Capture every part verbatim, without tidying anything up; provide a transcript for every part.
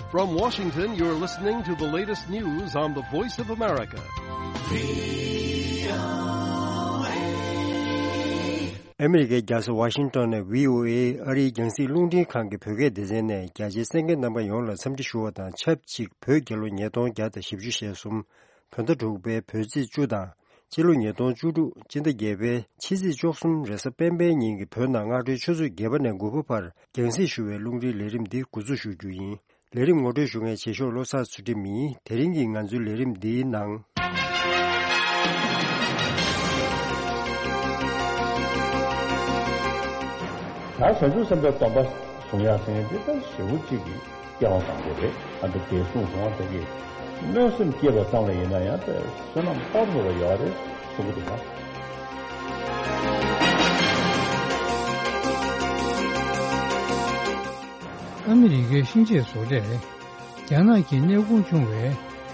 From Washington, you're listening to the latest news on the Voice of America. ཨ་མི་རི་ཀའི་རྒྱལ་ས་ཝ་ཤིང་ཏོན་ནས་བྷི་ཨོ་ཨེ་ཨ་རིའི་རྒྱང་སྲིང་རླུང་འཕྲིན་ཁང་གི་བོད་སྐད་སྡེ་ཚན་ནས་རྒྱ་ཆེའི་གསན་མཁན་རྣམ་པ་ཡོངས་ལ་འཚམས་འདྲི་ཞུ་བ་དང་ཆབས་ཅིག་བོད་རྒྱལ་ལོ་ཉིས་སྟོང་བརྒྱ་དང་བཞི་བཅུ་ཞེ་གསུམ། བོད་ཟླ་དྲུག་པའི་བོད་ཚེས་བཅུ་དང་། སྤྱི་ལོ་ཉིས་སྟོང་བཅུ་དྲུག་སྤྱི་ཟླ་བརྒྱད་པའི་ཕྱི་ཚེས་བཅུ་གསུམ་རེས་གཟའ་སྤེན་པའི་ཉིན་གྱི་བོད་ནང་སྔ་དྲོའི་ཆུ་ཚོད་བརྒྱད་པ་ནས་དགུ་པ་བར་རྒྱང་སྲིང་ཞུ་བའི་རླུང་འཕྲིན་ལས་རིམ་འདི་འགོ་འཛུགས་ཞུ་རྒྱུ་ཡིན། ལས་རིམ་ངོ་སྤྲོད་ཞུ་མཁན་ཆེ་ཤོས་བློ་བཟང་ཚུལ་ཁྲིམས་ཡིན། དེ་རིང་གི་ང་ཚོའི་ལས་རིམ་འདིའི་ནང་། ད་བྱང་ཆུབ་སེམས་དཔའི་སྡོམ་པ་བཟུང་ཡག་ཟེར་མཁན་འདི་ད་ཞེ་པོ་གཅིག་གི་སྐྱེ་བ་དང་པོ་རེད། ཨ་འདི་དེ་གསུངས་སོང་བ། དེ་གི་གནོད་སེམས་སྐྱེས་པ་ཙམ་ལ་ཡིན་ན་ཡང་དེ་བསོད་ནམས་དཔག་ཏུ་མེད་པ་ཡོད་རེད་གསུང་གི་འདུག་ན། ཨ་མི་རི་ཀའི་ཤིང་ཆས་བཟོ་གྲས་རྒྱ་ནག་གི་གནས་ཁུངས་ཆུང་བའི་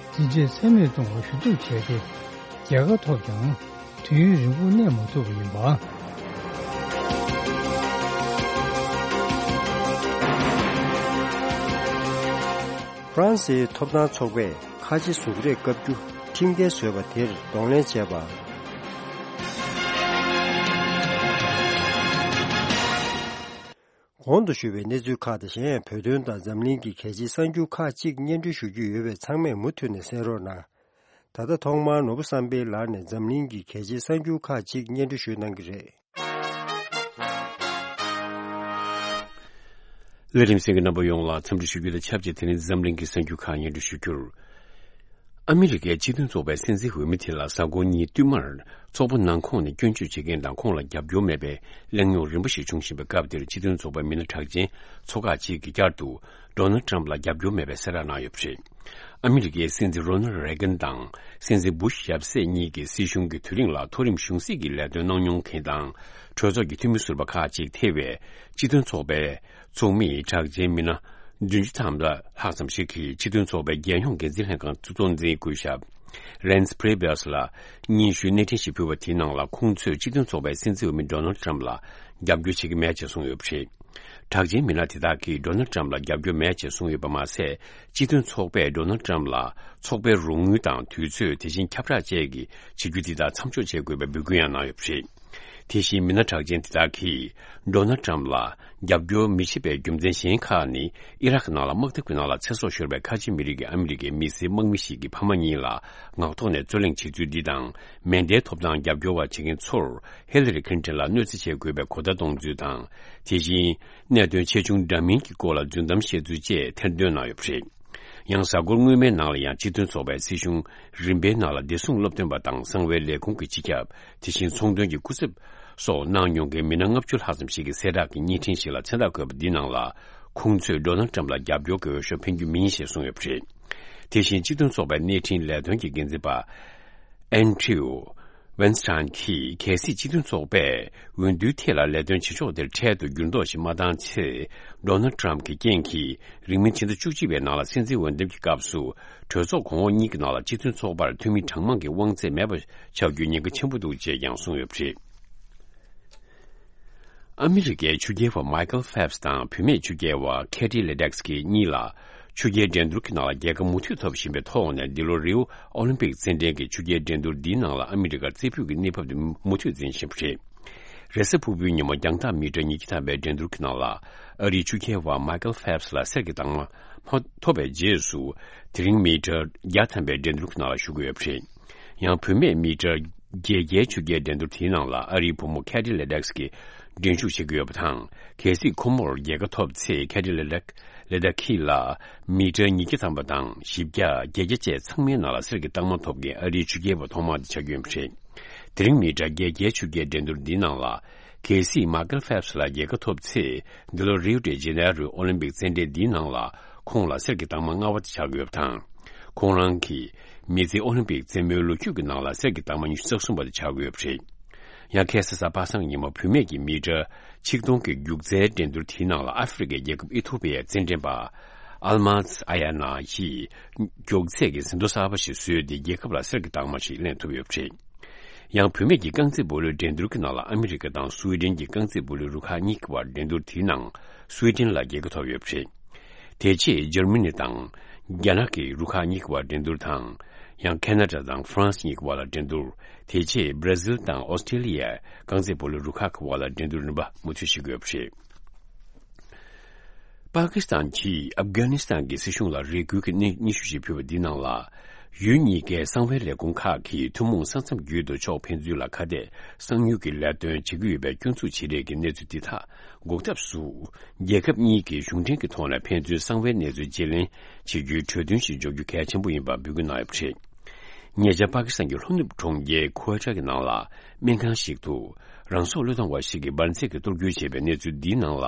འཛིན་གྲྭའི་ཚད་མེད་གཏོང་བར་ཞུ་གཏུག་བྱས་ཏེ། རྒྱལ་ཁ་ཐོབ་ཀྱང་དུས་ཡུན་རིང་པོ་གནས་མ་ཐུབ་པ་ཡིན་པ། ཧྥ་རན་སིའི་ཐོབ་ཐང་ཚོགས་པས་ཁ་ཆེ་གཟུགས་རིས་བཀབ་རྒྱུ་ཁྲིམས་འགལ་བཟོས་པ་དེར་གདོང་ལེན་བྱས་པ། གོང་དུ་ཞུས་པའི་གནས་ཚུལ་ཁག་དང་གཞན་ཡང་བོད་དོན་དང་འཛམ་གླིང་གི་གལ་ཆེའི་གསར་འགྱུར་ཁག་ཅིག་སྙན་སྒྲོན་ཞུ་རྒྱུ་ཡོད་པས་ཚང་མས་མུ་མཐུད་ནས་གསན་རོགས་གནང་། ད་ལྟ་ཐོག་མར་ནོར་བུ་བསམ་འཕེལ་ལགས་ནས་འཛམ་གླིང་གི་གལ་ཆེའི་གསར་འགྱུར་ཁག་ཅིག་སྙན་སྒྲོན་ཞུ་གནང་གི་རེད། ལས་རིམ་གསན་མཁན་རྣམ་པ་ཡོངས་ལ་འཚམས་འདྲི་ཞུ་རྒྱུ་དང་ཆབས་ཅིག་དེ་རིང་འཛམ་གླིང་གི་གསར་འགྱུར་ཁག་སྙན་སྒྲོན་ཞུ་རྒྱུར། ཨ་མི་རི་ཀའི་སྤྱི་མཐུན་ཚོགས་པའི་སྲིད་འཛིན་འོས་མི་དེ་ལ་གཟའ་འཁོར་གཉིས་བསྟུད་མར་ཚོགས་པ་ནང་ཁོངས་ནས་སྐྱོན་བརྗོད་བྱེད་མཁན་དང་ཁོང་ལ་རྒྱབ་སྐྱོར་མེད་པའི་གླེང་རྙོག་རིམ་པ་ཞིག་བྱུང་བཞིན་པའི་སྐབས་དེར། སྤྱི་མཐུན་ཚོགས་པའི་མི་སྣ་གྲགས་ཅན་ཚོ་ཁག་ཅིག་གིས་བསྐྱར་དུ་ཌོ་ནལ་ཊམ་ལ་རྒྱབ་སྐྱོར་མེད་པའི་གསལ་བསྒྲགས་གནང་ཡོད་པ་རེད། ཨ་མི་རི་ཀའི་སྲིད་འཛིན་རོ་ནལ་རེ་གན་དང་སྲིད་འཛིན་བུ་ཤ་ཡབ་སྲས་གཉིས་ཀྱི་སྲིད་གཞུང་གི་དུས་རིང་ལ་མཐོ་རིམ་གཞུང་སྲིད་ཀྱི་ལས་དོན་གནང་མྱོང་མཁན་དང་གྲོས་ཚོགས་ཀྱི་འཐུས་མི་ཟུར་པ་ཁག་ཅིག་ཐེ་བའི་སྤྱི་མཐུན་ཚོགས་པའི་ཚོགས་མིའི་གྲགས་ཅན་མི་སྣ་བདུན་ཅུ་ཐམ་ལྷག་ཙམ་ཞིག་གིས་སྤྱི་མཐུན་ཚོགས་པའི་རྒྱལ་ཡོངས་འགན་འཛིན་ལྷན་ཁང་གཙོ་འཛིན་སྐུ་ཞབས་རན་སི་པྲེ་བྷི་ཡོས་ལ་སྙན་ཞུའི་གནས་འཕྲིན་ཞིག་ཕུལ་བ་དེའི་ནང་ལ། ཁོང་ཚོས་སྤྱི་མཐུན་ཚོགས་པའི་སྲིད་འཛིན་འོས་མི་ཌོ་ནལ་ཊམ་ལ་རྒྱབ་སྐྱོར་བྱེད་ཀྱི་མེད་ཅེས་གསུངས་ཡོད་པ་རེད། གྲགས་ཅན་མི་སྣ་དེ་དག་གིས་ཌོ་ནལ་ཊམ་ལ་རྒྱབ་སྐྱོར་མེད་ཅེས་གསུངས་ཡོད་པ་མ་ཟད། སྤྱི་མཐུན་ཚོགས་པས་ཌོ་ནལ་ཊམ་ལ་ཚོགས་པའི་རོགས་དངུལ་དང་དུས་ཚོད། དེ་བཞིན་ཁྱབ་བསྒྲགས་བཅས་ཀྱི་བྱེད་རྒྱུ་དེ་དག་མཚམས་འཇོག་བྱེད་དགོས་པའི་འབོད་སྐུལ་ཡང་གནང་ཡོད་པ་རེད། དེ་བཞིན་མི་སྣ་གྲགས་ཅན་དེ་དག་གིས་ཌོ་ནལ་ཊམ་ལ་རྒྱབ་སྐྱོར་མི་བྱེད་པའི་རྒྱུ་མཚན་གཞན་ཁག་ནི། ཨི་རག་ནང་ལ་དམག་འཐབ་ཀྱི་ནང་ལ་ཚེ་སྲོག་ཤོར་བའི་ཁ་ཆེ་མི་རིགས་ཀྱི་ཨ་མི་རི་ཀའི་མི་སེར་དམག་མི་ཞིག་གི་ཕ་མ་གཉིས་ལ་ངག་ཐོག་ནས་རྩོད་གླེང་བྱེད་ཚུལ་འདི་དང་། མེ་མདའི་ཐོབ་ཐང་རྒྱབ་སྐྱོར་བ་བྱེད་མཁན་ཚོར་ཧི་ལ་རི་ཁི་ལིན་ཊོན་ལ་གནོད་འཚེ་བྱེད་དགོས་པའི་གོ་བརྡ་གཏོང་ཚུལ་དང་། དེ་བཞིན་གནད་དོན་ཆེ་ཆུང་འདྲ་མིན་གྱི་སྐོར་ལ་རྫུན་གཏམ་བཤད་ཚུལ་བཅས་ཐེར་འདོན་གནང་ཡོད་པ་རེད། ཡང་གཟའ་འཁོར་སྔོན་མའི་ནང་ལ་ཡང་སྤྱི་མཐུན་ཚོགས་པའི་སྲིད་གཞུང་རིམ་པའི་ནང་ལ་བདེ་སྲུང་སློབ་སྟོན་པ་དང་གསང་བའི་ལས་ཁུངས་ཀྱི་སྤྱི་ཁྱབ། དེ་བཞིན་ཚོང་དོན་གྱི་སྐུ་ཚབ་སོགས་གནང་མྱོང་མཁན་མི་སྣ་ལྔ་བཅུ་ལྷག་ཙམ་ཞིག་གིས་གསལ་བསྒྲགས་ཀྱི་བརྙན་འཕྲིན་ཞིག་ལ་མཚན་རྟགས་བཀོད་པ་འདིའི་ནང་ལ། ཁོང་ཚོས་ཌོ་ནལ་ཊམ་ལ་རྒྱབ་སྐྱོར་གྱི་འོས་ཤོག་འཕེན་རྒྱུ་མིན་ཞེས་གསུངས་ཡོད་པ་རེད། དེ་བཞིན་སྤྱི་མཐུན་ཚོགས་པའི་གནས་འཕྲིན་ལས་དོན་གྱི་འགན་འཛིན་པ་ཨན་ཌྲིའུ་ཝེན་སི་ཊན་གྱིས། གལ་སྲིད་སྤྱི་མཐུན་ཚོགས་པས་འོས་བསྡུའི་ཐད་ལ་ལས་དོན་བྱེད་ཕྱོགས་དེར་འཕྲལ་དུ་འགྱུར་ལྡོག་ཞིག་མ་བཏང་ཚེ། ཌོ་ནལ་ཊམ་གྱི་རྐྱེན་གྱིས་རིང་མིན་ཕྱི་ཟླ་བཅུ་གཅིག་པའི་ནང་ལ་སྲིད་འཛིན་འོས་འདེམས་ཀྱི་སྐབས་སུ། གྲོས་ཚོགས་གོང་འོག་གཉིས་ཀྱི་ནང་ལ་སྤྱི་མཐུན་ཚོགས་པར་འཐུས་མི་གྲངས་མང་གི་དབང་ཚད་མེད་པ་ཆགས་རྒྱུའི་ཉེན་ཁ་ཆེན་པོ་འདུག་ཅེས་ཀྱང་གསུངས་ཡོད་པ་རེད། ཨ་མི་རི་ཀའི་ཆུ་རྐྱལ་བ་མའི་ཀལ་ཕེལ་པས་དང་བུད་མེད་ཆུ་རྐྱལ་བ་ཁེ་ཏི་ལེ་ཌེག་སི་གཉིས་ལ་ཆུ་རྐྱལ་འགྲན་བསྡུར་གྱི་ནང་ལ་རྒྱལ་ཁ་མུ་མཐུད་ཐོབ་བཞིན་པའི་ཐོག་ནས། འདི་ལོ་རིའུ་ཨོ་ལིམ་པིག་རྩེད་འགྲན་གྱི་ཆུ་རྐྱལ་འགྲན་བསྡུར་འདིའི་ནང་ལ་ཨ་མི་རི་ཀར་རྩེ་ཕུད་ཀྱི་གནས་བབ་དེ་མུ་མཐུད་འཛིན་བཞིན་པ་རེད། རེས་གཟའ་ཕུར་བུའི་ཉིན་མོ་རྒྱང་ཐག་མི་ཊར་ཉིས་བརྒྱ་ཐམ་པའི་འགྲན་བསྡུར་གྱི་ནང་ལ་ཨ་རིའི་ཆུ་རྐྱལ་བ་མའི་ཀལ་ཕེལ་པས་ལ་གསེར་གྱི་རྟགས་མ་ཕོ་ཐོབ་པའི་རྗེས་སུ། དེ་རིང་མི་ཊར་བརྒྱ་ཐམ་པའི་འགྲན་བསྡུར་གྱི་ནང་ལ་ཞུགས་ཀྱི་ཡོད་པ་རེད། ཡང་བུད་མེད་མི་ཊར་བརྒྱད་བརྒྱའི་ཆུ་རྐྱལ་འགྲན་བསྡུར་དེའི་ནང་ལ་ཨ་རིའི་བུ་མོ་ཁེ་ཏི་ལེ་ཌེག་སི་གིས་འགྲན་ཞུགས་བྱེད་ཀྱི་ཡོད་པ་དང་། གལ་སྲིད་ཁོ་མོར་རྒྱལ་ཁ་ཐོབ་ཚེ། ཁེ་ཏི་ལེ་ཌེག་ལེ་ཌེག་སི་ལ་མི་ཊར་ཉིས་བརྒྱ་ཐམ་པ་དང་བཞི་བརྒྱ། བརྒྱད་བརྒྱ་བཅས་ཚང་མའི་ནང་ལ་གསེར་གྱི་རྟགས་མ་ཐོབ་མཁན་ཨ་རིའི་ཆུ་རྐྱལ་བ་ཐོག་མ་དེ་ཆགས་རྒྱུ་ཡིན་པ་རེད། དེ་རིང་མི་ཊར་བརྒྱད་བརྒྱའི་ཆུ་རྐྱལ་འགྲན་བསྡུར་འདིའི་ནང་ལ། གལ་སྲིད་མའི་ཀལ་ཕེལ་པས་ལ་རྒྱལ་ཁ་ཐོབ་ཚེ། འདི་ལོ་རིའུ་ཌེ་ཇེ་ནེ་རོའི་ཨོ་ལིམ་པིག་རྩེད་འགྲན་འདིའི་ནང་ལ་ཁོང་ལ་གསེར་གྱི་རྟགས་མ་ལྔ་པ་དེ་ཆགས་ཀྱི་ཡོད་པ་དང་། ཁོང་རང་གིས་མི་ཚེའི་ཨོ་ལིམ་པིག་རྩེད་མོའི་ལོ་རྒྱུས་ཀྱི་ནང་ལ་གསེར་གྱི་རྟགས་མ་ཉི་ཤུ་རྩ་གསུམ་པ་དེ་ཆགས་ཀྱི་ཡོད་པ་རེད། ཡང་ཁ་སང་གཟའ་པ་སངས་ཉིན་མོ་བུད་མེད་ཀྱི་མི་ཊར་ཆིག་སྟོང་གི་རྒྱུག་རྩལ་འགྲན་བསྡུར་དེའི་ནང་ལ་ཨ་ཧྥེ་རི་ཁའི་རྒྱལ་ཁབ་ཨི་ཐོ་པི་ཡའི་རྩེད་འགྲན་པ་ཨལ་མཱས་ཨ་ཡ་ན་ཡིས་མགྱོགས་ཚད་ཀྱི་ཟིན་ཐོ་གསར་པ་ཞིག་བཟོས་ཏེ། རྒྱལ་ཁབ་ལ་གསེར་གྱི་རྟགས་མ་ཞིག་ལེན་ཐུབ་ཡོད་པ་རེད། ཡང་བུད་མེད་ཀྱི་རྐང་རྩེད་སྤོ་ལོའི་འགྲན་བསྡུར་གྱི་ནང་ལ་ཨ་མི་རི་ཀ་དང་སུའེ་ཏེན་གྱི་རྐང་རྩེད་སྤོ་ལོའི་རུ་ཁག་གཉིས་ཀྱི་བར་འགྲན་བསྡུར་དེའི་ནང་སུའེ་ཏེན་ལ་རྒྱལ་ཁ་ཐོབ་ཡོད་པ་རེད། དེ་རྗེས་འཇར་མ་ནི་དང་རྒྱ་ནག་གི་རུ་ཁག་གཉིས་ཀྱི་བར་འགྲན་བསྡུར་དང་། ཡང་ཁེ་ན་ཌ་དང་ཧྥ་རན་སི་གཉིས་ཀྱི་བར་ལ་འགྲན་བསྡུར། དེ་རྗེས་བྷ་ར་ཟིལ་དང་ཨོ་སི་ཀྲེ་ལི་ཡ། རྐང་རྩེད་སྤོ་ལོའི་རུ་ཁག་གི་བར་ལ་འགྲན་བསྡུར་རིམ་པ་མུ་མཐུད་བྱེད་ཀྱི་ཡོད་པ་རེད། པ་ཀི་སི་ཐན་གྱིས་ཨབ་གྷ་ནི་སི་ཐན་གྱི་སྲིད་གཞུང་ལ་རེ་སྐུལ་གྱི་གནས་སྙན་ཞུ་ཞིག་ཕུལ་བ་འདིའི་ནང་ལ། ཡུལ་གཉིས་ཀའི་གསང་བའི་ལས་ཁུངས་ཁག་གིས་ཐུན་མོང་ས་མཚམས་བརྒྱུད་དུ་ཕྱོགས་ཕན་ཚུན་ལ་ཁ་གཏད་གསང་མྱུལ་གྱི་ལས་དོན་བྱེད་ཀྱི་ཡོད་པའི་སྐྱོན་འཛུགས་བྱེད་རེས་ཀྱི་གནས་ཚུལ་འདི་དག་འགོག་ཐབས་སུ། རྒྱལ་ཁབ་གཉིས་ཀྱིས་གཞུང་འབྲེལ་གྱི་ཐོག་ནས་ཕན་ཚུན་གསང་བའི་གནས་ཚུལ་བརྗེ་ལེན་བྱེད་རྒྱུའི་གྲོས་མཐུན་ཞིག་འཇོག་རྒྱུ་གལ་ཆེན་པོ་ཡིན་པ་འབོད་སྐུལ་གནང་ཡོད་པ་རེད། ཉེ་ཆར་པ་ཀི་སི་ཐན་གྱི་ལྷོ་ནུབ་གྲོང་ཁྱེར་ཁུ་ཝེ་ཊ་གི་ནང་ལ་སྨན་ཁང་ཞིག་ཏུ། རང་སྲོག་བློས་གཏོང་བ་ཞིག་གིས་འབར་རྫས་ཀྱི་གཏོར་རྒོལ་བྱས་པའི་གནས་ཚུལ་འདིའི་ནང་ལ།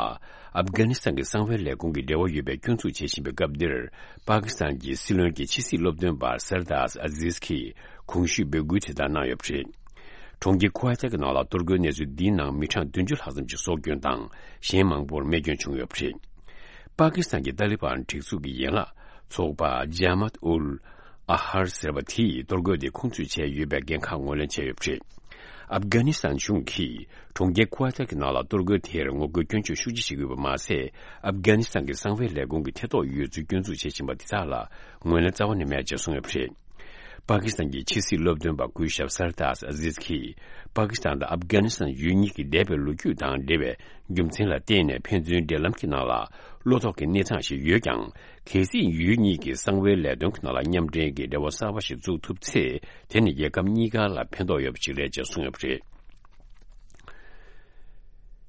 ཨབ་གྷ་ནི་སི་ཐན་གྱི་གསང་བའི་ལས་ཁུངས་ཀྱི་འབྲེལ་བ་ཡོད་པའི་སྐྱོན་འཛུགས་བྱེད་བཞིན་པའི་སྐབས་འདིར། པ་ཀི་སི་ཐན་གྱི་སྲིད་བློན་གྱི་ཕྱི་སྲིད་སློབ་སྟོན་པ་སར་དཱས་ཨ་ཟིས་ཀྱིས་གོང་ཞུས་འབོད་སྐུལ་དེ་ལྟར་གནང་ཡོད་པ་རེད། གྲོང་ཁྱེར་ཁུ་ཝེ་ཊ་གི་ནང་ལ་གཏོར་རྒོལ་གནས་ཚུལ་འདིའི་ནང་མི་གྲངས་བདུན་ཅུ་ལྷག་ཙམ་ཞིག་སྲོག་སྐྱོན་དང་། གཞན་མང་པོར་རྨས་སྐྱོན་བྱུང་ཡོད་པ་རེད། པ་ཀི་སི་ཐན་གྱི་ཏཱ་ལི་བན་སྒྲིག་འཛུགས་ཀྱི་ཡན་ལག་ཚོགས་པ་ཇཱ་མཱཏ་ཨུལ་ཨ་ཧར་ཟེར་བ་དེས་གཏོར་རྒོལ་དེ་ཁུངས་འདེད་བྱས་ཡོད་པའི་འགན་ཁག་ངོས་ལེན་བྱས་ཡོད་པ་རེད། ཨབ་གྷ་ནི་སི་ཐན་གཞུང་གིས་གྲོང་ཁྱེར་ཁུ་ཝེ་ཊ་གི་ནང་ལ་གཏོར་རྒོལ་དེར་ངོ་རྒོལ་སྐྱོན་བརྗོད་ཤུགས་ཆེ་བྱེད་ཀྱི་ཡོད་པ་མ་ཟད། ཨབ་གྷ་ནི་སི་ཐན་གྱི་གསང་བའི་ལས་ཁུངས་ཀྱི་ཐེ་གཏོགས་ཡོད་ཚུལ་སྐྱོན་འཛུགས་བྱེད་བཞིན་པ་དེ་དག་ལ་ངོས་ལེན་རྩ་བ་ནས་མེད་ཅེས་གསུངས་ཡོད་པ་རེད། པ་ཀི་སི་ཐན་གྱི་ཕྱི་སྲིད་སློབ་སྟོན་པ་སྐུ་ཞབས་སར་དཱས་ཨ་ཟིས་ཀྱིས། པ་ཀི་སི་ཐན་དང་ཨབ་གྷ་ནི་སི་ཐན་ཡུལ་གཉིས་ཀྱི་འདས་པའི་ལོ་རྒྱུས་དང་འབྲེལ་བའི་རྒྱུ་མཚན་ལ་བརྟེན་ནས་ཕན་ཚུན་འབྲེལ་ལམ་གྱི་ནང་ལ་བློ་དོགས་ཀྱི་གནས་སྟངས་ཤིག་ཡོད་ཀྱང་། གལ་སྲིད་ཡུལ་གཉིས་ཀྱིས་གསང་བའི་ལས་དོན་གྱི་ནང་ལ་མཉམ་འབྲེལ་གྱི་འབྲེལ་བ་གསར་པ་ཞིག་བཙུགས་ཐུབ་ཚེ། དེ་ནི་རྒྱལ་ཁབ་གཉིས་ཀ་ལ་ཕན་ཐོགས་ཡོད་པ་ཞིག་རེད་ཅེས་གསུངས་ཡོད་པ་རེད།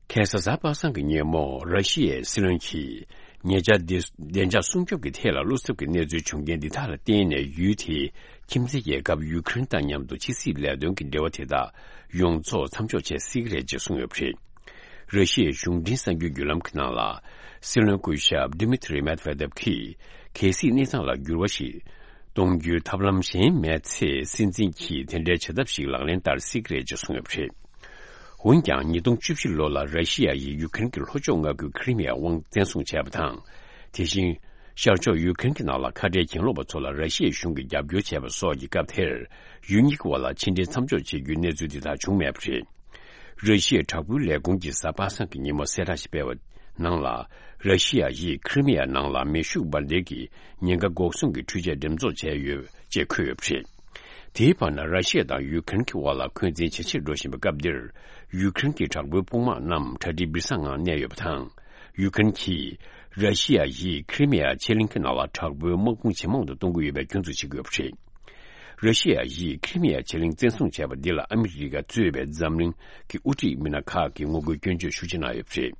ཁ་སང་གཟའ་པ་སངས་ཀྱི་ཉིན་མོ་ར་ཤི་ཡའི་སྲིད་བློན་གྱིས་ཉེ་ཆར་བདེ་བདེ་འཇགས་སྲུང་སྐྱོབ་ཀྱི་ཐད་ལ་བློ་འཚབ་ཀྱི་གནས་ཚུལ་བྱུང་རྐྱེན་འདི་དག་ལ་བརྟེན་ནས་ཡུལ་དེའི་ཁྱིམ་མཚེས་རྒྱལ་ཁབ་ཡུ་ཁུ་རེན་དང་མཉམ་དུ་ཕྱི་སྲིད་ལས་དོན་གྱི་འབྲེལ་བ་དེ་དག་ཡོངས་རྫོགས་མཚམས་འཇོག་བྱེད་སྲིད་ཀྱི་རེད་ཅེས་གསུངས་ཡོད་པ་རེད། ར་ཤི་ཡའི་གཞུང་འབྲེལ་གསར་འགྱུར་བརྒྱུད་ལམ་གྱི་ནང་ལ། སྲིད་བློན་སྐུ་ཞབས་ཌི་མི་ཐི་རི་མེད་ཝེ་དེབ་ཀྱིས་གལ་སྲིད་གནས་སྟངས་ལ་འགྱུར་བ་ཞིག་གཏོང་རྒྱུའི་ཐབས་ལམ་གཞན་མེད་ཚེ། སྲིད་འཛིན་གྱིས་དེ་འདྲའི་བྱ་ཐབས་ཤིག་ལག་ལེན་བསྟར་སྲིད་ཀྱི་རེད་ཅེས་གསུངས་ཡོད་པ་རེད། འོན་ཀྱང་ཉིས་སྟོང་བཅུ་བཞི་ལོ་ལ་ར་ཤི་ཡ་ཡིས་ཡུ་ཁུ་རེན་གྱི་ལྷོ་ཕྱོགས་མངའ་ཁུལ་ཁི་རི་མི་ཡ་དབང་བཙན་བཟུང་བྱས་པ་དང་། དེ་བཞིན། ཤར་ཕྱོགས་ཡུ་ཁུ་རེན་གྱི་ནང་ལ་ཁ་བྲལ་གྱེན་ལོག་པ་ཚོ་ལ་ར་ཤི་ཡའི་གཞུང་གིས་རྒྱབ་སྐྱོར་བྱས་པ་སོགས་ཀྱི་སྐབས་དེར། ཡུལ་གཉིས་ཀྱི་བར་ལ་ཕྱི་འབྲེལ་མཚམས་འཇོག་བྱེད་རྒྱུའི་གནས་ཚུལ་འདི་དག་བྱུང་མེད་པ་རེད། ར་ཤི་ཡའི་དྲག་པོའི་ལས་ཁུངས་ཀྱིས་གཟའ་པ་སངས་ཀྱི་ཉིན་མོ་གསལ་བསྒྲགས་ཤིག་སྤེལ་བའི་ནང་ལ། ར་ཤི་ཡ་ཡིས་ཁི་རི་མི་ཡ་ནང་ལ་མེ་ཤུགས་འབར་མདེལ་གྱི་ཉེན་ཁ་འགོག་སྲུང་གི་འཕྲུལ་ཆས་འགྲེམས་ཚོགས་བྱས་ཡོད་ཅེས་འཁོད་ཡོད་པ་རེད། དེའི་བར་ན་ར་ཤི་ཡ་དང་ཡུ་ཁུ་རེན་གྱི་དབར་ལ་འཁོན་འཛིན་ཇེ་ཆེར་འགྲོ་བཞིན་པའི་སྐབས་འདིར། ཡུ་ཁུ་རེན་གྱི་དྲག་པོའི་དཔུང་དམག་རྣམས་གྲ་སྒྲིག་སྦིར་ས་ངང་གནས་ཡོད་པ་དང་། ཡུ་ཁུ་རེན་གྱིས་ར་ཤི་ཡ་ཡིས་ཁི་རི་མི་ཡ་ཕྱེད་གླིང་གི་ནང་ལ་དྲག་པོའི་དམག་དཔུང་ཇེ་མང་དུ་གཏོང་གི་ཡོད་པའི་སྐྱོན་འཛུགས་བྱེད་ཀྱི་ཡོད་པ་རེད། ར་ཤི་ཡ་ཡིས་ཁི་རི་མི་ཡ་ཕྱེད་གླིང་བཙན་བཟུང་བྱས་པ་འདི་ལ་ཨ་མི་རི་ཀ་གཙོས་པའི་འཛམ་གླིང་གི་དབུ་ཁྲིད་མི་སྣ་ཁག་གིས་ངོ་རྒོལ་སྐྱོན་བརྗོད་ཤུགས་ཆེ་གནང་ཡོད་པ་རེད།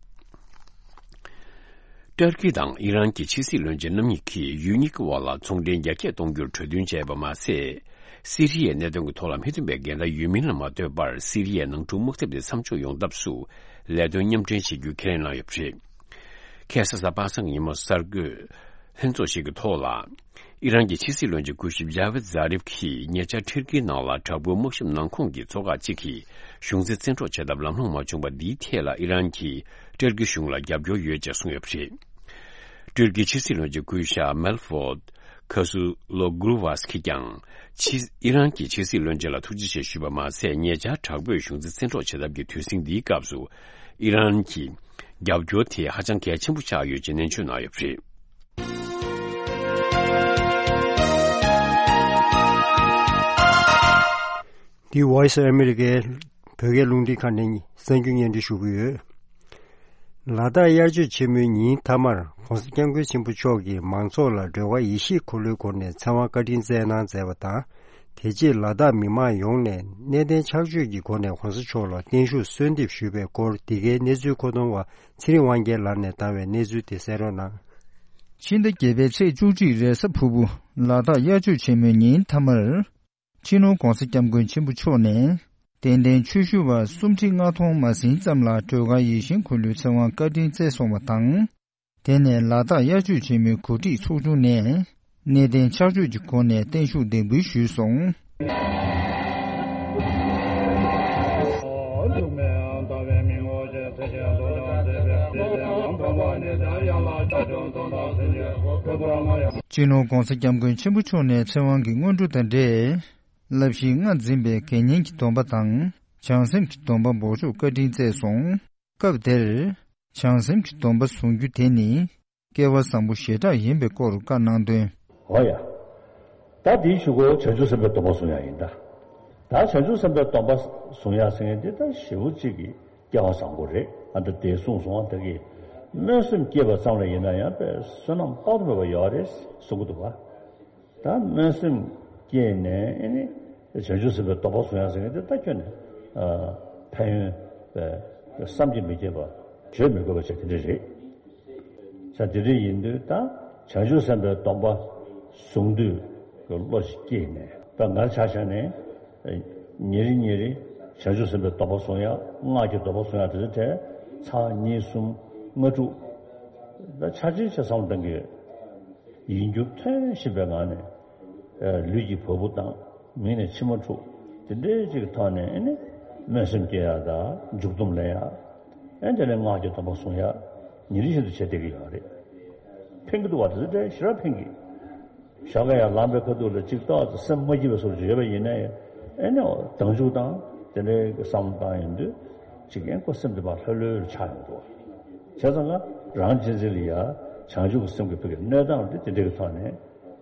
ཏུར་ཀི་དང་ཨི་རན་གྱི་ཕྱི་སྲིད་བློན་ཆེན་རྣམ་གཉིས་ཀྱིས་ཡུལ་གཉིས་ཀྱི་དབར་ལ་ཚོང་འབྲེལ་རྒྱ་སྐྱེད་གཏོང་རྒྱུར་གྲོས་མཐུན་བྱས་པ་མ་ཟད། སི་རི་ཡའི་གནད་དོན་གྱི་ཐོག་ལ་མི་མཐུན་པའི་འགལ་ཟླ་ཡོད་མིན་ལ་མ་ལྟོས་པར། སི་རི་ཡའི་ནང་འཁྲུག་དམག་འཐབ་དེ་མཚམས་འཇོག་ཡོང་ཐབས་སུ་ལས་དོན་མཉམ་འབྲེལ་བྱེད་རྒྱུའི་ཁས་ལེན་གནང་ཡོད་པ་རེད། ཁ་སང་གཟའ་པ་སངས་ཀྱི་ཉིན་མོ་གསར་འགོད་ལྷན་ཚོགས་ཤིག་གི་ཐོག་ལ། ཨི་རན་གྱི་ཕྱི་སྲིད་བློན་ཆེན་སྐུ་ཞབས་ཇཱ་ཝེད་ཛཱ་རིབ་ཀྱིས་ཉེ་ཆར་ཏུར་ཀིའི་ནང་ལ་དྲག་པོའི་དམག་ཞབས་ནང་ཁོངས་ཀྱི་ཚོ་ཁག་ཅིག་གིས་གཞུང་འཛིན་བཙན་འཕྲོག་བྱེད་ཐབས་ལམ་ལྷོང་མ་བྱུང་བ་འདིའི་ཐད་ལ་ཨི་རན་གྱིས་ཏུར་ཀི་གཞུང་ལ་རྒྱབ་སྐྱོར་ཡོད་ཅེས་གསུངས་ཡོད་པ་རེད། ཏུར་ཀིའི་ཕྱི་སྲིད་བློན་ཆེན་སྐུ་ཞབས་མེལ་ཕོརྡ་ཁ་སུ་ལོ་གུར་ཝཱས་ཀྱིས་ཀྱང་ཕྱི་ཨི་རན་གྱི་ཕྱི་སྲིད་བློན་ཆེན་ལ་ཐུགས་རྗེ་ཆེ་ཞུས་པ་མ་ཟད། ཉེ་ཆར་དྲག་པོས་གཞུང་འཛིན་བཙན་འཕྲོག་བྱེད་ཐབས་ཀྱི་དུས་ཟིང་འདིའི་སྐབས་སུ་ཨི་རན་གྱི་རྒྱབ་སྐྱོར་དེ་ཧ་ཅང་གལ་ཆེན་པོ་ཆགས་ཡོད་ཅེས་ནན་བརྗོད་གནང་ཡོད་པ་རེད། འདི་Voice of America བོད་སྐད་རླུང་འཕྲིན་ཁང་ནས་གསར་འགྱུར་སྙན་སྒྲོན་ཞུ་གི་ཡོད། ལ་དྭགས་དབྱར་ཆོས་ཆེན་མོའི་ཉིན་མཐའ་མར་༸གོང་ས་༸སྐྱབས་མགོན་ཆེན་པོ་མཆོག་གིས་མང་ཚོགས་ལ་སྒྲོལ་དཀར་ཡེ་ཤེས་འཁོར་ལོའི་སྒོ་ནས་ཚེ་དབང་བཀའ་དྲིན་སྩལ་གནང་མཛད་པ་དང་། དེ་རྗེས་ལ་དྭགས་མི་མང་ཡོངས་ནས་གནས་བརྟན་ཕྱག་མཆོད་ཀྱི་སྒོ་ནས་༸གོང་ས་མཆོག་ལ་བརྟན་བཞུགས་གསོལ་འདེབས་ཞུས་པའི་སྐོར། འདི་གའི་གནས་ཚུལ་མཁོ་གཏོང་བ་ཚེ་རིང་དབང་རྒྱལ་ལགས་ནས་བཏང་བའི་གནས་ཚུལ་དེ་གསན་རོགས་གནང་། ཕྱི་ཟླ་བརྒྱད་པའི་ཚེས་བཅུ་གཅིག་རེས་གཟའ་ཕུར་བུ་ལ་དྭགས་དབྱར་ཆོས་ཆེན་མོའི་ཉིན་མཐའ་མར། སྤྱི་ནོར་༸གོང་ས་༸སྐྱབས་མགོན་ཆེན་པོ་མཆོག་ནས་དད་ལྡན་ཆོས་ཞུ་བ་སུམ་ཁྲི་ལྔ་སྟོང་མ་ཟིན་ཙམ་ལ་སྒྲོལ་དཀར་ཡིད་བཞིན་འཁོར་ལོའི་ཚེ་དབང་བཀའ་དྲིན་སྩལ་སོང་བ་དང་། དེ་ནས་ལ་དྭགས་དབྱར་ཆོས་ཆེན་མོའི་གོ་སྒྲིག་ཚོགས་ཆུང་ནས་གནས་བརྟན་ཕྱག་མཆོད་ཀྱི་སྒོ་ནས་བརྟན་བཞུགས་གདན་འབུལ་ཞུས་སོང་། སྤྱི་ནོར་༸གོང་ས་༸སྐྱབས་མགོན་ཆེན་པོ་མཆོག་ནས་ཚེ་དབང་གི་སྔོན་འགྲོ་དང་འབྲེལ། བསླབ་གཞིའི་རྔ་འཛིན་པའི་དགེ་བསྙེན་གྱི་སྡོམ་པ་དང་བྱང་སེམས་ཀྱི་སྡོམ་པ་འབོགས་ཆོག་བཀའ་དྲིན་སྩལ་སོང་། སྐབས་དེར། བྱང་སེམས་ཀྱི་སྡོམ་པ་བཟུང་རྒྱུ་དེ་ནི། སྐལ་བ་བཟང་པོ་ཞེ་དྲག་ཡིན་པའི་སྐོར་བཀའ་གནང་དོན། འོ་ཡ། ད་དེའི་གཞུག་གུ་བྱང་ཆུབ་སེམས་དཔའི་སྡོམ་པ་བཟུང་ཡག་ཡིན་ད། ད་བྱང་ཆུབ་སེམས་དཔའི་སྡོམ་པ་བཟུང་ཡག་ཟེར་མཁན་འདི་ད་ཞེ་པོ་གཅིག་གི་སྐལ་བ་བཟང་པོ་རེད། ཨ་ད་དེ་གསུངས་སོང་བ། ད་གི་སྨོན་སེམས་སྐྱེས་པ་ཙམ་ལ་ཡིན་ན་ཡང་དཔེ་བསོད་ནམས་དཔག་ཏུ་མེད་པ་ཡོད་རེད་གསུང་གི་འདུག་བ། ད་སྨོན་སེམས་སྐྱེས་ནས་ཨེ་ནི་བྱང་ཆུབ་སེམས་དཔའི་སྡོམ་པ་བཟུང་ཡག་ཟེར་མཁན་དེ་ད་ཁྱོན་ནས་ཨ་ཕན་ཡོན་བསམ་གྱིས་མི་ཁྱབ་པ་བརྗོད་མི་དགོས་པ་ཅིག་དེ་འདྲ་རེད། ས་དེ་འདྲ་ཡིན་དུས་ད་བྱང་ཆུབ་སེམས་དཔའི་སྡོམ་པ་བཟུང་དུས་ཀྱི་བློ་ཞིག་སྐྱེས་ནས་ད་ང་ཆ་བཞག་ནས་ཉིན་རེ་ཉིན་རེ་བྱང་ཆུབ་སེམས་དཔའི་སྡོམ་པ་བཟུང་ཡག་སྔགས་ཀྱི་སྡོམ་པ་བཟུང་ཡག་དེ་ཚོ་གྲས་ཚར་གཉིས་གསུམ་ལྔ་དྲུག་ད་ཆ་ཆེན་ཆེ་བསམ་བློ་གཏང་གི་ཡིན་རྒྱུ་ཐོན་བཞིན་པའི་ངང་ནས། ཨ་ལུས་ཀྱི་བ་སྤུ་ལྡང་། མིག་ནས་མཆི་མ་འཁྲུག་དེ་འདྲའི་ཅིག་གི་ཐོག་ནས་ཨེ་ནི་སྨོན་སེམས་སྐྱེ་ཡག་དང་མཇུག་སྡོམ་ལེན་ཡག་ཨེ་དེ་ནས་སྔགས་ཀྱི་སྡོམ་པ་བཟུང་ཡག་ཉིན་རེ་བཞིན་དུ་བྱེད་བསྡད་ཀྱི་ཡོད་རེད། ཕན་གྱི་འདུག་བ། དེ་ཚོ་དེ་ཞེ་དྲག་ཕན་གྱི། ཞོགས་ཀ་ཡར་ལངས་པའི་ཁ་ཐུག་ལ་ཅིག་ཏོག་ཙམ་སེམས་མ་སྐྱིད་པའི་བཟོ་འདྲ་ཡོད་པ་ཡིན་ནའི་ཨེ་ནི་སྡང་ཟུག་དང་དེ་འདྲའི་བསམ་བློ་བཏང་ཡོང་དུས་ཅིག་ཨེ་ཁོ་སེམས་དེ་ཕར་ལྷོད་ལྷོད་ཆགས་ཡོང་འདུག་བ། བྱས་ཙང་ང་རང་གཅེས་འཛིན་ལ་ཡ་བྱང་ཆུབ་ཀྱི་སེམས་ཀྱི་ཕ་གི་གནས་སྟངས་དེ་དེ་འདྲ་གི་ཐོག་ནས་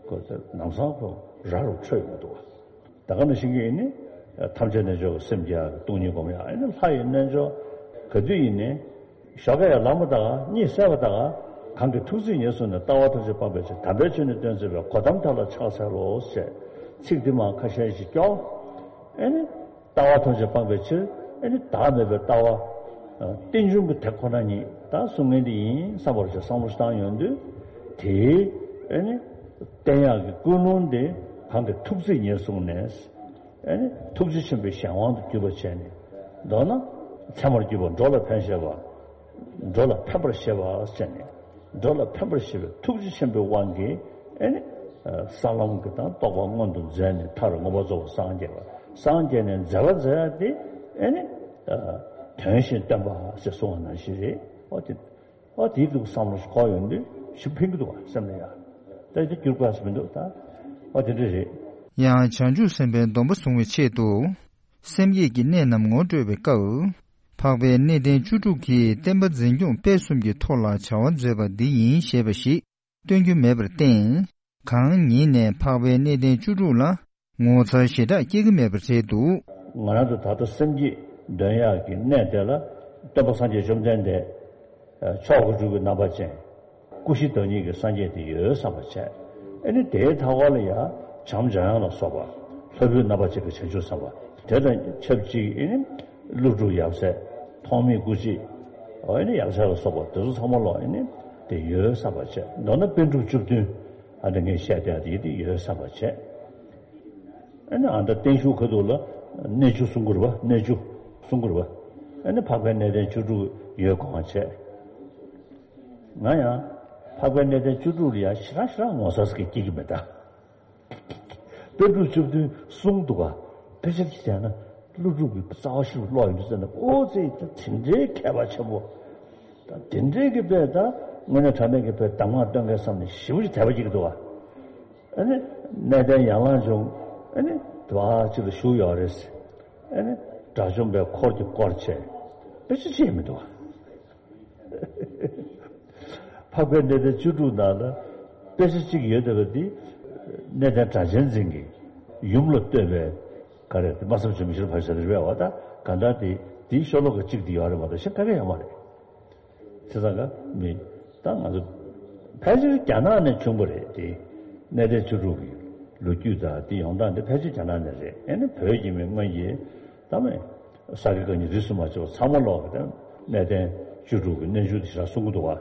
ཁོ་ཚོ་ལམ་སང་ཁོ་ར་རུ་འཕྲོད་ཡོང་འདུག་བ། ད་ག་ནང་བཞིན་གྱི་ཨེ་ནི་ཐམས་ཅད་རྣལ་འབྱོར་པ་སེམས་བསྐྱེད་ཡག་གི་སྟོང་ཉིད་སྒོམ་ཡག་ཨེ་ནི་ལྷ་ཡི་རྣལ་འབྱོར་ག་དུས་ཡིན་ནའི་ཞོགས་ཀ་ཡར་ལངས་པ་དང་གཉིད་སད་པ་དང་གང་གི་ཐུགས་བརྩེ་ཉེར་བཟུང་ནས། ལྟ་བ་ཐམས་ཅད་སྤངས་པའི་ཕྱིར། དམ་པའི་ཆོས་ནི་སྟོན་མཛད་པའི། གོ་ཏམ་དག་ལ་ཕྱག་འཚལ་ལོ་ཞེས་ཚིག་འདི་མར་ཁ་ཤས་ཤིག་སྐྱོར། ཨེ་ནི། ལྟ་བ་ཐམས་ཅད་སྤངས་པའི་ཕྱིར། ཨེ་ནི་བདག་མེད་པའི་ལྟ་བ། རྟེན་འབྱུང་གི་དེ་ཁོ་ན་ཉིད་ད་གསུང་མཁན་འདི་ཡིན་བསམ་པར་བྱ་བསམ་བློ་བཏང་ཡོང་དུས། དེའི་ཨེ་ནི་བསྟན་ཡག་གི་ཀུན་སློང་དེ་གང་གི་ཐུགས་བརྩེ་ཉེར་བཟུང་ནས། ཨེ་ནི་ཐུགས་རྗེ་ཆེན་པོའི་གཞན་དབང་དུ་གྱུར་པ་བྱས་ནས། མདོར་ན་ཚད་མར་གྱུར་པ་འགྲོ་ལ་ཕན་བཞེད་པ། འགྲོ་ལ་ཕན་པར་བཞེད་པ་བྱས་ནས། འགྲོ་ལ་ཕན་པར་བྱེད་པའི་ཐུགས་རྗེ་ཆེན་པོའི་དབང་གིས་ཨེ་ནི། ས་ལམ་གྱི་དང་རྟོགས་པ་མངོན་དུ་མཛད་ནས་མཐར་མངོན་པར་རྫོགས་པར་སངས་རྒྱས་པ། སངས་རྒྱས་ནས་མཛད་པ་མཛད་ཡག་དེ་ཨེ་ནི། དོན་གཞན་སྟོན་པ་ཞེས་གསུངས་པ་ནང་བཞིན་རེད། ཨོ་དེ། ཨོ་དེའི་འདུག་བསམ་བློ་འཁོར་ཡོང་དུས་ཞིག་ཕན་གྱི་འདུག་བ་སེམས་ལ་ཡ། ད་དེ་འགྱུར་དགོས་ས་མི་འདུག་ད། ཨོ་དེ་འདྲ་རེད། ཡང་བྱང་ཆུབ་སེམས་དཔའི་སྡོམ་པ་བཟུང་བའི་ཆེད་དུ། སེམས་བསྐྱེད་ཀྱི་གནད་རྣམས་ངོ་སྤྲོད་པའི་སྐབས། འཕགས་པའི་གནས་བརྟན་བཅུ་དྲུག་གིས་བསྟན་པ་འཛིན་སྐྱོང་སྤེལ་གསུམ་གྱི་ཐོག་ལ་བྱ་བ་མཛད་པ་འདི་ཡིན་ཞེས་པ་ཞིག་སྟོན་རྒྱུ་མེད་པར་བརྟེན། གང་ཉིད་ནས་འཕགས་པའི་གནས་བརྟན་བཅུ་དྲུག་ལ་ངོ་མཚར་ཞེ་དྲག་སྐྱེ་གི་མེད་པར་བྱས་འདུག་ང་རང་ཚོ་ད་ལྟ་སེམས་བསྐྱེད་འདོན་ཡག་གི་གནས་དེ་ལ་སྟོན་པ་སངས་རྒྱས་བཅོམ་ལྡན་འདས། མཆོག་དགུ་སྒྲུབ་ཀྱི་རྣམ་པ་ཅན། སྐུ་བཞི་བདག་ཉིད་ཀྱི་སངས་རྒྱས་དེ་ཡོད་བསམ་པ་བྱས། ཨེ་ནི་དེའི་མཐའ་བར་ལ་ཡང་བྱམས་འཇམ་དབྱངས་ལ་སོགས་པ། ལྷ་བུའི་རྣམ་པ་ཅན་གྱི་བྱང་ཆུབ་སེམས་དཔའ། དེ་དང་ཆབས་ཅིག་ཨེ་ནི་ཀླུ་སྒྲུབ་ཡབ་སྲས། ཐོགས་མེད་སྐུ་མཆེད། ཨེ་ནི་ཡང་རྩེ་ལ་སོགས་པ་དེ་ཚོ་ཚང་མ་ལ་ཨེ་ནི་དེ་ཡོད་བསམ་པ་བྱས། མདོར་ན་པཎ་གྲུབ་བཅུ་བདུན། ཨ་ནི་ངས་བཤད་བསྡད་དེ་དེ་ཡོད་བསམ་པ་བྱས། ཨ་ནི་ཨ་ད་བརྟན་བཞུགས་ཁ་ཐུག་ལ་གནས་བཅུ་གསུང་གི་རེད་པ། གནས་བཅུ་གསུང་གི་རེད་པ། ཨ་ནི་འཕགས་པའི་གནས་བརྟན་བཅུ་དྲུག་ཡོད་དགོངས་པ་བྱས། ང་ཡང་འཕགས་པའི་གནས་བརྟན་བཅུ་དྲུག་ལ་ཡང་ཞེ་དྲག་ཞེ་དྲག་ངོ་མཚར་ཟེར་གྱི་སྐྱེ་གི་མེད་ད། པཎ་གྲུབ་བཅུ་བདུན་གསུངས་འདུག་ག་དཔེ་ཆ་གཅིག་བལྟས་ན་ཀླུ་སྒྲུབ་ཀྱི་རྩ་བ་ཤིན་ཏུ་ཀློག་ཡོང་དུས་ཙམ་ན། ཨོ་ཙི་ད་དེ་འདྲའི་མཁས་པ་ཆེན་པོ། ད་དེ་འདྲའི་གི་དཔེ་ད་དངོས་གནས་དྲང་གནས་ཀྱི་དཔེ་གདམས་ངག་སྟོན་མཁན་བསམ་ནས་ཞེ་པོ་ཅིག་དད་པ་སྐྱེ་གི་འདུག་ག་ཨ་ནི་གནས་བརྟན་ཡར་ལངས་བྱུང་། ཨ་ནི་དེ་བ་ཅིག་ལ་བཞུགས་ཡོད་རེད། ཨ་ནི་དགྲ་བཅོམ་པའི་འཁོར་གྱིས་བསྐོར་བྱས། དཔེ་ཆ་ཅིག་མི་འདུག་ག་འཕགས་པའི་གནས་བརྟན་བཅུ་དྲུག་ནང་ལ་དཔེ་ཆ་གཅིག་ཡོད་བསྡད་པ་འདི། གནས་བརྟན་སྒྲ་གཅན་འཛིན་གྱི་ཡུམ་ལ་བསྟོད་པའི་ག་རེ་དེ་སྨྲ་བསམ་བརྗོད་མེད་ཤེས་རབ་ཕ་ཤ་དེ་རེད་པ། ད་ག་འདྲ་དེ་དེའི་ཤོ་ལོ་ཀ་གཅིག་དེ་ཡོད་རེད་མ་གཏོགས་གཞན་ག་གེ་ཡོད་མ་རེད། བྱས་ཙང་ག་མི་ད་ང་ཚོ་ཕལ་ཆེར་རྒྱ་ནག་ནས་བྱུང་བ་རེད་དེ། གནས་བརྟན་བཅུ་དྲུག་གི་ལོ་རྒྱུས་དང་དེ་ཡོང་སྟངས་དེ་ཕལ་ཆེར་རྒྱ་ནག་ནས་རེད། ཨེ་ནི་བོད་ཀྱི་མི་སྔོན་གྱི་ད་མི། ས་དགེ་བཀའ་རྙིང་རིས་སུ་མ་ཆད་པ་ཚང་མ་ལོག་གི་དེ་གནས་བརྟན་བཅུ་དྲུག་གི་གནས་མཇུག་དེ་ཞེ་དྲག་གསུང་གི་འདུག་ག་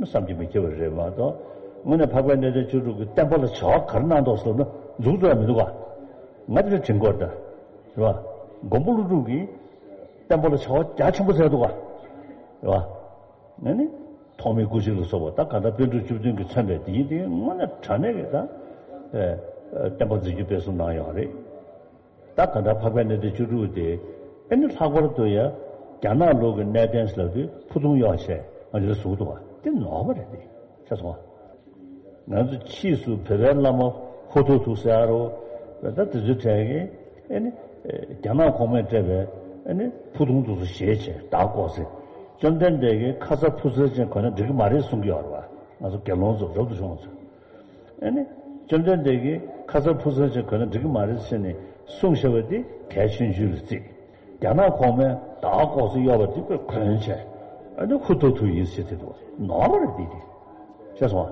བསམ་གྱིས་མི་ཁྱབ་པ་རེད་མ་གཏོགས། དངོས་གནས་འཕགས་པའི་གནས་བརྟན་བཅུ་དྲུག་གི་བསྟན་པ་ལ་བྱ་བ་ག་རེ་གནང་འདུག་ཟེར་ན་མཇུག་རྫོགས་ཡ་མི་འདུག་ག་ང་དེ་འདྲ་དྲན་གྱི་ཡོད་རེད་ད། རེད་པ། མགོན་པོ་ཀླུ་སྒྲུབ་ཀྱིས་བསྟན་པ་ལ་བྱ་བ་རྒྱ་ཆེན་པོ་མཛད་འདུག་ག་རེད་པ། ཨ་ནི་ཐོགས་མེད་སྐུ་མཆེད་ལ་སོགས་པ་ད་གང་ལྟར་པཎ་གྲུབ་བཅུ་བདུན་གྱིས་མཚོན་པའི་དེ་ཡིན་དེ་དངོས་གནས་དྲང་གནས་ཀྱི་ད། ཨེ། བསྟན་པ་འཛིན་སྐྱོང་སྤེལ་གསུམ་གནང་ཡོད་རེད། ད་གང་ལྟར་འཕགས་པའི་གནས་བརྟན་བཅུ་དྲུག་དེ་ཨེ་ནི་ལྷག་པར་དུ་ཡང་རྒྱ་ནག་ལུགས་ཀྱི་གནས་བརྟན་ཟེར་ལབ་དུས་ཕུ་ཐུང་གཡོགས་བྱས་ང་ཚོས་ཟེར་གྱི་འདུག་ག་དེ་ནོར་བ་རེད་དེ། ཤེས་སོང་ང་། ང་ཚོ་ཕྱིས་སུ་བོད་པའི་བླ་མ་ཧུ་ཐུ་ཐུ་ཟེར་རོ། ད་དེ་ཚོའི་གྲས་ཀྱིས་ཨེ་ནི་རྒྱ་ནག་གོང་མས་སྤྲད་པའི་ཨེ་ནི་ཕུ་ཐུང་དེ་ཚོ་བཞེས་བྱས་བདག་བཀོག་ཟེར། བཅོམ་ལྡན་འདས་ཀྱིས་ཁ་ཚ་ཕུ་ཚ་ཅན་གོན་ན་འགྲིག་གི་མ་རེད་གསུང་གི་ཡོད་རེད་པ། ང་ཚོ་དགེ་སློང་ཚོ་རབ་ཏུ་བྱུང་བ་ཚོ། ཨ་ནི། བཅོམ་ལྡན་འདས་ཀྱིས་ཁ་ཚ་ཕུག་ཚ་ཅིག་གོན་ན་འགྲིག་གི་མ་རེད་ཟེར་ནས་གསུངས་བཞག་པ་དེ་གལ་ཆེན་ཤོས་ལ་བརྩིས། རྒྱ་ནག་གོང་མས་ད་ལྐོག་ཟ་གཡོག་པ་དེ་དཔེ་གོན་བྱས། ཨ་ནི་ཧུ་ཐུག་ཐུག་ཡིན་ཟེར་དེ་འདུག་ནོར་བ་རེད་དེ་དེ། ཤེས་སོང་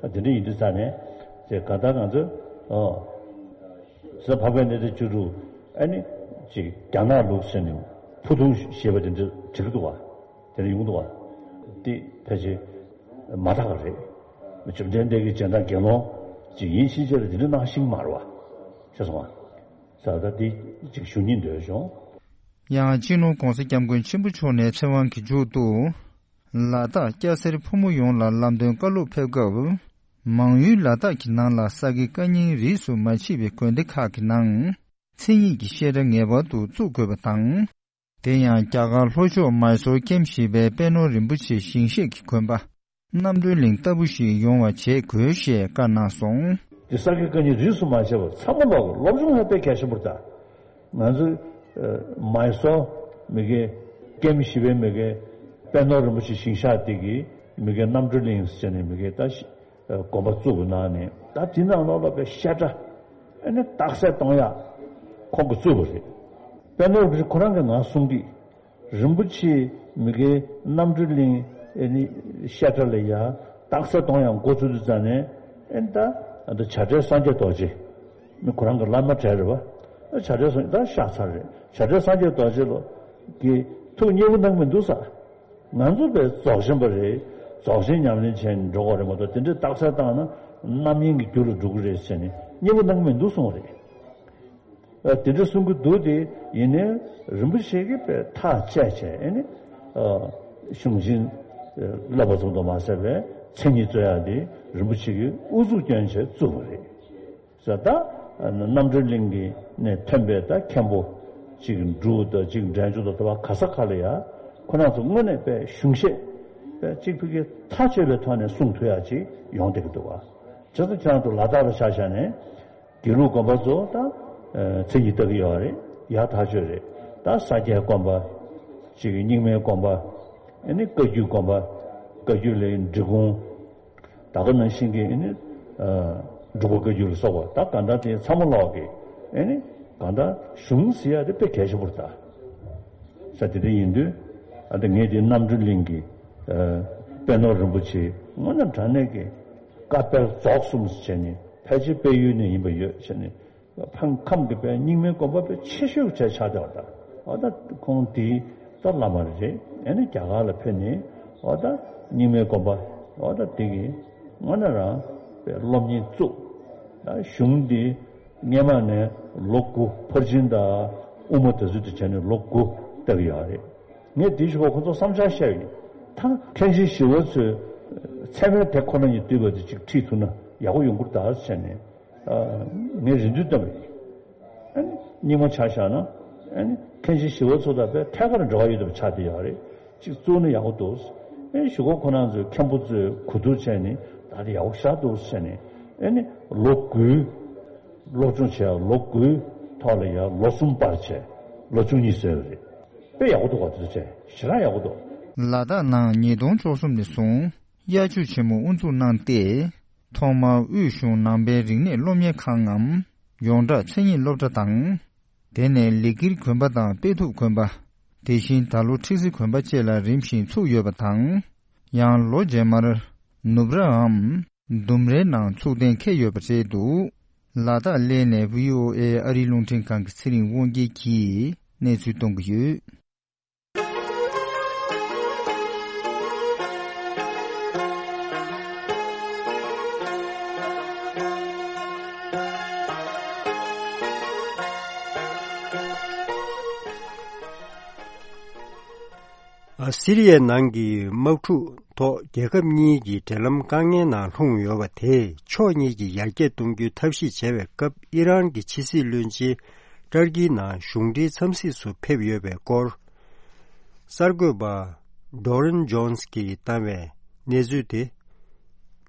ཨ། དེ་འདྲ་ཡིན་དུས་ཙང་ནས། དེ་ག་ད་ང་ཚོས། ཨོ། ཟེར་འཕགས་པའི་གནས་བརྟན་བཅུ་དྲུག་ཨ་ནི། ཅིག་རྒྱ་ནག་ལུགས་ཟེར་ནས་ཕུ་ཐུང་ཞེས་པ་དེ་འདྲ་བྲིས་འདུག་བ། དེ་འདྲ་ཡོང་འདུག་བ། དེ་ཕལ་ཆེར་མ་དག་པ་རེད། བཅོམ་ལྡན་འདས་ཀྱི་སྤྱན་དང་དགེ་སློང་ཅིག་ཡིན་ཕྱིན་ཆད་ལ་དེ་འདྲ་གནང་ཤེས་ཀྱི་མ་རེད་བ། ཤེས་སོང་བ། ས་ད་འདི་ཅིག་ཞུ་སྙིང་འདོད་བྱུང་། ཡང་སྤྱི་ནོར་༧གོང་ས་༧སྐྱབས་མགོན་ཆེན་པོ་མཆོག་ནས་ཚེ་དབང་གི་མཇུག་ཏུ། ལ་དྭགས་སྐྱ་སེར་ཕོ་མོ་ཡོངས་ལ་ལམ་སྟོན་བཀའ་སློབ་ཕེབས་སྐབས། མང་ཡུལ་ལ་དྭགས་ཀྱི་ནང་ལ་ས་དགེ་བཀའ་རྙིང་རིས་སུ་མ་ཆད་པའི་དགོན་སྡེ་ཁག་གི་ནང་། མཚན་ཉིད་ཀྱི་བཤད་གྲྭ་ངེས་པར་དུ་བཙུགས་དགོས་པ་དང་། དེ་ཡང་རྒྱ་གར་ལྷོ་ཕྱོགས་མའི་སོར་ཀེམ་བཞི་པའི་པད་ནོར་རིན་པོ་ཆེ་ཞིང་གཤེགས་ཀྱི་དགོན་པ། རྣམ་གྲོལ་གླིང་ལྟ་བུ་ཞིག་ཡོང་བ་བྱེད་དགོས་ཞེས་བཀའ་གནང་སོང་། འདི་ས་དགེ་བཀའ་རྙིང་རིས་སུ་མ་ཆད་པར་ཚང་མ་ལོག་སློབ་སྦྱོང་ཡང་དཔེ་གལ་ཆེན་པོ་རེད་ད། ང་ཚོས་མའི་སོར་མི་དགེ་ཀེམ་བཞི་པའི་མི་དགེ་པད་ནོར་རིན་པོ་ཆེ་ཞིང་གཤེགས་དེ་གིས་མི་དགེ་རྣམ་གྲོལ་གླིང་ཟེར་ནས་མི་དགེ་ད་ཞི་དགོན་པ་བཙུགས་པའི་ནང་ནས་ད་དེ་ནང་ལོགས་ལ་དཔེ་བཤད་གྲྭ་ཨ་ནི་རྟགས་གསལ་གཏོང་ཡག་ཁོང་གིས་བཙུགས་པ་རེད། པད་ནོར་རིན་པོ་ཆེ་ཁོ་རང་གིས་ང་གསུང་དུས། རིན་པོ་ཆེ་མི་དགེ་རྣམ་གྲོལ་གླིང་ཨེ་ནི་བཤད་གྲྭ་ལ་ཡ་རྟགས་གསལ་གཏོང་ཡག་འགོ་བཙུགས་དུས་ཙང་ནས་ཨེ་ནི་ད་ཨ་ད་བྱ་བྲལ་སངས་རྒྱས་རྡོ་རྗེ་མི་ཁོ་རང་གི་བླ་མ་གྲས་རེད་བ། བྱ་བྲལ་སངས་ད་ཤག་ཚར་རེད། བྱ་བྲལ་སངས་རྒྱས་རྡོ་རྗེ་ལོ་གི་ཐུགས་མཉེས་པོ་གནང་མི་འདུག་ས། ང་ཚོ་པས་རྫོགས་ཆེན་པ་རེད། རྫོགས་ཆེན་ཉམས་ལེན་བྱས་ནས་འགྲོ་དགོས་རེད་མ་གཏོགས་དེ་འདྲའི་རྟགས་གསལ་བཏང་ན་རྣམ་གཡེང་གི་རྒྱུ་ལ་འགྲོ་གི་རེད་ཟེར་ནས་མཉེས་པོ་གནང་མི་འདུག་གསུངས་པ་རེད། ཨ་དེ་འདྲ་གསུང་གི་འདུག་སྟེ་ཡིན་ནའི་རིན་པོ་ཆེ་གིས་དཔེ་ཐག་བཅད་བྱས་ཨེ་ནི་ཨ་གཞུང་ཆེན་ཨ་བསླབ་པ་ཙམ་དུ་མ་ཟད་པའི་མཚན་ཉིད་རྩོད་ཡག་དེ་རིན་པོ་ཆེ་གིས་ཨུ་ཚུགས་བསྐྱོན་བྱས་བཙུགས་པ་རེད། ཟེར་ད་རྣམ་གྲོལ་གླིང་གི་ནས་ཐོན་པའི་ད་མཁན་པོ་གཅིག་འབྲུག་དང་གཅིག་འབྲས་ལྗོངས་དང་དེ་བ་ག་ས་ག་ལ་ཡ་ཁོ་རང་ཚོ་དངོས་གནས་དཔེ་གཞུང་བཤད་དཔེ་གཅིག་ཕ་གི་ཐག་ཆོད་པའི་ཐོག་ནས་གསུང་ཐུབ་ཡག་ཅིག་ཡོང་བསྡད་ཀྱི་འདུག་བ། བྱས་ཙང་ཁྱེད་རང་ཚོ་ལ་དྭགས་ལ་ཆ་བཞག་ནས། དགེ་ལུགས་དགོན་པ་ཚོ་ད་མཚན་ཉིད་ལྟ་གི་ཡོད་རེད། ཡག་ཐག་ཆོད་རེད། ད་ས་སྐྱའི་དགོན་པ། གཅིག་རྙིང་མའི་དགོན་པ། ཨ་ནི་བཀའ་བརྒྱུད་དགོན་པ། བཀའ་བརྒྱུད་ལས་འབྲི་གུང་། ད་ག་ནང་བཞིན་གྱི་ཨ་ནི་འབྲུག་པ་བཀའ་བརྒྱུད་ལ་སོགས་པ་ད་གང་ལྟར་དེ་ཚང་མ་ལོག་གི་ཨ་ནི་གང་ལྟར་གཞུང་ཟེར་ཡག་དེ་དཔེ་གལ་ཆེན་པོ་རེད་ད། ས་དེ་འདྲ་ཡིན་དུས་ཨ་ད་ངས་དེ་རྣམ་གྲོལ་གླིང་གི་པད་ནོར་རིན་པོ་ཆེ་དངོས་གནས་དྲང་གནས་ཀྱི་བཀའ་དཔེ་རྫོགས་གསུམ་ཟེར་བྱས་ནས་ཕལ་ཆེར་དཔལ་ཡུལ་ནས་ཡིན་པ་ཡོད་བྱས་ནས། ཕ་ཁམས་ཀྱི་པའི་རྙིང་མའི་དགོན་པ་པའི་ཆེ་ཤོས་ཀྱི་གྲས་ཆགས་བསྡད་པ་དང་། འོ་ད་ཁོང་དེའི་ད་བླ་མ་རེད། ཨ་ནི་རྒྱ་གར་ལ་ཕེབས་ནས་འོ་ད་རྙིང་མའི་དགོན་པ་འོ་ད་དེ་གི་དངོས་གནས་རང་པའི་སློབ་གཉེར་བཙུགས། ད་གཞུང་འདི་སྔས་མ་ནས་ལོ་དགུ་ཕར་ཕྱིན་དང་དབུ་མ་དེ་ཚོ་དེ་བྱས་ནས་ལོ་དགུ་བལྟ་གི་ཡོད་རེད། ངས་དེའི་གཞུག་གུ་ཁོ་ཚོར་བསམ་འཆར་བཤད་ཡིན། ད་མཁན་ཆེན་ཞི་བ་འཚོས་ཚད་མའི་དེབ་ཁོ་ན་ཉིད་བསྡུས་པ་དེ་ཅིག་ཁྲིད་ཐུབ་ན་ཡག་པོ་ཡོང་གི་རེད་ད་བྱས་ནས། ངས་རེ་འདུན་བཏོན་པ་ཡིན། ཨ་ནི་རྙིང་མ་ཆ་བཞག་ན་ཨ་ནི་མཁན་ཆེན་ཞི་བ་འཚོ་དང་དཔེ་ཐད་ཀར་འབྲེལ་བ་ཡོད་པ་ཆགས་བསྡད་ཡོད་རེད། གཅིག་བཙུགས་ན་ཡག་པོ་འདུག་ཨ་ནི་གཞུག་གུ་ཁོ་རང་ཚོའི་མཁན་པོ་ཚོས་གོ་བསྡུར་བྱས་ནས་ད་དེ་ཡག་པོ་ཞེ་དྲག་འདུག་བྱས་ནས་ཨ་ནི་ལོ་དགུའི་སློབ་སྦྱོང་བྱས་ལོ་དགུའི་ཐོག་ལ་ཡང་ལོ་གསུམ་པར་བྱས་ལོ་བཅུ་གཉིས་བཟོས་པ་རེད། དཔེ་ཡག་པོ་འདུག་ག་དེ་ཚོ་བྱས་ཞེ་དྲག་ཡག་པོ་འདུག་ལ་དྭགས་ནང་ཉིས་སྟོང་བཅུ་གསུམ་ནས་བཟུང་དབྱར་ཆོས་ཆེན་མོ་དབུ་འཛུགས་གནང་སྟེ། ཐོག་མར་དབུས་གཞུང་ནང་པའི་རིག་གནས་སློབ་གཉེར་ཁང་ངམ། ཡོངས་གྲགས་མཚན་ཉིད་སློབ་གྲྭ་དང་། དེ་ནས་ལི་ཀིར་དགོན་པ་དང་དཔལ་ཐུབ་དགོན་པ། དེ་བཞིན་ད་ལོ་ཁྲི་སི་དགོན་པ་བཅས་ལ་རིམ་བཞིན་ཚུགས་ཡོད་པ་དང་། ཡང་ལོ་རྗེས་མར་ནུབ་རའམ་ལྡུམ་རའི་ནང་ཚུགས་གཏན་འཁེལ་ཡོད་པ་རེད་འདུག་ལ་དྭགས་གླེ་ནས་བྷི་ཨོ་ཨེ་ཨ་རིའི་རླུང་འཕྲིན་ཁང་གི་ཚེ་རིང་དབང་རྒྱལ་གྱིས་གནས་ཚུལ་གཏོང་གི་ཡོད། ཨ། སི་རི་ཡའི་ནང་གི་དམག་འཁྲུག་ཐོག་རྒྱལ་ཁབ་གཉིས་ཀྱི་འབྲེལ་ལམ་དཀའ་ངལ་ནང་ལྷུང་ཡོད་པ་དེས་ཕྱོགས་གཉིས་ཀྱིས་ཡར་རྒྱས་གཏོང་རྒྱུའི་ཐབས་ཤེས་བྱས་པའི་སྐབས། ཨི་རན་གྱི་ཕྱི་སྲིད་བློན་ཆེན་ཏར་ཀིའི་ནང་གཞུང་འབྲེལ་འཚམས་གཟིགས་སུ་ཕེབས་ཡོད་པའི་སྐོར། གསར་འགོད་པ་ཌོ་རིན་ཇོན་སི་གིས་བཏང་བའི་གནས་ཚུལ་དེ།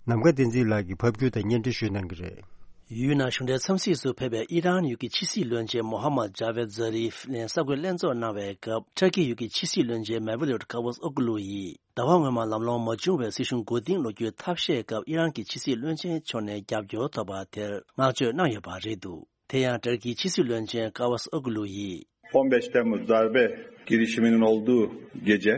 ནམ་མཁའ་བསྟན་འཛིན་ལགས་ཀྱིས་ཕབ་སྒྱུར་དང་སྙན་སྒྲོན་ཞུས་གནང་གི་རེད། ཡུལ་ནང་གཞུང་འབྲེལ་འཚམས་གཟིགས་སུ་ཕེབས་པའི་ཨི་རན་ཡུལ་གྱི་ཕྱི་སྲིད་བློན་ཆེན་མོ་ཧ་མད་ཇཱ་ཝེད་ཛཱ་རིབ་ལན་གསར་འགོད་ལྷན་ཚོགས་གནང་བའི་སྐབས། ཊར་ཀི་ཡུལ་གྱི་ཕྱི་སྲིད་བློན་ཆེན་མེ་ཝ་ལུད་ཀ་ཝུ་ཨོ་གུ་ལུ་ཡིས། ཟླ་བ་སྔོན་མ་ལམ་ལྷོང་མ་བྱུང་བའི་སྲིད་གཞུང་མགོ་རྟིང་སློག་རྒྱུའི་ཐབས་ཤེས་སྐབས། ཨི་རན་གྱི་ཕྱི་སྲིད་བློན་ཆེན་མཆོག་ནས་རྒྱབ་སྐྱོར་ཐོབ་པ་དེར་བསྔགས་བརྗོད་གནང་ཡོད་པ་རེད་འདུག་དེ་ཡང་ཊར་ཀིའི་ཕྱི་སྲིད་བློན་ཆེན་ཀ་ཝུ་ཨོ་གུ་ལུ་ཡིས། Bomb Temmuz darbe girişiminin olduğu gece.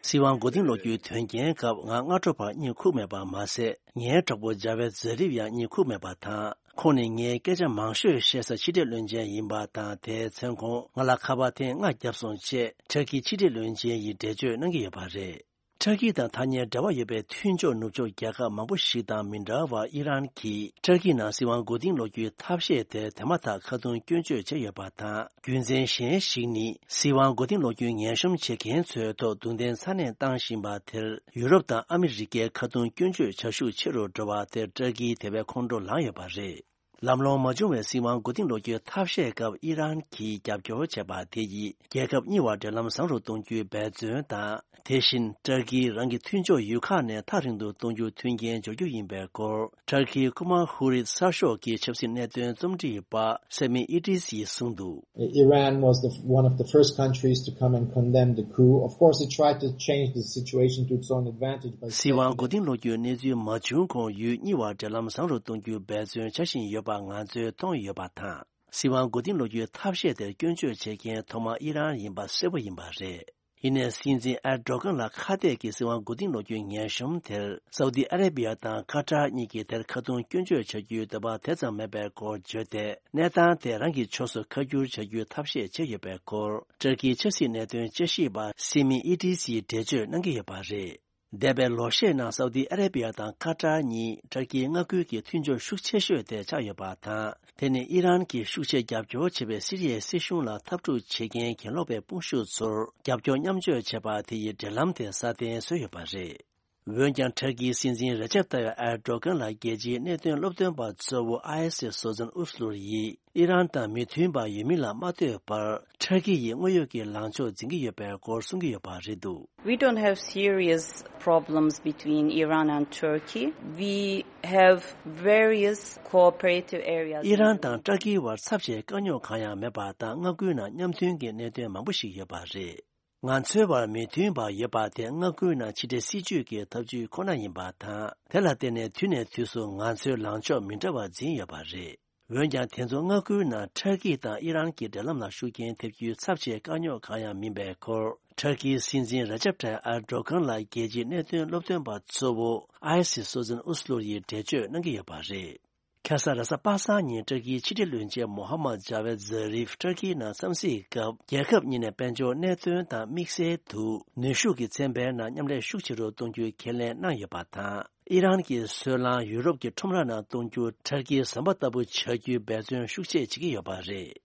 སྲིད་དབང་མགོ་རྟིང་སློག་རྒྱུའི་དོན་རྐྱེན་སྐབས། ང་སྔ་དྲོ་བར་གཉིད་ཁུག་མེད་པ་མ་ཟད། ངའི་གྲོགས་པོ་ཇཱ་ཝེད་ཛཱ་རིབ་ཡང་གཉིད་ཁུག་མེད་པ་དང་། ཁོང་ནི་ངའི་སྐད་ཆ་མང་ཤོས་བཤད་ས་ཕྱི་འབྲེལ་བློན་ཆེན་ཡིན་པ་དང་། དེའི་མཚན་ཁོང་ང་ལ་ཁ་པར་ཐེངས་ལྔ་བརྒྱབ་སོང་ཅེས་ཊར་ཀིའི་ཕྱི་འབྲེལ་བློན་ཆེན་ཡིས་འགྲེལ་བརྗོད་གནང་གི་ཡོད་པ་རེད། ཊར་ཀི་དང་ཐག་ཉེ་འབྲེལ་བ་ཡོད་པའི་མཐུན་ཕྱོགས་ནུབ་ཕྱོགས་རྒྱལ་ཁབ་མང་པོ་ཞིག་དང་མི་འདྲ་བར། ཨི་རན་གྱིས་ཊར་ཀི་ནང་སྲིད་དབང་མགོ་རྟིང་སློག་རྒྱུའི་ཐབས་ཤེས་དེར་དེ་མ་ཐག་ཁ་རྡུང་སྐྱོན་བརྗོད་བྱས་ཡོད་པ་དང་། རྒྱུ་མཚན་གཞན་ཞིག་ནི། སྲིད་དབང་མགོ་རྟིང་སློག་རྒྱུའི་ངན་གཤོམ་བྱེད་མཁན་ཚོའི་ཐོག་རྡུང་རྡེག་ཚ་ནན་བཏང་བཞིན་པ་དེར། ཡུ་རོབ་དང་ཨ་མི་རི་ཀའི་ཁ་རྡུང་སྐྱོན་བརྗོད་བྱ་ཤུགས་ཆེ་རུ་འགྲོ་བ་དེར། ཊར་ཀིའི་དེ་བས་ཁོང་ཁྲོ་ལངས་ཡོད་པ་རེད། ལམ་ལྷོང་མ་བྱུང་བའི་སྲིད་དབང་མགོ་རྟིང་སློག་རྒྱུའི་ཐབས་ཤེས་སྐབས། ཨི་རན་གྱིས་རྒྱབ་སྐྱོར་བྱས་པ་དེ་ཡིས། རྒྱལ་ཁབ་གཉིས་བར་འབྲེལ་ལམ་བཟང་རུ་གཏོང་རྒྱུའི་འབད་བརྩོན་དང་། དེ་བཞིན་ཏུར་ཀིས་རང་གི་མཐུན་ཕྱོགས་ཡུལ་ཁག་ནས་ཐག་རིང་དུ་གཏོང་རྒྱུ་མཐུན་རྐྱེན་སྦྱོར་རྒྱུ་ཡིན་པའི་སྐོར། ཏུར་ཀིའི་ཁུ་མ་ཧུ་རིད་གསར་ཤོག་གི་ཆབ་སྲིད་གནད་དོན་རྩོམ་སྒྲིག་པ་སེ་མི་ཨི་ཏི་སིས་གསུངས་འདུག Iran was the, one of the first countries to come and condemn the coup. Of course, it tried to change the situation to its own advantage by སྲིད་དབང་མགོ་རྟིང་སློག་རྒྱུའི་གནས་ཚུལ་མ་བྱུང་གོང་ཡུལ་གཉིས་བར་འབྲེལ་ལམ་བཟང་རུ་གཏོང་རྒྱུའི་འབད་བརྩོན་བྱ་བཞིན་ཡོད་པ་ང་ཚོས་མཐོང་ཡོད་པ་དང་། སྲིད་དབང་མགོ་རྟིང་སློག་རྒྱུའི་ཐབས་ཤེས་དེར་སྐྱོན་བརྗོད་བྱེད་མཁན་ཐོག་མ་ཨི་རན་ཡིན་པ་གསལ་པོ་ཡིན་པ་རེད། ཡིན་ནའི་སྲིད་འཛིན་ཨེར་ཌོ་གྷན་ལ་ཁ་གཏད་ཀྱིས་སྲིད་དབང་མགོ་རྟིང་སློག་རྒྱུའི་ངན་གཤོམ་དེར། སའུ་ཏི་ཨ་རེ་བི་ཡ་དང་ཀ་ཏར་གཉིས་ཀྱིས་དེར་ཁ་རྡུང་སྐྱོན་བརྗོད་བྱ་རྒྱུའི་འདོད་པ་དེ་ཙམ་མེད་པའི་སྐོར་བརྗོད་དེ། གནས་སྟངས་དེ་རང་གི་ཕྱོགས་སུ་ཁ་བསྒྱུར་བྱ་རྒྱུའི་ཐབས་ཤེས་བྱས་ཡོད་པའི་སྐོར། ཏུར་ཀིའི་ཆབ་སྲིད་གནད་དོན་དཔྱད་ཞིབ་པ་སེ་མི་ཨི་ཏི་སིས་འགྲེལ་བརྗོད་གནང་གི་ཡོད་པ་རེད། འདས་པའི་ལོ་ཤས་ནང་སའུ་ཏི་ཨ་རེ་བི་ཡ་དང་ཀ་ཏར་གཉིས་ཏུར་ཀིའི་མངའ་ཁུལ་གྱི་མཐུན་ཕྱོགས་ཤུགས་ཆེ་ཤོས་དེ་ཆགས་ཡོད་པ་དང་། དེ་ནི་ཨི་རན་གྱིས་ཤུགས་ཆེ་རྒྱབ་སྐྱོར་བྱེད་པའི་སི་རི་ཡའི་སྲིད་གཞུང་ལ་འཐབ་འཁྲུག་བྱེད་མཁན་གྱེན་ལོག་པའི་དཔུང་ཤུགས་ཚོར་རྒྱབ་སྐྱོར་མཉམ་སྤྱོད་བྱས་པ་དེ་ཡིས་འབྲེལ་ལམ་དེ་སྲ་བརྟན་བཟོས་ཡོད་པ་རེད། འོན་ཀྱང་ཏུར་ཀིའི་སྲིད་འཛིན་རེ་ཅེབ་ཏཱ་ཡབ་ཨེར་ཏོ་གྷན་ལ་རྒྱལ་སྤྱིའི་གནད་དོན་སློབ་སྟོན་པ་གཙོ་བོ་ཨའི་སི་སོ་ཛན་ཨུ་སི་ལུར་ཡིས། ཨི་རན་དང་མི་མཐུན་པ་ཡོད་མིན་ལ་མ་ལྟོས་པར། ཏུར་ཀི་ཡིས་དངོས་ཡོད་ཀྱི་ལངས་ཕྱོགས་འཛིན་གྱི་ཡོད་པའི་སྐོར་གསུང་གི་ཡོད་པ་རེད་འདུག We don't have serious problems between Iran and Turkey. We have various cooperative areas. ཨི་རན་དང་ཏུར་ཀིའི་བར་ཚབས་ཆེའི་དཀའ་རྙོག་གང་ཡང་མེད་པ་དང་། མངའ་ཁུལ་ནང་མཉམ་མཐུན་གྱི་གནད་དོན་མང་པོ་ཞིག་ཡོད་པ་རེད། ང་ཚོའི་བར་མི་མཐུན་པ་ཡོད་པ་དེ། མངའ་ཁུལ་ནང་ཕྱི་འབྲེལ་སྲིད་ཇུས་ཀྱི་ཐབས་ཇུས་ཁོ་ན་ཡིན་པ་དང་། དེ་ལ་བརྟེན་ནས་དུས་ནས་དུས་སུ་ང་ཚོའི་ལངས་ཕྱོགས་མི་འདྲ་བ་འཛིན་ཡོད་པ་རེད། འོན་ཀྱང་། དེ་ཚོ་མངའ་ཁུལ་ནང་ཏུར་ཀི་དང་ཨི་རན་གྱི་འབྲེལ་ལམ་ལ་ཤུགས་རྐྱེན་ཐེབས་རྒྱུའི་ཚབས་ཆེའི་དཀའ་རྙོག་གང་ཡང་མིན་པའི་སྐོར། ཏུར་ཀིའི་སྲིད་འཛིན་རེ་ཅབ་ཏཱ་ཡབ་ཨེར་ཏོ་གྷན་ལ་རྒྱལ་སྤྱིའི་གནད་དོན་སློབ་སྟོན་པ་གཙོ་བོ་ཨའི་སི་སོ་ཛན་ཨུ་སི་ལུར་ཡིས་འགྲེལ་བརྗོད་གནང་གི་ཡོད་པ་རེད། ཁ་སང་རེས་གཟའ་པ་སངས་ཉིན་ཏུར་ཀིའི་ཕྱི་འབྲེལ་བློན་ཆེན་མོ་ཧ་མད་ཇཱ་ཝེད་ཛཱ་རིབ་ཏུར་ཀིའི་ནང་འཚམས་གཟིགས་སྐབས། རྒྱལ་ཁབ་གཉིས་ནས་དཔལ་འབྱོར་གནད་དོན་དང་དམིགས་བསལ་དུ་ནུས་ཤུགས་ཀྱི་ཚན་པའི་ནང་མཉམ་ལས་ཤུགས་ཆེ་རུ་གཏོང་རྒྱུའི་ཁས་ལེན་གནང་ཡོད་པ་དང་། ཨི་རན་གྱི་སོལ་རླངས་ཡུ་རོབ་ཀྱི་ཁྲོམ་ར་ནང་གཏོང་རྒྱུ་ཏུར་ཀིའི་ཟམ་པ་ལྟ་བུ་བྱ་རྒྱུའི་འབད་བརྩོན་ཤུགས་ཆེ་བྱེད་ཀྱི་ཡོད་པ་རེད།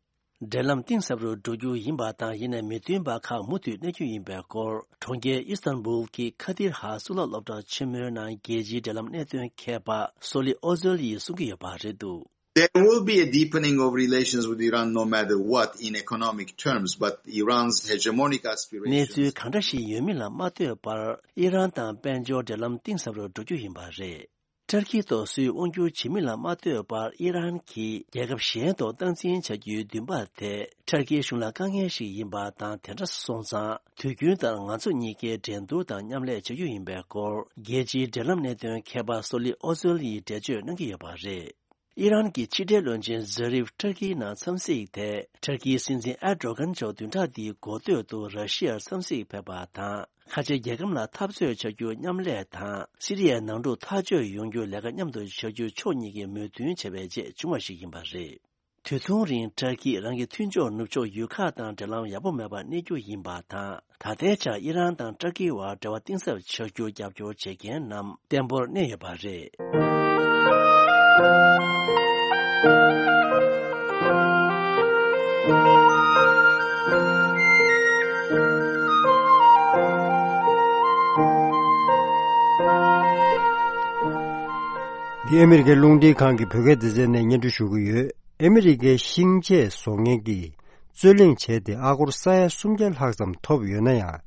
འབྲེལ་ལམ་གཏིང་ཟབ་རུ་འགྲོ་རྒྱུ་ཡིན་པ་དང་། ཡིན་ནའི་མི་མཐུན་པ་ཁག་མུ་མཐུད་གནས་རྒྱུ་ཡིན་པའི་སྐོར། གྲོང་ཁྱེར་ཨི་སི་ཐན་བུལ་གྱི་ཁ་དིར་ཧ་གཙུག་ལག་སློབ་གྲྭ་ཆེན་མོའི་ནང་རྒྱལ་སྤྱིའི་འབྲེལ་ལམ་གནད་དོན་མཁས་པ་སོ་ལི་ཨོ་ཛོལ་ཡིས་གསུང་གི་ཡོད་པ་རེད་འདུག There will be a deepening of relations with Iran no matter what in economic terms, but Iran's hegemonic གནས་aspirations ཚུལ་གང་འདྲ་ཞིག་ཡོད་མིན་ལ་མ་ལྟོས་པར། ཨི་རན་དང་དཔལ་འབྱོར་འབྲེལ་ལམ་གཏིང་ཟབ་རུ་འགྲོ་རྒྱུ་ཡིན་པ་རེད། ཏུར་ཀིའི་ཐོག་སུས་དབང་སྒྱུར་བྱེད་མིན་ལ་མ་ལྟོས་པར། ཨི་རན་གྱིས་རྒྱལ་ཁབ་གཞན་ཐོག་སྟངས་འཛིན་བྱ་རྒྱུའི་འདུན་པ་དེ་ཏུར་ཀིའི་གཞུང་ལ་དཀའ་ངལ་ཞིག་ཡིན་པ་དང་། དེ་འདྲ་སོང་ཙང་དུས་རྒྱུན་ལྟར་ང་ཚོ་གཉིས་ཀས་འགྲན་བསྡུར་དང་མཉམ་ལས་བྱ་རྒྱུ་ཡིན་པའི་སྐོར། རྒྱལ་སྤྱིའི་འབྲེལ་ལམ་གནད་དོན་མཁས་པ་སོ་ལི་ཨོ་ཛོལ་ཡིས་འགྲེལ་བརྗོད་གནང་གི་ཡོད་པ་རེད། ཨི་རན་གྱི་ཕྱི་འབྲེལ་བློན་ཆེན་ཛཱ་རིབ་ཏུར་ཀིའི་ནང་འཚམས་གཟིགས་དེ། ཏུར་ཀིའི་སྲིད་འཛིན་ཨེར་ཏོ་གྷན་མཆོག་བདུན་ཕྲག་འདིའི་འགོ་སྟོད་དུ་ར་ཤི་ཡར་འཚམས་གཟིགས་ཕེབས་པ་དང་། ཁ་ཆེ་རྒྱལ་ཁམས་ལ་འཐབ་རྩོད་བྱ་རྒྱུ་མཉམ་ལས་དང་། སི་རི་ཡའི་ནང་འཁྲུག་ཐག་གཅོད་ཡོང་རྒྱུའི་ལས་ཀ་མཉམ་དུ་བྱ་རྒྱུ་ཕྱོགས་གཉིས་ཀས་མོས་མཐུན་བྱས་པའི་རྗེས་བྱུང་བ་ཞིག་ཡིན་པ་རེད། དུས་ཐུང་རིང་ཏུར་ཀིས་རང་གི་མཐུན་ཕྱོགས་ནུབ་ཕྱོགས་ཡུལ་ཁག་དང་འབྲེལ་ལམ་ཡག་པོ་མེད་པར་གནས་རྒྱུ་ཡིན་པ་དང་། ད་ལྟའི་ཆར་ཨི་རན་དང་ཏུར་ཀིའི་བར་འབྲེལ་བ་གཏིང་ཟབ་བྱ་རྒྱུར་རྒྱབ་སྐྱོར་བྱེད་མཁན་རྣམས་བརྟན་པོར་གནས་ཡོད་པ་རེད། འདི་ཨ་མི་རི་ཀའི་རླུང་འཕྲིན་ཁང་གི་བོད་སྐད་སྡེ་ཚན་ནས་སྙན་སྒྲོན་ཞུ་གི་ཡོད། ཨ་མི་རི་ཀའི་ཤིང་ཆས་བཟོ་མཁན་གྱིས་རྩོད་གླེང་བྱས་ཏེ། ཨ་སྒོར་ས་ཡ་སུམ་བརྒྱ་ལྷག་ཙམ་ཐོབ་ཡོད་ན་ཡང་།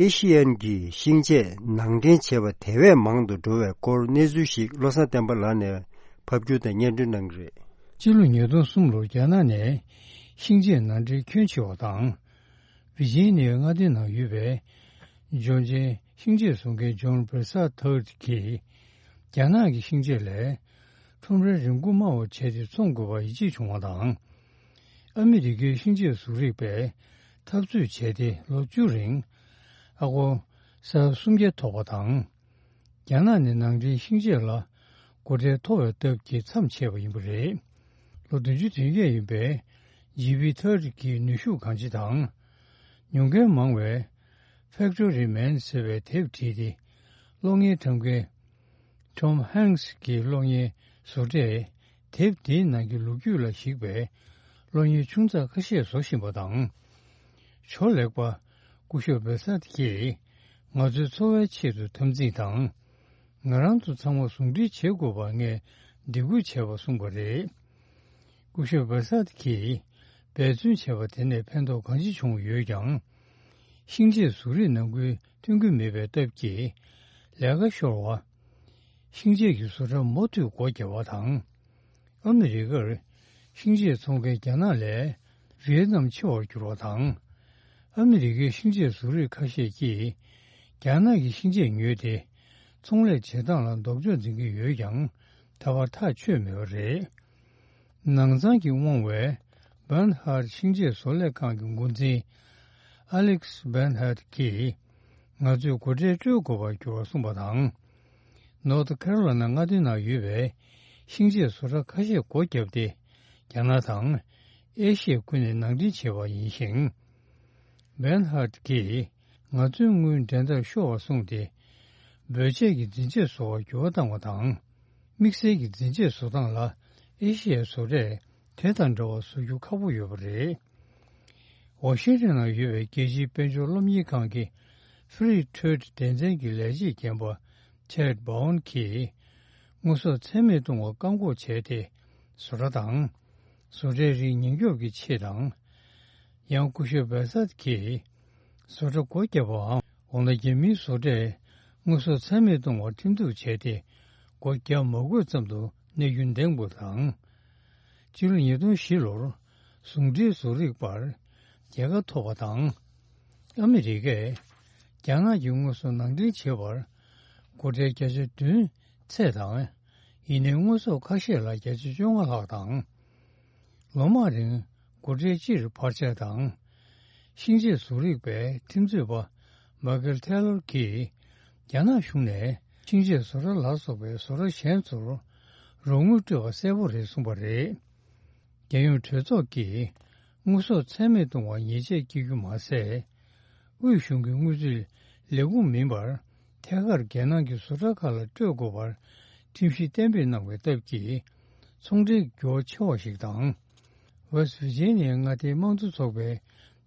ཨེ་ཤི་ཡན་གྱི་ཤིང་ཆས་ནང་འདྲེན་བྱས་པ་དེ་བས་མང་དུ་འགྲོ་བའི་སྐོར་གནས་ཚུལ་ཞིག་བློ་བཟང་བསྟན་པ་ལགས་ནས་ ཕབ་སྒྱུར་དང་སྙན་སྒྲོན་གནང་གི་རེད། སྤྱི་ལོ་ཉིས་སྟོང་གསུམ་ལོར་རྒྱ་ནག་ནས་ཤིང་ཆས་ནང་འདྲེན་ཁྱོན་ཆེ་བ་དང་། ཝི་ཇི་ནི་ཡའི་མངའ་སྡེ་ནང་ཡོད་པའི་ཇོར་ཇིའི་ཤིང་ཆས་བཟོ་མཁན་ཇོན་བྷེར་སད་ཐར་གྱིས། རྒྱ་ནག་གི་ཤིང་ཆས་ལས་ཁྲོམ་རའི་རིན་གོང་དམའ་བ་བྱས་ཏེ་འཚོང་དགོས་པར་ཡིད་ཆེས་བྱུང་བ་དང་། ཨ་མི་རི་ཀའི་ཤིང་ཆས་བཟོ་རིག་པས་འཐབ་རྩོད་བྱས་ཏེ་ལོ་བཅུ་རིང་ཨ་སྒོར་ས་ཡ་སུམ་བརྒྱ་ཐོབ་པ་དང་། རྒྱ་ནག་ནས་ནང་འདྲེན་ཤིང་ཆས་ལ་སྒོ་ཁྲལ་མཐོ་བའི་སྟབས་ཀྱིས་མཚམས་ཆད་པ་ཡིན་པ་རེད། ལོ་བདུན་ཅུ་དོན་བརྒྱད་ཡིན་པའི་ཇི་བྷི་ཐར་གྱི་ནུས་ཤུགས་གང་ཅི་དང་། ཉོ་མཁན་མང་བའི་Factory Man ཟེར་བའི་དེབ་བྲིས་ཏེ། གློག་བརྙན་བཀྲམ་མཁན་Tom Hanks གྱི་གློག་བརྙན་བཟོ་གྲས་དེབ་དེའི་ནང་གི་ལོ་རྒྱུས་ལ་གཞིགས་པའི་གློག་བརྙན་ཆུང་ཙག་ཁ་ཤས་བཟོ་བཞིན་པ་དང་། ཇོ་ལེགས་པ་སྐུ་ཞབས་བྷེ་སད་ཀྱིས་ང་ཚོའི་འཚོ་བའི་ཆེད་དུ་འཐབ་འཛིང་དང་། ང་རང་ཚོ་ཚང་མ་ཟུང་འབྲེལ་བྱེད་དགོས་པར་ངས་འདེད་སྐུལ་བྱས་པ་གསུངས་པ་རེད། སྐུ་ཞབས་བྷེ་སད་ཀྱིས་འབད་བརྩོན་བྱས་པ་དེ་ནས་ཕན་ཐོགས་གང་ཅི་བྱུང་ཡོད་ཀྱང་། ཤིང་ཆས་བཟོ་རིག་ནང་ཁུལ་ཐོན་གྱི་མེད་པའི་སྟབས་ཀྱིས་ལས་ཀ་ཤོར་བ། ཤིང་ཆས་ཀྱི་བཟོ་གྲྭ་མུ་མཐུད་སྒོ་བརྒྱབ་པ་དང་། ཨ་མི་རི་ཀར་ཤིང་ཆས་འཚོང་མཁན་རྒྱ་ནག་ལས་ཝི་ཡེ་ནམ་ཆེ་བར་གྱུར་བ་དང་། ཨ་མི་རི་ཀའི་ཤིང་ཆས་བཟོ་རིག་ཁ་ཤས་ཀྱིས་རྒྱ་ནག་གི་ཤིང་ཆས་ཉོས་ཏེ། ཚོང་ལས་བྱེད་སྟངས་ལ་ལྡོག་ཕྱོགས་འཛིན་གྱི་ཡོད་ཀྱང་། ད་བར་ཐག་ཆོད་མེད་པ་རེད། ནང་ཚང་གིས་དབང་བའི་Bernhard ཤིང་ཆས་བཟོ་ལས་ཁང་གི་འགོ་འཛིན་Alex Bernhard གྱིས། ང་ཚོས་སྒོ་ཁྲལ་སྤྲོད་དགོས་པར་གྱུར་བ་གསུངས་པ་དང་། North Carolina མངའ་སྡེ་ནང་ཡོད་པའི་ཤིང་ཆས་བཟོ་གྲྭ་ཁ་ཤས་སྒོ་བརྒྱབ་སྟེ། རྒྱ་ནག་དང་ཨེ་ཤི་ཡ་ཁུལ་ནས་ནང་འདྲེན་བྱས་པ་ཡིན་ཞིང་། Bernhard གྱིས། ང་ཚོའི་དངུལ་འགྲན་ཟླར་ཤོར་བ་གསུངས་ཏེ། འབོད་ཆས་ཀྱི་འཛིན་ཆས་བཟོ་བར་འགྱུར་བ་བཏང་བ་དང་། དམིགས་བསལ་གྱི་འཛིན་ཆས་བཟོ་སྟངས་ལ་ཨེ་ཤི་ཡའི་བཟོ་གྲས་དེ་དང་འདྲ་བ་བཟོ་རྒྱུ་ཁག་པོ་ཡོད་པ་རེད། ཝ་ཤིང་ཊོན་ནང་ཡོད་པའི་རྒྱལ་སྤྱིའི་དཔལ་འབྱོར་སློབ་གཉེར་ཁང་གི་Free Trade སྡེ་ཚན་གྱི་ལས་བྱེད་རྒན་པ་Chad Bowen གྱིས། དངོས་ཟོག་ཚད་མེད་གཏོང་བར་བཀག་འགོག་བྱས་ཏེ། བཟོ་གྲྭ་དང་། བཟོ་གྲྭའི་རིགས་ཉེན་སྐྱོབ་ཀྱི་ཆེད་དང་། ཡང་སྐུ་ཞབས་བྷེ་སད་ཀྱིས་བཟོ་གྲྭ་སྒོ་བརྒྱབ་པའམ། འོ་ན་རྒྱ་མིའི་བཟོ་གྲས་དངོས་ཟོག་ཚད་མེད་གཏོང་བར་ཁྲིམས་གཏུག་བྱས་ཏེ། སྒོ་བརྒྱབ་མ་དགོས་ཙམ་དུ་གནས་རྒྱུ་འདེམས་དགོས་དང་། སྤྱི་ལོ་ཉིས་སྟོང་བཞི་ལོར་ཟུང་འབྲེལ་བཟོ་རིག་པར་རྒྱལ་ཁ་ཐོབ་པ་དང་། ཨ་མི་རི་ཀས་རྒྱ་ནག་གི་དངོས་ཟོག་ནང་འདྲེན་བྱེད་པར་སྒོ་ཁྲལ་བརྒྱ་ཆ་བདུན་ཚད་དང་། ཡིན་ནའི་དངོས་ཟོག་ཁ་ཤས་ལ་བརྒྱ་ཆ་བཅོ་ལྔ་ལྷག་དང་། ལོ་མང་རིང་སྒོ་ཁྲལ་སྤྱིར་འཕར་ཆག་དང་། ཤིང་ཆས་བཟོ་རིག་པའི་ཁྲིམས་རྩོད་པ་མཱ་ཀལ་ཐེ་ལོར་གྱིས། རྒྱ་ནག་གཞུང་ནས་ཤིང་ཆས་བཟོ་གྲྭ་ལ་སོགས་པའི་བཟོ་གྲྭ་གཞན་ཚོར་རོགས་དངུལ་སྤྲོད་པ་གསལ་པོ་རེད་གསུངས་པ་རེད། རྒྱལ་ཡོངས་གྲོས་ཚོགས་ཀྱིས་དངོས་ཟོག་ཚད་མེད་གཏོང་བར་ཉེས་ཆད་བཀལ་རྒྱུ་མ་ཟད། དབུས་གཞུང་གི་དངུལ་རྩིས་ལས་ཁུངས་མིན་པར་ཐད་ཀར་རྒྱལ་ནང་གི་བཟོ་གྲྭ་ཁག་ལ་སྤྲོད་དགོས་པར་ཁྲིམས་གཞི་གཏན་འབེབས་གནང་བའི་སྟབས་ཀྱིས། ཚོང་འབྲེལ་འགྱུར་བ་ཆེ་བ་ཞིག་དང་། West Virginia མངའ་སྡེའི་དམངས་གཙོ་ཚོགས་པའི་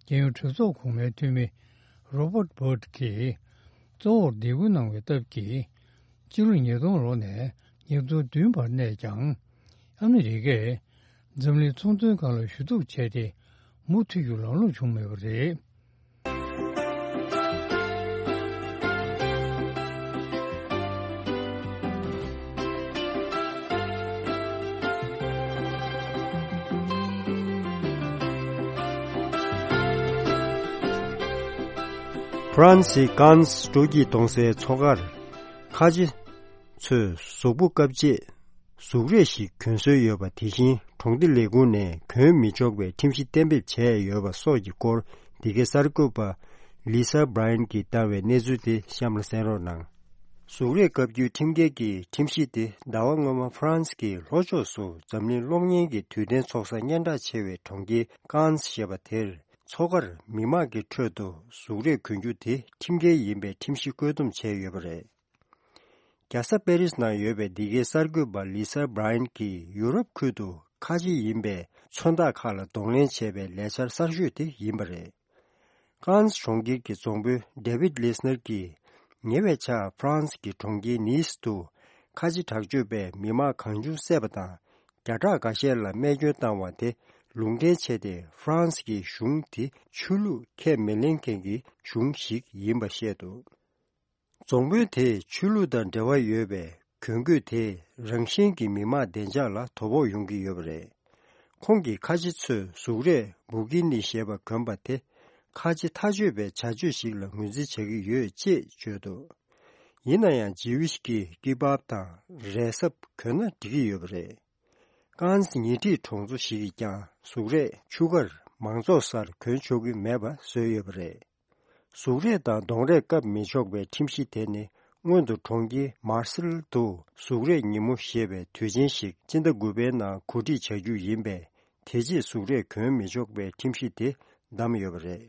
རྒྱལ་ཡོངས་གྲོས་ཚོགས་གོང་མའི་འཐུས་མི་Robert Burt གྱིས་གཙོ་བོར་འདེད་སྐུལ་གནང་བའི་སྟབས་ཀྱིས། སྤྱི་ལོ་ཉིས་སྟོང་ལོ་ནས་ཉིས་སྟོང་བདུན་བར་གནས་ཀྱང་། ཨ་མི་རི་ཀས་འཛམ་གླིང་ཚོང་དོན་ཁང་ལ་ཞུ་གཏུག་བྱས་ཏེ། མུ་མཐུད་རྒྱུ་ལམ་ལྷོང་བྱུང་མེད་པ་རེད། ཧྥ་རན་སིའི་ཀན་སི་སྤྲོ་སྐྱིད་གཏོང་སའི་མཚོ་ཁར། ཁ་ཆེ་ཚོས་གཟུགས་པོ་བཀབ་རྗེས་གཟུགས་རས་ཤིག་གྱོན་སྲོལ་ཡོད་པ། དེ་བཞིན་གྲོང་སྡེ་ལས་ཁུངས་ནས་གྱོན་མི་ཆོག་པའི་ཁྲིམས་གཞི་གཏན་འབེབས་བྱས་ཡོད་པ་སོགས་ཀྱི་སྐོར། འདི་གའི་གསར་འགོད་པ་Lisa Bryant གྱིས་བཏང་བའི་གནས་ཚུལ་དེ་གཤམ་ལ་གསན་རོགས་གནང་། གཟུགས་རས་བཀབ་རྒྱུའི་ཁྲིམས་འགལ་གྱི་ཁྲིམས་གཞི་དེ་ཟླ་བ་སྔོན་མ་ཧྥ་རན་སི་གི་ལྷོ་ཕྱོགས་སུ་འཛམ་གླིང་གློག་བརྙན་གྱི་དུས་སྟོན་ཚོགས་ས་སྙན་གྲགས་ཆེ་བའི་གྲོང་ཁྱེར་ཀན་སི་ཞེས་པ་དེར། མཚོ་ཁར་མི་མང་གི་ཁྲོད་དུ་གཟུགས་རས་གྱོན་རྒྱུ་དེ་ཁྲིམས་འགལ་ཡིན་པའི་ཁྲིམས་གཞི་བཀོད་འདོམས་བྱས་ཡོད་པ་རེད། རྒྱལ་ས་པེ་རིས་ནང་ཡོད་པའི་འདི་གའི་གསར་འགོད་པ་Lisa Bryant གྱིས་ཡུ་རོབ་ཁུལ་དུ་ཁ་ཆེ་ཡིན་པའི་མཚོན་རྟགས་ཁག་ལ་གདོང་ལེན་བྱས་པའི་ལས་འཆར་གསར་ཤོས་དེ་ཡིན་པ་རེད། ཀན་སི་གྲོང་ཁྱེར་གྱི་རྫོང་དཔོན་David Lisner གྱིས་ཉེ་བའི་ཆར་ཧྥ་རན་སི་གི་གྲོང་ཁྱེར་ནིས་དུ་ཁ་ཆེ་དྲག་སྤྱོད་པས་མི་མང་གང་བྱུང་བསད་པ་དང་། བརྒྱ་ཕྲག་འགའ་ཤས་ལ་རྨས་སྐྱོན་བཏང་བ་དེ་ལུང་འདྲེན་བྱས་ཏེ། ཧྥ་རན་སི་གི་གཞུང་དེ་ཆོས་ལུགས་ཁས་མི་ལེན་མཁན་གྱི་གཞུང་ཞིག་ཡིན་པ་བཤད་འདུག། རྫོང་དཔོན་དེས་ཆོས་ལུགས་དང་འབྲེལ་བ་ཡོད་པའི་ གྱོན་གོས་དེས་རང་བཞིན་གྱིས་མི་དམངས་བདེ་འཇགས་ལ་དོ་ཕོག་ཡོང་གི་ཡོད་པ་རེད། ཁོང་གིས་ཁ་ཆེ་ཚོས་གཟུགས་རས་བུ་གི་ནི་ཞེས་པ་གྱོན་པ་དེ་ཁ་ཆེ་ཐག་ཆོད་པའི་བྱ་སྤྱོད་ཞིག་ལ་ངོས་འཛིན་བྱེད་ཀྱི་ཡོད་ཅེས་བརྗོད་འདུག་ཡིན་ན་ཡང་ཇི་ཝིཤ་གིས་ཀི་བབ་དང་རས་སྲབ་གྱོན་ན་འགྲིག་གི་ཡོད་པ་རེད། ཀན་སི་ཉེ་འཁྲིས་གྲོང་ཚོ་ཞིག་གིས་ཀྱང་གཟུགས་རས་ཆུ་ཁར་མང་ཚོགས་སར་གྱོན་ཆོག་གི་མེད་པ་བཟོས་ཡོད་པ་རེད། གཟུགས་རས་དང་གདོང་རས་བཀབ་མི་ཆོག་པའི་ཁྲིམས་གཞི་དེ་ནི་སྔོན་དུ་གྲོང་ཁྱེར་མར་སེལ་དུ་གཟུགས་རས་ཉིན་མོ་ཞེས་པའི་དུས་ཆེན་ཞིག་སྤྱི་ཟླ་དགུ་པའི་ནང་གོ་སྒྲིག་བྱ་རྒྱུ་ཡིན་པས། དེ་རྗེས་གཟུགས་རས་གྱོན་མི་ཆོག་པའི་ཁྲིམས་གཞི་དེ་བསྡམས་ཡོད་པ་རེད།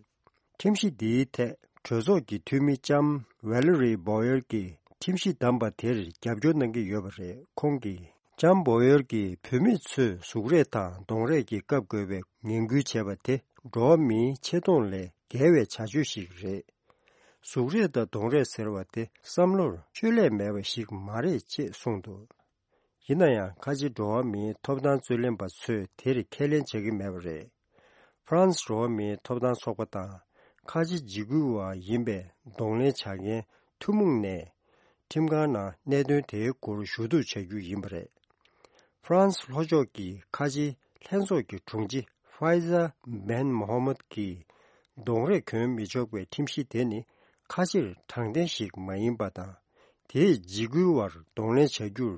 ཁྲིམས་གཞི་འདིའི་ཐད་གྲོས་ཚོགས་ཀྱི་འཐུས་མི་ལྕམ་ཝེ་ལེ་རི་བོ་ཡེར་གྱིས་ཁྲིམས་གཞི་བསྡམས་པ་དེར་རྒྱབ་སྐྱོར་གནང་གི་ཡོད་པ་རེད། ཁོང་གིས་ལྕམ་བོ་ཡེར་གྱིས་བུད་མེད་ཚོས་གཟུགས་རས་དང་གདོང་རས་ཀྱིས་བཀབ་དགོས་པའི་ངན་སྐུལ་བྱས་པ་དེ་འགྲོ་བ་མིའི་ཆེ་མཐོང་ལས་བརྒལ་བའི་བྱ་སྤྱོད་ཞིག་རེད། གཟུགས་རས་དང་གདོང་རས་ཟེར་བ་དེ་བསམ་བློར་བཅོས་ལས་མེད་པ་ཞིག་མ་རེད་ཅེས་གསུངས་འདུག་ཡིན་ན་ཡང་ཁ་ཆེ་འགྲོ་བ་མིའི་ཐོབ་ཐང་རྩོད་ལེན་པ་ཚོས་དེར་ཁས་ལེན་བྱ་གི་མེད་པ་རེད། ཧྥ་རན་སི་འགྲོ་བ་མིའི་ཐོབ་ཐང་ཚོགས་པ་དང་ཁ་ཆེ་འཇིགས་སྐུལ་བ་ཡིན་པའི་གདོང་ལེན་བྱ་མཁན་ཐུན་མོང་ནས་ཁྲིམས་ཁང་ནང་གནད་དོན་དེའི་སྐོར་ཞུ་གཏུག་བྱ་རྒྱུ་ཡིན་པ་རེད། ཧྥ་རན་སི་ལྷོ་ཕྱོགས་ཀྱི་ཁ་ཆེ་ལྷན་ཚོགས་ཀྱི་དྲུང་ཆེ་ཧྥའི་ཛ་བན་མོ་ཧ་མད་ཀྱིས་གདོང་རས་གྱོན་མི་ཆོག་པའི་ཁྲིམས་གཞི་དེ་ནི་ཁ་ཕྱིར་དྲང་བདེན་ཞིག་མ་ཡིན་པ་དང་། དེས་འཇིགས་སྐུལ་བར་གདོང་ལེན་བྱ་རྒྱུར་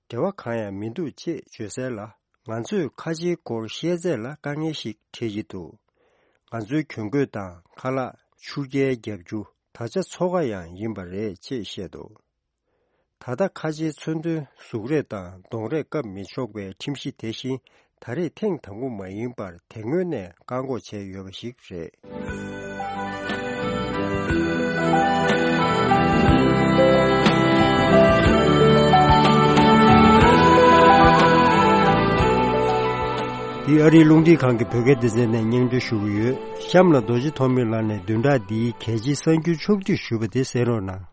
འབྲེལ་བ་གང་ཡང་མི་འདུག་ཅེས་བརྗོད་གསལ་ལ། ང་ཚོས་ཁ་ཆེའི་སྐོར་བཤད་ཚད་ལ་དཀའ་ངལ་ཞིག་འཕྲད་ཀྱི་འདུག་ང་ཚོའི་གྱོན་གོས་དང་ཁ་ལག་ཆུ་རྐྱལ་རྒྱག་རྒྱུ་ད་ཆ་འཚོ་ཁ་ཡང་ཡིན་པ་རེད་ཅེས་བཤད་འདུག་ད་ལྟ་ཁ་ཆེའི་མཚོན་དོན་གཟུགས་རས་དང་གདོང་རས་བཀབ་མི་ཆོག་པའི་ཁྲིམས་གཞི་དེ་བཞིན་ད་རེས་ཐེངས་དང་པོ་མ་ཡིན་པར་དེ་སྔོན་ནས་བཀག་འགོག་བྱས་ཡོད་པ་ཞིག་རེད། འདི་ཨ་རིའི་རླུང་འཕྲིན་ཁང་གི་བོད་སྐད་སྡེ་ཚན་ནས་སྙན་སྒྲོན་ཞུ་གི་ཡོད། གཤམ་ལ་རྡོ་རྗེ་ཐོགས་མེད་ལགས་ནས་བདུན་ཕྲག་འདིའི་གལ་ཆེའི་གསར་འགྱུར་ཕྱོགས་བསྡུས་ཞུས་པ་དེ་གསན་རོགས་གནང་།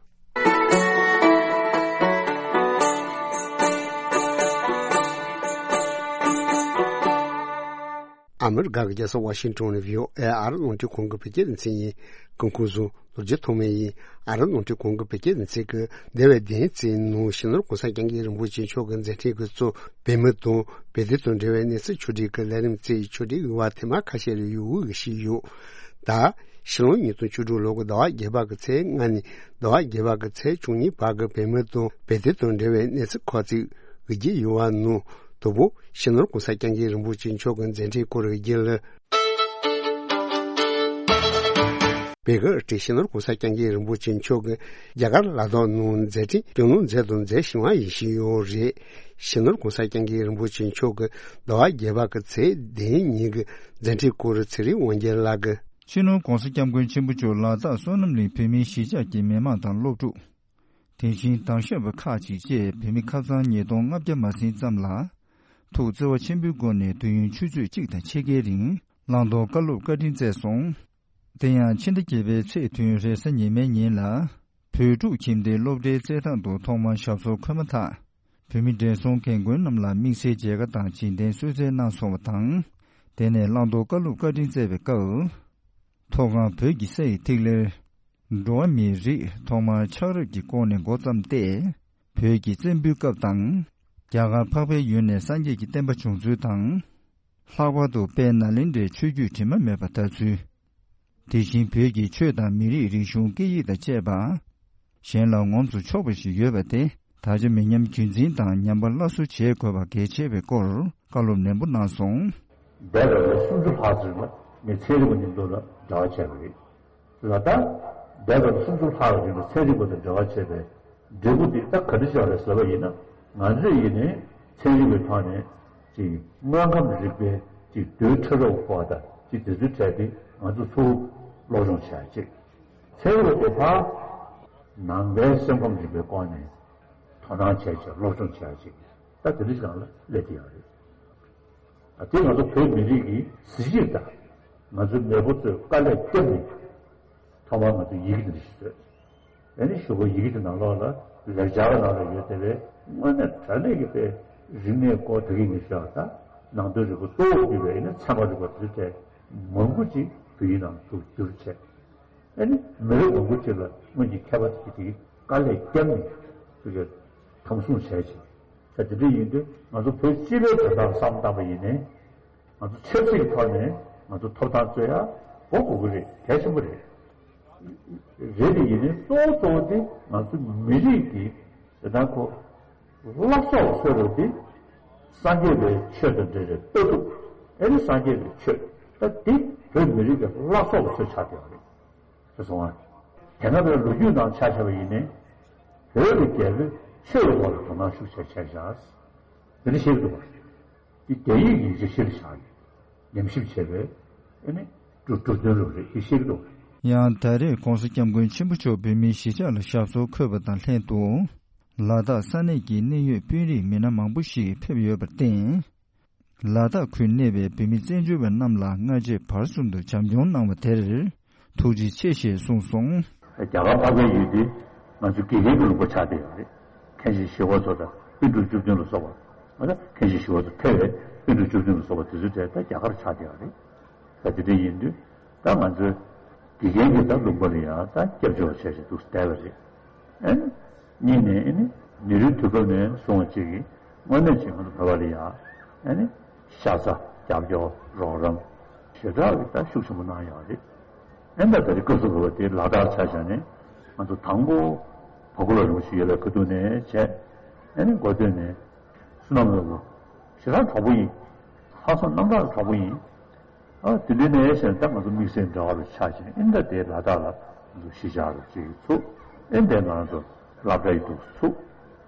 ཨ་མི་རི་ཀ་གི་རྒྱལ་ས་ཝ་ཤིང་ཏོན་ནས་བྷི་ཨོ་ཨེ་ཨ་རི་རླུང་འཕྲིན་ཁང་གི་བོད་སྐད་སྡེ་ཚན་ཡིན། སྐུ་ཁམས་བཟང་། རྡོ་རྗེ་ཐོགས་མེད་ཡིན། ཨ་རི་རླུང་འཕྲིན་ཁང་གི་བོད་སྐད་སྡེ་ཚན་གྱིས་འདས་པའི་བདུན་ཙམ་ནང་སྤྱི་ནོར་གོང་ས་སྐྱབས་མགོན་རིན་པོ་ཆེ་མཆོག་གི་མཛད་འཕྲིན་གྱི་གཙོ་བོད་མི་དང་བོད་དོན་དང་འབྲེལ་བའི་གནས་ཚུལ་ཕྱོགས་སྒྲིག་གི་ལས་རིམ་བཅས་ཕྱོགས་སྒྲིག་གི་བར་ཐེངས་མ་ཁ་ཤས་ལ་ཡོད་འགུལ་ཞིག་ཡོད། ད་ཕྱི་ལོ་ཉིས་སྟོང་བཅུ་དྲུག་ལོ་གི་ཟླ་བ་བརྒྱད་པ་གི་ཚེས་ལྔ་ནས་ཟླ་བ་བརྒྱད་པ་གི་ཚེས་བཅུ་གཉིས་བར་གྱི་བོད་མི་དང་བོད་དོན་དང་འབྲེལ་བའི་གནས་ཚུལ་ཁག་ཅིག་གི་རྒྱུ་ཡོད་པ་ནང་དང་པོ་སྤྱི་ནོར་གོང་ས་སྐྱབས་མགོན་རིན་པོ་ཆེ་མཆོག་གི་མཛད་འཕྲིན་སྐོར་གྱི་རྒྱུ་ལ། བོད་ཀྱི་སྤྱི་ནོར་གོང་ས་སྐྱབས་མགོན་རིན་པོ་ཆེ་མཆོག་གིས་རྒྱ་གར་ལ་དྭགས་ནང་མཛད་འཕྲིན་སྐྱོང་གནང་མཛད་དང་མཛད་བཞིན་པ་ཡིན་བཞིན་ཡོད་རེད། སྤྱི་ནོར་གོང་ས་སྐྱབས་མགོན་རིན་པོ་ཆེ་མཆོག་གི་ཟླ་བ་བརྒྱད་པ་གི་ཚེས་བདུན་ཉིན་གྱི་མཛད་འཕྲིན་སྐོར་ཚེ་རིང་དབང་རྒྱལ་ལགས་ཀྱིས། སྤྱི་ནོར་གོང་ས་སྐྱབས་མགོན་ཆེན་པོ་མཆོག་ལ་དྭགས་བསོད་ནམས་གླིང་བོད་མིའི་གཞིས་ཆགས་ཀྱི་མི་མང་དང་སློབ་ཕྲུག་དེ་བཞིན་དྭང་ཞབས་པ་ཁག་ཅིག་བཅས་བོད་མི་ཁ་ཚང་ཉིས་སྟོང་ལྔ་བརྒྱ་མ་ཟིན་ཙམ་ལ། ཐུགས་བརྩེ་བ་ཆེན་པོའི་སྒོ་ནས་དུས་ཡུན་ཆུ་ཚོད་གཅིག་དང་ཕྱེད་ཀའི་རིང་བླང་དོར་བཀའ་སློབ་བཀའ་དྲིན་སྩལ་སོང་། དེ་ཡང་ཕྱི་ཟླ་བརྒྱད་པའི་ཚེས་བདུན་རེས་གཟའ་ཉི་མའི་ཉིན་ལ། བོད་ཕྲུག་ཁྱིམ་སྡེའི་སློབ་གྲྭའི་རྩེད་ཐང་དུ་ཐོག་མར་ཞབས་སོར་འཁོད་མ་ཐག་བོད་མི་བགྲེས་སོང་རྒན་རྒོན་རྣམས་ལ་དམིགས་བསལ་མཇལ་ཁ་དང་རྗེས་དྲན་གསོལ་སྩལ་གནང་སོང་བ་དང་། དེ་ནས་བླང་དོར་བཀའ་སློབ་བཀའ་དྲིན་སྩལ་བའི་སྐབས། མཐོ་སྒང་བོད་ཀྱི་ས་ཡི་ཐིག་ལེར། འགྲོ་བ་མིའི་རིགས་ཐོག་མར་ཆགས་རབས་ཀྱི་སྐོར་ནས་འགོ་བརྩམས་ཏེ། བོད་ཀྱི་བཙན་པོའི་སྐབས་དང་། རྒྱ་གར་འཕགས་པའི་ཡུལ་ནས་སངས་རྒྱས་ཀྱི་བསྟན་པ་བྱུང་ཚུལ་དང་། ལྷག་པར་དུ་དཔལ་ནཱ་ལེནྡྲའི་ཆོས་བརྒྱུད་དྲི་མ་མེད་པ་དར་ཚུལ། དེ་བཞིན་བོད་ཀྱི་ཆོས་དང་མི་རིགས་རིག་གཞུང་སྐད་ཡིག་དང་བཅས་པ། གཞན་ལ་ངོམས་སུ་ཆོག་པ་ཞིག་ཡོད་པ་དེ་ད་ཆ་མི་ཉམས་རྒྱུན་འཛིན་དང་ཉམས་པ་སླར་གསོ་བྱེད་དགོས་པ་གལ་ཆེ་བའི་སྐོར་བཀའ་སློབ་ནན་པོ་གནང་སོང་། འདས་པའི་ལོ་སུམ་ཅུ་ལྷག་ཙམ་ལ་ངས་ཚན་རིག་པ་མཉམ་དུ་ལ་འབྲེལ་བ་བྱས་པ་རེད། ལ་ད་འདས་པའི་ལོ་སུམ་ཅུ་ལྷག་རིང་ལ་ཚན་རིག་པ་དང་འབྲེལ་བ་བྱས་པའི་འབྲས་བུ་དེ་ད་ག་འདྲ་ཞིག་རེད་ཟེར་བ་ཡིན་ན། ང་ཚོས་ཡིན་ནའི་ཚན་རིག་པའི་ཐོག་ནས་ཅིག་དངོས་ཁམས་རིག་པའི་ཅིག་རྡུལ་ཕྲ་རབ་པ་དང་ཅིག་དེ་ཚོའི་གྲས་དེ་ང་ཚོ་ཚུར་སློབ་སྦྱོང་བྱས་ཅིག་ཚན་རིག་པ་དེ་ཕར་ནང་པའི་སེམས་ཁམས་རིག་པའི་སྐོར་ནས་དོ་སྣང་བྱས་ཅིག་སློབ་སྦྱོང་བྱས་ཅིག་ད་དེ་འདྲ་ཞིག་ལ་སླེབས་ཀྱི་ཡོད་རེད། དེ་ང་ཚོ་བོད་མི་རིགས་ཀྱི་གཟི་བརྗིད་དང་། ང་ཚོའི་མེས་པོ་ཚོས་དཀའ་ལས་བརྒྱབ་ནས་ཐོག་མར་ང་ཚོས་ཡི་གེ་འདི་འདྲ་ཞིག་བཟོས། ཨ་ནི་གཞུག་གུ་ཡི་གེ་དེ་ནང་ལོགས་ལ་ལེགས་སྦྱར་ནང་ལ་ཡོད་བསྡད་པའི་དངོས་གནས་དྲང་གནས་ཀྱི་དཔེ་རིག་གནས་སྐོར་དེ་གའི་ངེས་ཤེས་དང་ནང་དོན་རིག་པ་གཙོ་བོར་གྱུར་པའི་ཨ་ནི་ཚད་མ་རིག་པ་དེ་ཚོའི་གྲས་མང་པོ་ཅིག་བོད་ཡིག་ནང་དུ་བསྒྱུར་བྱས། ཨ་ནི་མི་རབས་མང་པོ་ཅིག་ལ་སྔོན་གྱི་མཁས་པ་དེ་གའི་དེ་གའི་དཀའ་ལས་བརྒྱབ་ནས་དེ་གའི། ཁམས་གསུམ་བྱས་ཤིང་། ད་དེ་འདྲ་ཡིན་དུས་ང་ཚོ་བོད་སྤྱི་པའི་དོན་དག་བསམ་བཏང་པ་ཡིན་ནའི། ང་ཚོ་ཆབ་སྲིད་ཀྱི་ཐོག་ནས་ང་ཚོ་ཐོབ་ཐང་རྩོད་ཡ་གོ་དགོས་ཀྱི་རེད། གལ་ཆེན་པོ་རེད། རེད་དེ་ཡིན་ནའི་གཙོ་བོ་གཙོ་བོ་དེ་ང་ཚོ་མི་རིགས་ཀྱི་དེ་དང་ཁོ་བླ་སྲོག་ཟེར་བ་དེ་སངས་རྒྱས་པའི་ཆོས་དང་འབྲེལ་བའི་ལྟ་གྲུབ། ཨེ་ནི་སངས་རྒྱས་པའི་ཆོས་ད་དེ་བོད་མི་རིགས་ཀྱི་བླ་སྲོག་གི་ཆོས་ཆགས་བསྡད་པ་རེད། ཞེས་གསུངས་པ། དེ་སྔ་བའི་ལོ་རྒྱུས་ནང་ཆ་བཞག་པ་ཡིན་ནའི། བོད་ཀྱི་རྒྱལ་པོས་ཆོས་ཀྱི་ཐོག་ལ་དོ་སྣང་ཤུགས་ཆེ་བྱས་བཞག་དེ་འདྲ་བཤད་ཀྱི་འདུག་པ། འདི་རྒྱ་ཡིག་ཡིན་ཚུལ་གཞིར་བཞག་ནས་ཉམས་ཞིབ་བྱས་པའི་ཨེ་ནི་གྲུབ་གྲུབ་དོན་རུ་རེད་ཅེས་བཤད་ཀྱི་འདུག་ཡང་ད་རེས་༸གོང་ས་༸སྐྱབས་མགོན་ཆེན་པོ་མཆོག་བོད་མིའི་གཞིས་ཆགས་ལ་ཞབས་སོར་འཁོད་པ་དང་ལྷན་དུ། ལ་དྭགས་ས་གནས་ཀྱི་གནད་ཡོད་དཔོན་རིགས་མི་སྣ་མང་པོ་ཞིག་ཕེབས་ཡོད་པར་བརྟེན། ལ་དྭགས་ཁུལ་གནས་པའི་བོད་མི་བཙན་བྱོལ་བ་རྣམས་ལ་སྔ་རྗེས་བར་གསུམ་དུ་བྱམས་སྐྱོང་གནང་བ་དེར་ཐུགས་རྗེ་ཆེ་ཞེས་གསུངས་སོང་། རྒྱ་གར་འཕགས་པའི་ཡུལ་འདི་ང་ཚོ་དགེ་རྒན་གྱི་ལུང་པ་ཆགས་བསྡད་ཡོད་རེད། མཁན་ཆེན་ཞི་བ་འཚོ་དང་པཎ་གྲུབ་བཅུ་བདུན་ལ་སོགས་པ། ང་ཚོ་མཁན་ཆེན་ཞི་བ་འཚོ་ཐེ་བའི་པཎ་གྲུབ་བཅུ་བདུན་ལ་སོགས་པ་དེ་ཚོའི་གྲས་ད་རྒྱ་གར་ཆགས་བསྡད་ཡོད་རེད། ད་དེ་འདྲ་ཡིན་དུས་ད་ང་ཚོའི་དགེ་རྒན་གྱི་ད་ལུང་པ་ལ་ཡང་ད་སྐྱབས་བཅོལ་བ་བྱས་བྱས་འདུག་བསྡད་པ་རེད། ཨེ་ནི། གཉིས་ནས་ཨེ་ནི་མི་རིགས་དུས་སྐབས་ནས་བཟུང་བ་ཅིག་གིས་དངོས་གནས་ཅིག་ང་ཚོ་བོད་པ་ལ་ཡང་ཨེ་ནི་ཤ་ཚ་རྒྱབ་སྐྱོར་རོགས་རམ་ཞེ་དྲག་གི་ད་ཤུགས་ཆེན་པོ་གནང་ཡོད་རེད། ཨེ་ད་ད་རེས་སྐབས་སུ་བབས་པ་དེ་ལ་དྭགས་ཆ་བཞག་ནས་ང་ཚོ་དང་པོ་བ་ཀུ་ལ་རིན་པོ་ཆེ་ཡོད་པའི་ཁ་ཐུག་ནས་བྱས། ཨེ་ནི་འགོ་སྟོད་ནས་བསོད་ནམས་ལྷུན་པོ་ཞེ་དྲག་གྲོགས་པོ་ཡིན། ལྷག་བསམ་རྣམ་དག་གྲོགས་པོ་ཡིན། ཨ་དེ་འདྲའི་ནས་བྱས་ད་ང་ཚོ་དམིགས་བསལ་འབྲེལ་བ་རུ་ཆགས་ཤིང་ཨིན་ད་དེ་ལ་དྭགས་ལ་ང་ཚོ་གཞིས་ཆགས་རུ་ཅིག་ཚུགས། ཨིན་དེ་ང་ཚོ་སློབ་གྲྭའི་འདུག་ཚུགས་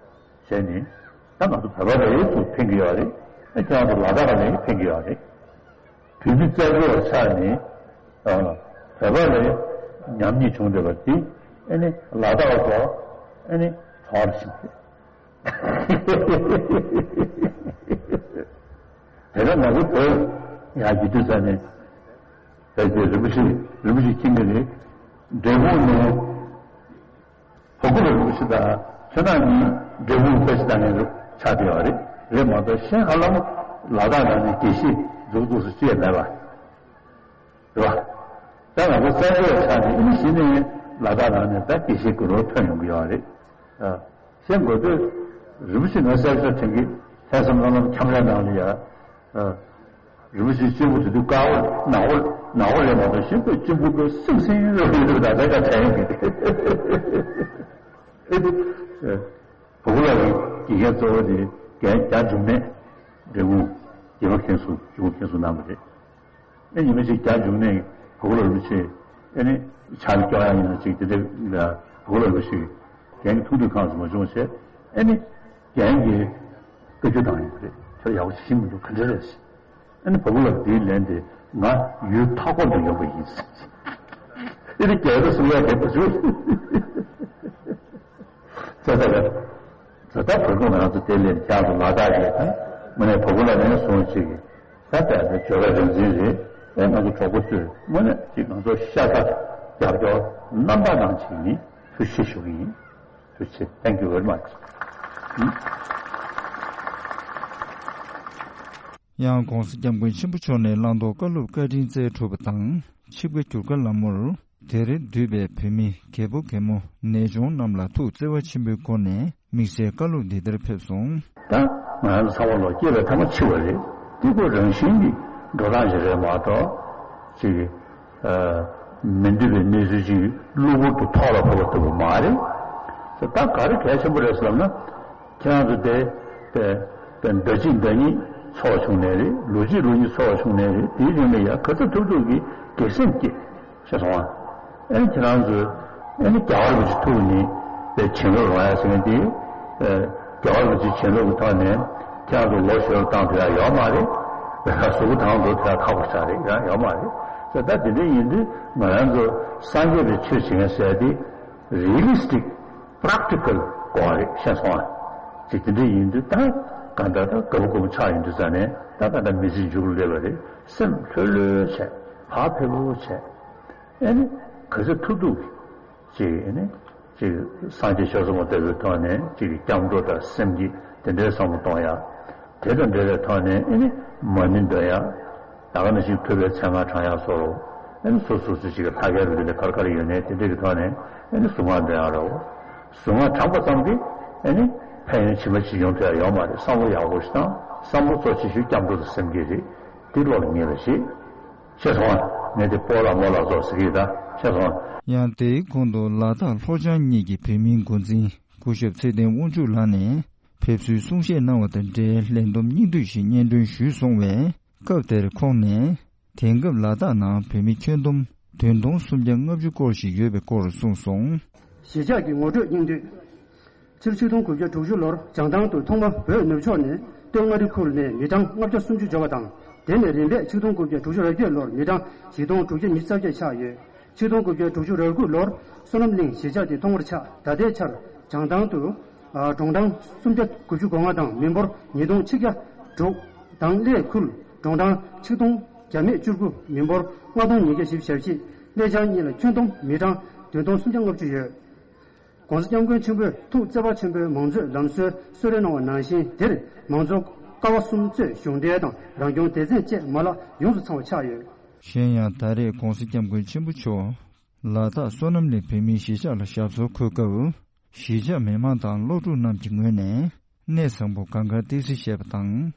བྱས་ནས་ད་ང་ཚོ་བོད་པ་རེ་ཚུགས་ཕན་གྱི་ཡོད་རེད། ཨ་ཁྱེད་རང་ཚོ་ལ་དྭགས་ལ་ནས་ཕན་གྱི་ཡོད་རེད། བོད་མི་རྩ་བའི་ཆ་ནས་ཨ་བོད་པ་ལ་ཉམས་ཉེས་བྱུང་བསྡད་པ་དེ་ཨ་ནི་ལ་དྭགས་ལ་ཨ་ནི་གྲོགས་རེ་ཞིག་རེད། དེ་ལ་ང་ཚོ་བོད་ཡང་སྐྱིད་སྡུག་ས་ནས་བོད་ཀྱི་རིན་པོ་ཆེ་རིན་པོ་ཆེ་ཁྱིམ་གྱི་རེད། འབྲས་སྤུངས་ནས་བ་ཀུ་ལ་རིན་པོ་ཆེ་དང་ཆོས་ནག་གཉིས་འབྲས་སྤུངས་ཕལ་ཆེར་ད་ངས་ཆགས་བསྡད་པ་རེད། རེད་མ་གཏོགས་གཞན་ཧ་ལམ་ལ་དྭགས་ནང་ནས་དགེ་བཤེས་འཛུགས་འདུག་སུ་ཅི་ཡང་མེད་པ། རེད་བ། ད་ང་ཚོ་བཙན་བྱོལ་བ་ཆགས་ནས་ཨ་ནི་གཞི་ནས་ལ་དྭགས་ནང་ནས་ད་དགེ་བཤེས་དགུ་རོ་ཐོན་ཡོང་གི་ཡོད་རེད། ཨ། གཞན་འགོ་སྟོད་རིན་པོ་ཆེ་ང་གསལ་བཤད་དྲན་གི་ལྷག་བསམ་རྣམ་གྲངས་ཁྱམས་རའི་ནང་ལ་ཡ། ཨ། རིན་པོ་ཆེ་གཅེན་པོ་དེ་དུས་དཀར་པོ་ནག་པོ་ནག་པོ་རེད་མ་གཏོགས་གཞན་པའི་གཅེན་པོ་པོའི་སེམས་སེམས་རེད་འདུག་ད་ལྟ་ད་དྲན་གི། ཨེ་དེ། བ་ཀུ་ལ་གི་དགེ་རྒན་གཙོ་བོ་དེ་རྒན་རྒྱ་འབྱུང་གནས་འབྲས་སྤུངས་རྒྱལ་བ་མཁན་ཟུར་ཇོ་བོ་མཁན་ཟུར་གནང་བ་རེད། ཨེ་ཉི་མ་ཞིག་རྒྱ་འབྱུང་གནས་བ་ཀུ་ལ་རིན་པོ་ཆེ་ཨེ་ནི་ཕྱག་ལ་སྐྱོར་ཡ་ཡིན་ན་ཅིག་དེ་འདྲ་ལ་བ་ཀུ་ལ་རིན་པོ་ཆེ་རྒན་གྱི་ཐུགས་འདོད་ཁག་ཙམ་མ་བྱུང་བ་བྱས་ཨེ་ནི་རྒན་གྱི་བཀའ་བཀྱོན་བཏང་ཡོད་པ་རེད། ཁྱོད་ཡག་པོ་ཞིག་ཤེས་མི་འདུག་ག་འདྲ་རེད་ཟེར། ཨེ་ནི་བ་ཀུ་ལ་དེའི་ལན་དེ་ང་ཡུལ་མཐའ་འཁོབ་ཏུ་ཡོང་པ་ཡིན་ཟེར། ཨེ་ནི་རྒྱལ་པོ་གསུང་ཡ་རེད་པ་ཚོས། ཙ་ཙ་རེད། ད་ལྟ་བོད་ཁོངས་ང་ཚོ་དེ་ལས་བྱང་དུ་ལ་དྭགས་ཀྱི་དང་དངོས་གནས་བ་ཀུ་ལ་ནས་བཟུང་ཅིག་གི་ད་ལྟ་དེ་བརྗོད་པ་རིག་འཛིན་རེད། ཨེ་ང་ཚོ་གྲོགས་པོ་ཚོས་དངོས་གནས་ཅིག་ང་ཚོ་ཤ་ཚ་རྒྱབ་སྐྱོར་རྣམ་པ་གནང་ཅིག་ནི་ཐུགས་རྗེ་ཆེ་ཞུ་གི་ཡིན། ཐུགས་རྗེ་ཆེ། Thank you very much. ཡང་༸གོང་ས་༸སྐྱབས་མགོན་ཆེན་པོ་མཆོག་ནས་བླང་དོར་བཀའ་སློབ་བཀའ་དྲིན་སྩལ་གྲུབ་པ་དང་ཆིབས་ཁ་བསྒྱུར་བཀའ་ལམ་མོར། དེ་རིང་འདུས་པའི་བོད་མི་རྒད་པོ་རྒད་མོ་ནད་གཅོང་རྣམས་ལ་ཐུགས་བརྩེ་བ་ཆེན་པོའི་སྒོ་ནས་དམིགས་བསལ་བཀའ་སློབ་འདི་ལྟར་ཕེབས་སོང་། ད་ང་རང་ཚོ་ཚང་མ་ལོ་སྐྱེས་པའི་ཐ་མ་འཆི་བ་རེད། འདི་ཁོ་རང་བཞིན་གྱི་འགྲོ་སྟངས་ཤིག་རེད་མ་གཏོགས་ཅིག་ཨ། མི་འདུས་པའི་གནས་ཚུལ་ཅིག་གློ་བུར་དུ་ཐོག་ལ་ཕོག་པ་ལྟ་བུ་མ་རེད། ད་ག་རེ་གལ་ཆེན་པོ་རེད་ཟེར་ལབ་ན། ཁྱེད་རང་ཚོ་དེ་དེ་དེ་ཟླ་གཅིག་ཟླ་གཉིས་འཚོ་བ་བྱུང་ནའི་རེད། ལོ་གཅིག་ལོ་གཉིས་འཚོ་བ་བྱུང་ནའི་རེད། དེའི་རིང་ལ་ཡ་ག་ཚོད་ཐུབ་ཐུབ་ཀྱིས་དགེ་སེམས་བསྐྱེད་ཤེས་སོང་ཨ། ཨེ་ཁྱེད་རང་ཚོས་ཨེ་ནི་རྒྱལ་བ་རིན་པོ་ཆེ་ཐུགས་ནི་དེ་བྱིན་རླབས་རང་ཡ་ཟེར་མཁན་དེ་རྒྱལ་བ་རིན་པོ་ཆེ་བྱིན་རླབས་ཀྱི་ཐོག་ནས་ཁྱེད་རང་ཚོ་ལོ་བཞི་བཏང་ཐུབ་ཡ་ཡོད་མ་རེད། གཟུགས་པོ་དང་འགྲོ་ཐུབ་ཡ་ཁག་པོ་ཆགས་རེད། ཡང་ཡོད་མ་རེད། ད་དེ་འདྲ་ཡིན་དུས་ང་རང་ཚོ་སངས་རྒྱས་པའི་ཆོས་བྱེད་མཁན་ཟེར་དེ་རི་ལི་སི་ཊིག་པྲེག་ཊི་ཀལ་དགོས་རེད། ཤེས་སོང་ཨ། ཅིག་དེ་འདྲ་ཡིན་དུས་ད་ག་འདྲ་ད་དགའ་པོ་དགའ་པོ་ཆགས་ཡོང་དུས་ཙ་ནས་ད་ག་འདྲ་མི་ཚེ་མཇུག་ལ་སླེབས་པ་རེད། སེམས་ལྷོད་ལྷོད་བྱས་བག་ཕེབས་པོ་བྱས་ཨེ་ནི་ག་ཚོད་ཐུབ་ཐུབ་ཅིག་ཨེ་ནི་ཅིག་སངས་རྒྱས་ཆོས་ཚོགས་མ་ལྟ་བུའི་ཐོག་ནས་ཅིག་སྐྱབས་འགྲོ་དང་སེམས་བསྐྱེད་དེ་འདྲའི་བསམ་བློ་གཏོང་ཡ། དེ་དང་འབྲེལ་བའི་ཐོག་ནས་ཨེ་ནི་མ་ཎི་འདོན་ཡ། ད་ག་ནང་བཞིན་ཐུབ་པའི་མཚན་སྔགས་བགྲང་ཡག་སོགས་རོ། ཨ་ནི་སོ་སོ་སོ་ཞིག་གི་ལྷ་སྐལ་རུ་དེ་ལས་གར་གར་ཡོད་ནས་དེ་འདྲ་གི་ཐོག་ནས་ཨ་ནི་གཟུངས་སྔགས་འདོན་ཡག་རོ། གཟུངས་སྔགས་བགྲངས་པ་ཙམ་གྱིས་ཨ་ནི་ ཕན་ཡོན་ཇི་མ་ཇི་བྱུང་ཐོན་ཡ་ཡོད་མ་རེད། བསམ་བློ་ཡག་པོ་ཞིག་བཏང་། བསམ་བློ་གཙོ་ཆེ་ཤོས་སྐྱབས་འགྲོ་དང་སེམས་བསྐྱེད་རེད། དེ་བློ་ལ་ངེས་པ་བྱེད། ཤེས་སོང་ང་། ངས་དེ་སྤོ་ལགས་རྨོ་ལགས་ཚོ་ཟེར་གྱི་ཡིན་ད། ཤེས་སོང་ང་། ཡང་དེའི་གོང་དུ་ལ་དྭགས་ལྷོ་བྱང་གཉིས་ཀྱི་བོད་མིའི་འགོ་འཛིན་སྐུ་ཞབས་ཚེ་བརྟན་དབང་ཕྱུག་ལགས་ནས་ཕེབས་བསུའི་གསུང་བཤད་གནང་བ་དང་འབྲེལ་ལས་བསྡོམས་སྙིང་བསྡུས་ཤིག་སྙན་སྒྲོན་ཞུས་སོང་བས། སྐབས་དེར་ཁོང་ནས་དེང་སྐབས་ལ་དྭགས་ནང་བོད་མི་ཁྱོན་བསྡོམས་བདུན་སྟོང་སུམ་བརྒྱ་ལྔ་བཅུ་སྐོར་ཞིག་ཡོད་པའི་སྐོར་གསུངས་སོང་། གཞིས་ཆགས་ཀྱི་ངོ་སྤྲོད་སྙིང་བསྡུས། ཕྱི་ལོ་ཆིག་སྟོང་དགུ་བརྒྱ་དྲུག་ཅུ་ལོར་བྱང་ཐང་དུ་ཐོག་མ་བོད་ནུབ་ཕྱོགས་ནས་སྟོད་མངའ་རིས་ཁུལ་ནས་མི་གྲངས་ལྔ་བརྒྱ་སུམ་ཅུ་འབྱོར་བ་དང་། དེ་ནས་རིམ་པས་ཆིག་སྟོང་དགུ་བརྒྱ་དྲུག་ཅུ་རེ་བརྒྱད་ལོར་མི་གྲངས་བཞི་སྟོང་དྲུག་བརྒྱ་ཉི་ཤུ་རྩ་བརྒྱད་ཆགས་ཡོད། ཆིག་སྟོང་དགུ་བརྒྱ་དྲུག་ཅུ་རེ་དགུ་ལོར་བསོད་ནམས་གླིང་གཞིས་ཆགས་དེ་ཐོག་མར་ཆགས། ད་ལྟའི་ཆར་བྱང་ཐང་དུ་གྲོང་ཐང་སུམ་བརྒྱ་དགུ་བཅུ་གོ་ལྔ་དང་མི་འབོར་ཉིས་སྟོང་ཆིག་བརྒྱ་དྲུག་དང་གླེ་ཁུལ་གྲོང་ཐང་ཆིག་སྟོང་བརྒྱ་མེད་བཅུ་དགུ། མི་འབོར་ལྔ་སྟོང་ཉིས་བརྒྱ་བཞི་བཅུ་ཞེ་གཅིག། གླེ་བྱང་གཉིས་ལ་ཁྱོན་བསྡོམས་མི་གྲངས་བདུན་སྟོང་སུམ་བརྒྱ་ལྔ་བཅུ་ཡོད། ༸གོང་ས་༸སྐྱབས་མགོན་ཆེན་པོས་ཐུགས་བརྩེ་བ་ཆེན་པོས་མང་གཙོའི་ལམ་སྲོལ་གསོལ་རས་གནང་བ་ནང་བཞིན། འདིར་མང་གཙོ་ཀ་བ་གསུམ་གཙོས་གཞུང་འབྲེལ་དང་རང་སྐྱོང་སྡེ་ཚན་བཅས་མ་ལག་ཡོངས་སུ་ཚང་བ་ཆགས་ཡོད། གཞན་ཡང་ད་རེས་༸གོང་ས་༸སྐྱབས་མགོན་ཆེན་པོ་མཆོག་ལ་དྭགས་བསོད་ནམས་གླིང་བོད་མིའི་གཞིས་ཆགས་ལ་ཞབས་སོར་འཁོད་སྐབས། གཞིས་ཆགས་མི་མང་དང་སློབ་ཕྲུག་རྣམས་ཀྱི་ངོས་ནས་གནས་བཟང་པོ་གངས་དཀར་ཏི་སེ་ཞེས་པ་དང་།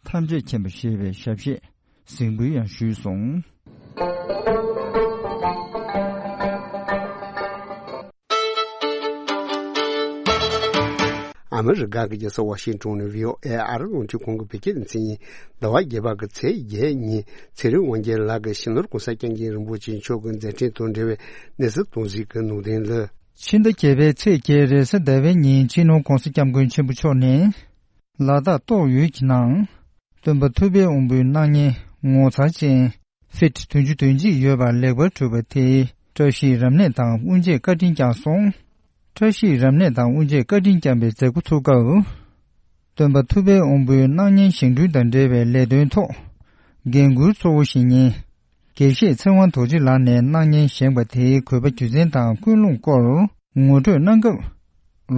ཐམས་ཅད་མཁྱེན་པ་ཞེས་པའི་ཞབས་གཞས་གཟིགས་འབུལ་ཡང་ཞུས་སོང་། ཨ་མི་རི་ཀ་གི་རྒྱལ་ས་ཝ་ཤིང་ཊོན་ནས་བྷི་ཨོ་ཨེ་ཨ་རི་རླུང་འཕྲིན་ཁང་གི་བོད་སྐད་སྡེ་ཚན་ཡིན། ཟླ་བ་བརྒྱད་པ་གི་ཚེས་བརྒྱད་ཉིན་ཚེ་རིང་དབང་རྒྱལ་ལགས་ཀྱིས་སྤྱི་ནོར་༸གོང་ས་༸སྐྱབས་མགོན་རིན་པོ་ཆེ་མཆོག་གི་མཛད་འཕྲིན་དང་འབྲེལ་བའི་གནས་ཚུལ་སྟོང་ཟད་ཀྱི་ནང་དོན་ལ། ཕྱི་ཟླ་བརྒྱད་པའི་ཚེས་བརྒྱད་རེས་གཟའ་ཟླ་བའི་ཉིན་སྤྱི་ནོར་༸གོང་ས་༸སྐྱབས་མགོན་ཆེན་པོ་མཆོག་ནས་ལ་དྭགས་ཏོག་ཡུལ་གྱི་ནང་། སྟོན་པ་ཐུབ་པའི་དབང་པོའི་སྣང་བརྙན་ངོ་མཚར་ཅན་ཕིཊ་བདུན་ཅུ་དོན་གཅིག་ཡོད་པ་ལེགས་པར་གྲུབ་པ་དེའི་བཀྲ་ཤིས་རབ་གནས་དང་དབུ་འབྱེད་བཀའ་དྲིན་བསྐྱངས་སོང་། བཀྲ་ཤིས་རབ་གནས་དང་དབུ་འབྱེད་བཀའ་དྲིན་བསྐྱངས་པའི་མཛད་སྒོ་ཚུགས་སྐབས། སྟོན་པ་ཐུབ་པའི་དབང་པོའི་སྣང་བརྙན་བཞེངས་སྐྲུན་དང་འབྲེལ་བའི་ལས་དོན་ཐོག་འགན་འཁུར་གཙོ་བོ་ཞིག་ཡིན། དགེ་བཤེས་ཚེ་དབང་རྡོ་རྗེ་ལགས་ནས་སྣང་བརྙན་བཞེངས་པ་དེའི་དགོས་པ་རྒྱུ་མཚན་དང་ཀུན་སློང་སྐོར་ངོ་སྤྲོད་གནང་སྐབས།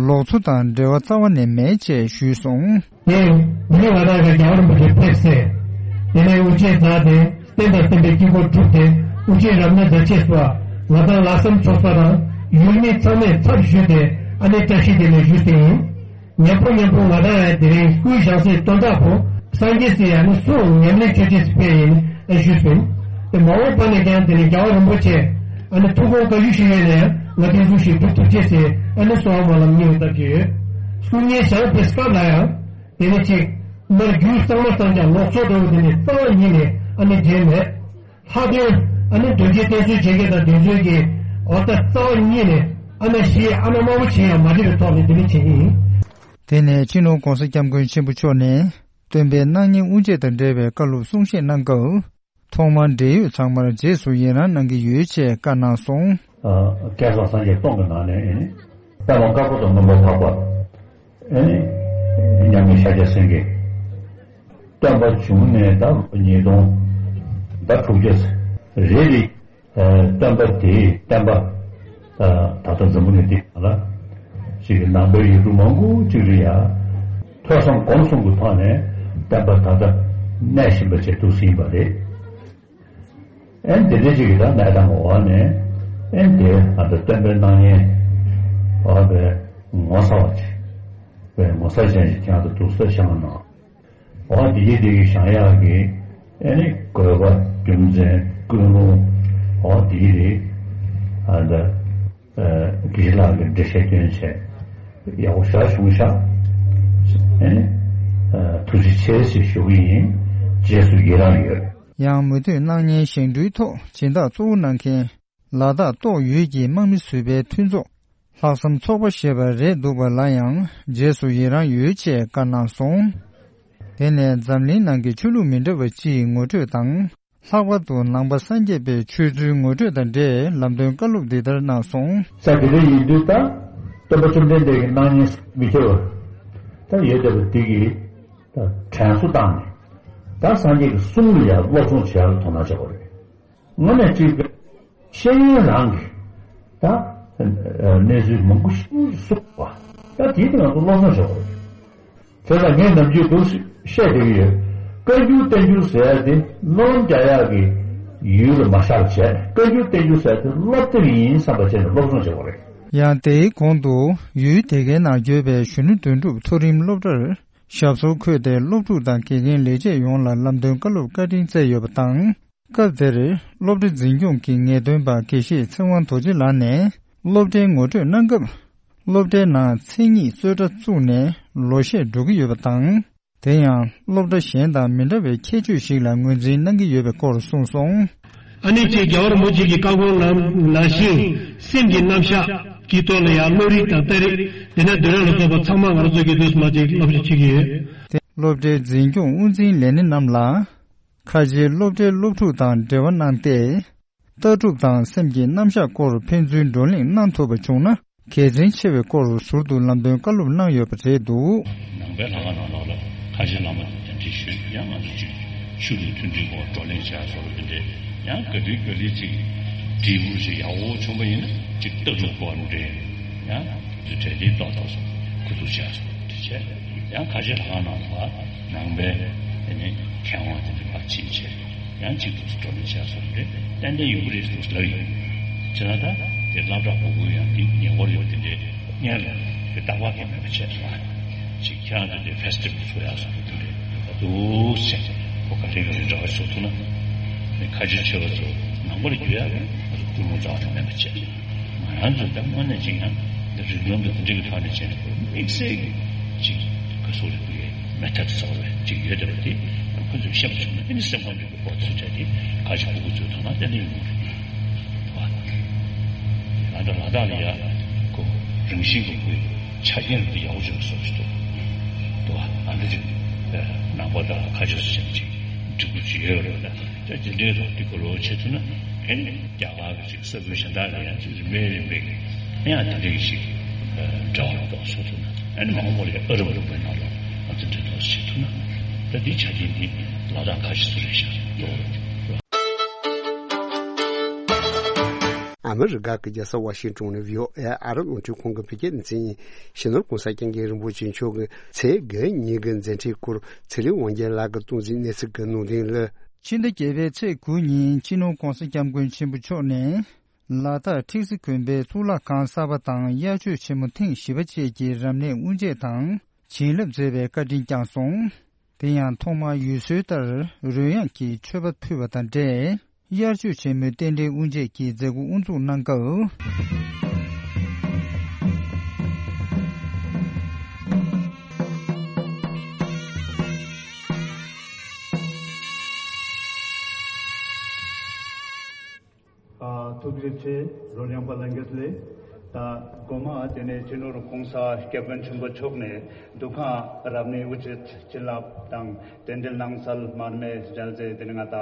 ལོག་འཚོ་དང་འབྲེལ་བ་རྩ་བ་ནས་མེད་ཅེས་ཞུས་སོང་། དེ་ནས་ང་རང་གི་རྒྱལ་བ་རིན་པོ་ཆེ་ཕེབས་སེ། དེ་ནས་དབུ་འབྱེད་མཛད་དེ་རྟེན་དང་བརྟེན་པའི་དཀྱིལ་འཁོར་གྲུབ་སྟེ་དབུ་འབྱེད་རབ་གནས་མཛད་ཅེས་སོགས་ལ་དྭགས་ལྷག་བསམ་ཚོགས་ས་དང་ཡུལ་མི་ཚང་མས་ཚབ་ཞུས་ཏེ་ཨ་ནེ་བཀྲ་ཤིས་དེ་ནས་ཞུས་ཏེ་ཡིན། མཉམ་པོ་མཉམ་པོ་ང་དང་ཡང་དེ་རིང་སྐུའི་ཞང་སྲིད་སྟོན་ཐོག་པོ་སངས་རྒྱས་སྲས་ཡང་ནི་སུ་ཉམས་ལེན་ཆོས་ཅན་སི་ཕེ་ཡིན་ཨེ་ཞུས་སོང་། དེ་མ་འོངས་པ་ནས་ཀྱང་དེ་ནི་རྒྱལ་བ་རིན་པོ་ཆེ་ཨ་ནི་ཐུགས་དགོངས་བཀའ་བཞིན་ཞུ་ཡས་ནས་ང་དེ་ཚོ་ཞིག་སྒྲུབ་ཐུབ་ཅེས་སི་ཨ་ནི་གསོལ་བ་སྨོན་ལམ་སྙིང་ལ་བཏབ་ཀྱི་ཡོད། སྐུ་ངལ་ཞག་པའི་སྐབས་ལ་ཡང་དེ་ནི་གཅིག་མར་རྒྱུད་གཙང་མ་གཙང་རྐྱང་ལོག་འཚོ་འདྲ་བོ་དེ་ནི་རྩ་བ་ཉིད་ནས་ཨ་ནི་བརྗེད་མེད། ལྷག་དོན་ཨ་ནི་དོལ་རྒྱལ་བསྟེན་གསོལ་བྱེད་མཁན་དང་དེ་ཚོའི་གི་འོ་ད་རྩ་བ་ཉིད་ནས་ཨ་ན་ཤི་ཨ་ན་དམར་པོ་བྱེད་ཡང་མ་བྱེད་པའི་ཐོག་ནས་དེ་ནི་བྱེད་ཀྱི་ཡིན། དེ་ནས་སྤྱི་ནོར་༸གོང་ས་༸སྐྱབས་མགོན་ཆེན་པོ་མཆོག་ནས་སྟོན་པའི་སྣང་བརྙན་དབུ་འབྱེད་དང་འབྲེལ་བའི་བཀའ་སློབ་གསུང་བཤད་གནང་སྐབས། ཐོག་མར་འབྲེལ་ཡོད་ཚང་མར་རྗེས་སུ་ཡི་རང་གནང་གི་ཡོད་ཅེས་བཀའ་གནང་སོང་། སྐལ་བཟང་སངས་རྒྱས་སྟོང་གི་ནང་ནས་ཨེ་ནི་པདྨ་དཀར་པོ་དང་མངོན་པར་འཕགས་པ། ཨེ་ནི་མཉམ་མེད་ཤཱཀྱ་སེང་གེ། སྟོན་པ་བྱུང་ནས་ད་ལོ་ཉིས་སྟོང་ད་དྲུག་བརྒྱ་རེད་རེད། སྟོན་པ་དེའི་བསྟན་པ་ད་ལྟ་འཛམ་བུ་གླིང་འདི་ལ་ཅིག་གི་ནང་པའི་ཡུལ་གྲུ་མང་པོ་ཅིག་ལ་ཡ་ཐོས་བསམ་སྒོམ་གསུམ་གྱི་ཐོག་ནས་བསྟན་པ་ད་ལྟ་གནས་བཞིན་པ་བྱས་འདུག་ཟིན་པ་རེད། ཨེ་འདི་འདྲ་ཅིག་གི་ད་གནས་སྟངས་འོག་ནས་ཨེ་འདི་ང་ཚོ་སྟོན་པའི་སྣང་བརྙན་འོག་པའི་ངོ་མཚར་བ་ཅིག་པའི་ངོ་མཚར་ཅན་ཞིག་ཀྱང་དུ་འདུག་ས་བྱང་ནང་འོག་འདི་གི་འདི་གི་བཞེངས་ཡག་གི་ཨེ་ནི་དགོས་པ་རྒྱུ་མཚན་ཀུན་སློང་འོག་འདི་གི་རེད། ཨ་ད་དགེ་བཤེས་ལགས་ཀྱི་འགྲེལ་བཤད་སྐྱོན་བྱས་ཡག་པོ་ཞེ་དྲག་བྱུང་ཤག་ཨེ་ནི་ཐུགས་རྗེ་ཆེ་ཞེས་ཞུ་གི་ཡིན། རྗེས་སུ་ཡི་རང་ཡོད། ཡང་མུ་མཐུད་སྣང་བརྙན་བཞེངས་སྐྲུན་ཐོག་སྦྱིན་བདག་གཙོ་བོ་གནང་མཁན་ལ་དྭགས་ཏོག་ཡུལ་གྱི་དམག་མི་ཟུར་པའི་མཐུན་ཚོགས་ལྷག་བསམ་ཚོགས་པ་ཞེས་པ་རེད་འདུག་པ་ལ་ཡང་རྗེས་སུ་ཡི་རང་ཡོད་ཅེས་བཀའ་གནང་སོང་། དེ་ནས་འཛམ་གླིང་ནང་གི་ཆོས་ལུགས་མི་འདྲ་བ་སྤྱིའི་ངོ་སྤྲོད་དང་། ལྷག་པར་དུ་ནང་པ་སངས་རྒྱས་པའི་ཆོས་ཚུལ་ངོ་སྤྲོད་དང་འབྲེལ་ལམ་སྟོན་བཀའ་སློབ་འདི་ལྟར་གནང་སོང་། ས་དེ་འདྲ་ཡིན་དུས་ད་སྟོན་པ་བཅོམ་ལྡན་འདས་ཀྱི་སྣང་བརྙན་མི་ཁྱབ་པ་ད་ཡོད་བསྡད་པ་འདི་གིས་ད་དྲན་གསོ་བཏང་ནས་ད་སངས་རྒྱས་ཀྱི་གསུང་ལ་ཡང་སློབ་སྦྱོང་བྱེད་ཡག་ལ་དོ་སྣང་བྱེད་དགོས་རེད། དངོས་གནས་གཅིག་པའི་ཤེས་ཡོན་རང་གི་ད་གནས་ཚུལ་མང་པོ་ཞིག་གསུངས་པ་ད་དེའི་སྟེང་ང་ཚོ་སློབ་སྦྱོང་བྱེད་དགོས་རེད། དེ་ལ་ངས་ནམ་རྒྱུན་འདུག་བཤད་བསྡད་ཀྱི་ཡོད། བཀའ་འགྱུར་བསྟན་འགྱུར་ཟེར་ཡ་དེ་སྨོན་ལམ་རྒྱག་ཡག་གི་ཡུལ་ལ་མ་བཞག་བྱས་བཀའ་འགྱུར་བསྟན་འགྱུར་ཟེར་ཡ་དེ་སློབ་དེབ་ཡིན་བསམ་པ་བྱས་ནས་སློབ་སྦྱོང་བྱེད་དགོས་རེད། ཡང་དེའི་གོང་དུ་ཡུལ་དེ་གའི་ནང་ཡོད་པའི་གཞོན་ནུ་དོན་གྲུབ་མཐོ་རིམ་སློབ་གྲྭར་ཞབས་སོར་འཁོད་དེ་སློབ་ཕྲུག་དང་དགེ་རྒན་ལས་བྱེད་ཡོངས་ལ་ལམ་སྟོན་བཀའ་སློབ་བཀའ་དྲིན་སྩལ་ཡོད་པ་དང་། སྐབས་དེར་སློབ་གྲྭ་འཛིན་སྐྱོང་གི་ངེས་སྟོན་པ་དགེ་བཤེས་ཚེ་དབང་རྡོ་རྗེ་ལགས་ནས་སློབ་གྲྭའི་ངོ་སྤྲོད་གནང་སྐབས། སློབ་གྲྭའི་ནང་མཚན་ཉིད་རྩོད་གྲྭ་བཙུགས་ནས་ལོ་ཤས་འགྲོ་གི་ཡོད་པ་དང་། དེ་ཡང་སློབ་གྲྭ་གཞན་དང་མི་འདྲ་བའི་ཁྱད་ཆོས་ཤིག་ལ་ངོས་འཛིན་གནང་གི་ཡོད་པའི་སྐོར་གསུངས་སོང་། ཨ་ནི་ཅིག་རྒྱལ་བ་རིན་པོ་ཆེ་གི་བཀའ་དགོངས་ནང་ནང་བཞིན་སེམས་ཀྱི་རྣམ་གཞག་གི་ཐོག་ལ་ཡང་བློ་རིག་དང་ལྟ་རིག་དེ་ནས་འདོད་རང་ལ་སོགས་པ་ཚང་མ་ང་རང་ཚོ་གི་དུས་སུ་མ་ཅིག་སློབ་ཁྲིད་བྱེད་ཀྱི་ཡོད། དེ་སློབ་གྲྭའི་འཛིན་སྐྱོང་དབུ་འཛིན་ལས་སྣེ་རྣམས་ལ་ཁ་ཆེའི་སློབ་གྲྭའི་སློབ་ཕྲུག་དང་འབྲེལ་བ་གནང་སྟེ། ལྟ་གྲུབ་དང་སེམས་ཀྱི་རྣམ་གཞག་སྐོར་ཕན་ཚུན་བགྲོ་གླེང་གནང་ཐུབ་པ་བྱུང་ན་གལ་ཆེན་ཆེ་བའི་སྐོར་ཟུར་དུ་ལམ་སྟོན་བཀའ་སློབ་གནང་ཡོད་པ་རེད་འདུག། ནང་པའི་ལྷ་ཁང་ནང་ལོགས་ལ་ཁ་ཆེ་བླ་མ་དང་གདན་འདྲེན་ཞུས། ཡང་ང་ཚོ་ཅིག་ཆོས་ལུགས་མཐུན་སྒྲིལ་སྐོར་བགྲོ་གླེང་བྱ་སོགས་དེ་འདྲའི་ཡང་ག་དུས་ག་ལེ་ཅིག་འབྲས་བུ་ཞིག་ཡག་པོ་བྱུང་པ་ཡིན་ན་ཅིག་ལྟ་གྲུབ་སྐོར་འདྲའི་ཡང་དུས་གྲལ་དེ་ཏོག་ཏོག་སོགས་འགོ་འཛུགས་བྱ་སོགས་དེ་བྱས། ཡང་ཁ་ཆེ་ལྷ་ཁང་ནང་ལ་ནང་པའི་དེ་ནི་མཁས་དབང་དེ་འདྲ་ཕར་ཕྱིན་བྱས། ཡང་གཅིག་ཏུ་བགྲོ་གླེང་བྱས་སོང་རེད། ཏན་ཏན་ཡོང་གི་རེད་ཟེར་ལབ་ཡོད། བྱས་ན་ད་དེ་སློབ་གྲྭ་གོ་དགོས་ཡང་དེ་ཉེ་འཁོར་ཡོད་དེ་འདྲའི་སྔོན་ལ་དེ་རྟག་པར་གྱི་མེད་པ་བྱས་སོང་། ཅིག་ཁྱེད་རང་ཚོ་དེ་ཕེ་སི་ཊི་བལ་བཟོ་ཡག་སོགས་དེ་འདྲའི་འདུག་ཟེར། ཁོ་ག་རེ་ག་རེ་འདྲ་བ་བཟོ་ཐུབ་ན་ཁ་ཆེ་ཆེ་བ་ཚོ་ནང་པར་འགྱུར་ཡག་ང་ཚོ་ཀུན་སློང་རྩ་བ་ནས་མེད་པ་བྱས། ང་རང་ཚོ་ད་དངོས་གནས་ཅིག་ཡང་འདི་རིགས་ལམ་དུ་འདི་འདྲ་གི་ཐོག་ནས་བྱས་ནས་དམིགས་བསལ་གྱི་ཅིག་ག་སོགས་རིག་པའི་མེ་ཐོད་གསར་བའི་ཅིག་ཡོད་བསྡད་པ་དེ་ཁོ་ཚོས་ཤེས་པ་བྱུང་ན་ཨ་ནི་སེམས་ཁམས་རིག་པའི་སྐོར་ཚོ་བྱས་ཏེ་ག་ཅིག་ཕྲུ་གུ་ཚོའི་ཐོག་ན་ཏན་ཏན་ཡོང་གི་རེད། ང་ཚོ་ལ་དྭགས་ལ་ཡ་ཁོ་རང་བཞིན་གྱི་ཁོའི་ཆ་རྐྱེན་རིག་པ་ཡག་པོ་ཅིག་བཟོ་ཞིག་འདུག་འདུག་ཨ་འདི་ཅིག་ནང་པ་དང་ཁ་ཆེ་སུ་ཅན་ཅིག་འགྲིག་པོ་ཅིག་ཡོད་རེད་ད། ད་དེ་འདྲའི་ཐོག་དེ་གོ་རོགས་བྱེད་ཐུབ་ན་ཨེ་ནི་རྒྱ་གར་གྱི་ཅིག་ས་ཁུལ་གཞན་དག་ལ་ཡང་ཅིག་རིམ་པས་རིམ་པས་ཀྱི་ཡང་དེ་འདྲའི་ཞིག་འབྲེལ་བ་ལ་གཏོགས་བཟོ་ཐུབ་ན་ཨེ་ནི་མ་འོངས་པ་ལ་ཡང་ཨ་རབ་རིམ་པའི་ནང་ལ་ང་ཚོ་འབྲེལ་གཏོགས་བྱེད་ཐུབ་ན་ད་འདི་ཆ་རྐྱེན་འདི་ལ་དྭགས་ཁ་ཤས་སུ་རེད་ཤག་འདུག། ཨ་མི་རི་ཀ་གི་རྒྱལ་ས་ཝ་ཤིང་ཏོན་ནས་བྷི་ཨོ་ཨེ་ཨ་རབ་རླུང་འཕྲིན་ཁང་གི་བོད་སྐད་སྡེ་ཚན་ཡིན། སྤྱི་ནོར་༸གོང་ས་༸སྐྱབས་མགོན་རིན་པོ་ཆེ་མཆོག་གི་ཚེས་བརྒྱད་ཉིན་གྱི་མཛད་འཕྲིན་སྐོར་ཚེ་རིང་དབང་རྒྱལ་ལགས་ཀྱིས་གཏོང་ཟིན་གནས་ཚུལ་གྱི་ནང་དོན་ལ། ཕྱི་ཟླ་བརྒྱད་པའི་ཚེས་དགུ་ཉིན་སྤྱི་ནོར་༸གོང་ས་༸སྐྱབས་མགོན་ཆེན་པོ་མཆོག་ནས་ལ་དྭགས་ཁྲིག་སི་དགོན་པའི་གཙུག་ལག་ཁང་གསར་པ་དང་དབྱར་ཆོས་ཆེན་མོ་ཐེངས་བཞི་པ་བཅས་ཀྱི་རབ་གནས་དབུ་འབྱེད་དང་བྱིན་རླབས་མཛད་པའི་བཀའ་དྲིན་བསྐྱངས་སོང་། དེ་ཡང་ཐོག་མར་ཡུལ་སྲོལ་ལྟར་རོལ་དབྱངས་ཀྱི་མཆོད་པ་ཕུལ་བ་དང་འབྲེལ། དབྱར་ཆོས་ཆེན་མོའི་རྟེན་འབྲེལ་དབུ་འབྱེད་ཀྱི་མཛད་སྒོ་དབུ་འཛུགས་གནང་སྐབས། ཨ། ཐུགས་རྗེ་ཆེ། རོལ་དབྱངས་པ་ལྷན་རྒྱས་ལ། ད་དགོང་མོ་དེ་ནས་སྤྱི་ནོར་༸གོང་ས་༸སྐྱབས་མགོན་ཆེན་པོ་མཆོག་ནས་འདུ་ཁང་རབ་གནས་དབུ་འབྱེད་བྱིན་རླབས་དང་རྟེན་འབྲེལ་གནང་སའི་མར་མེ་མཇལ་རྩེ་དེ་ནས་ང་ད་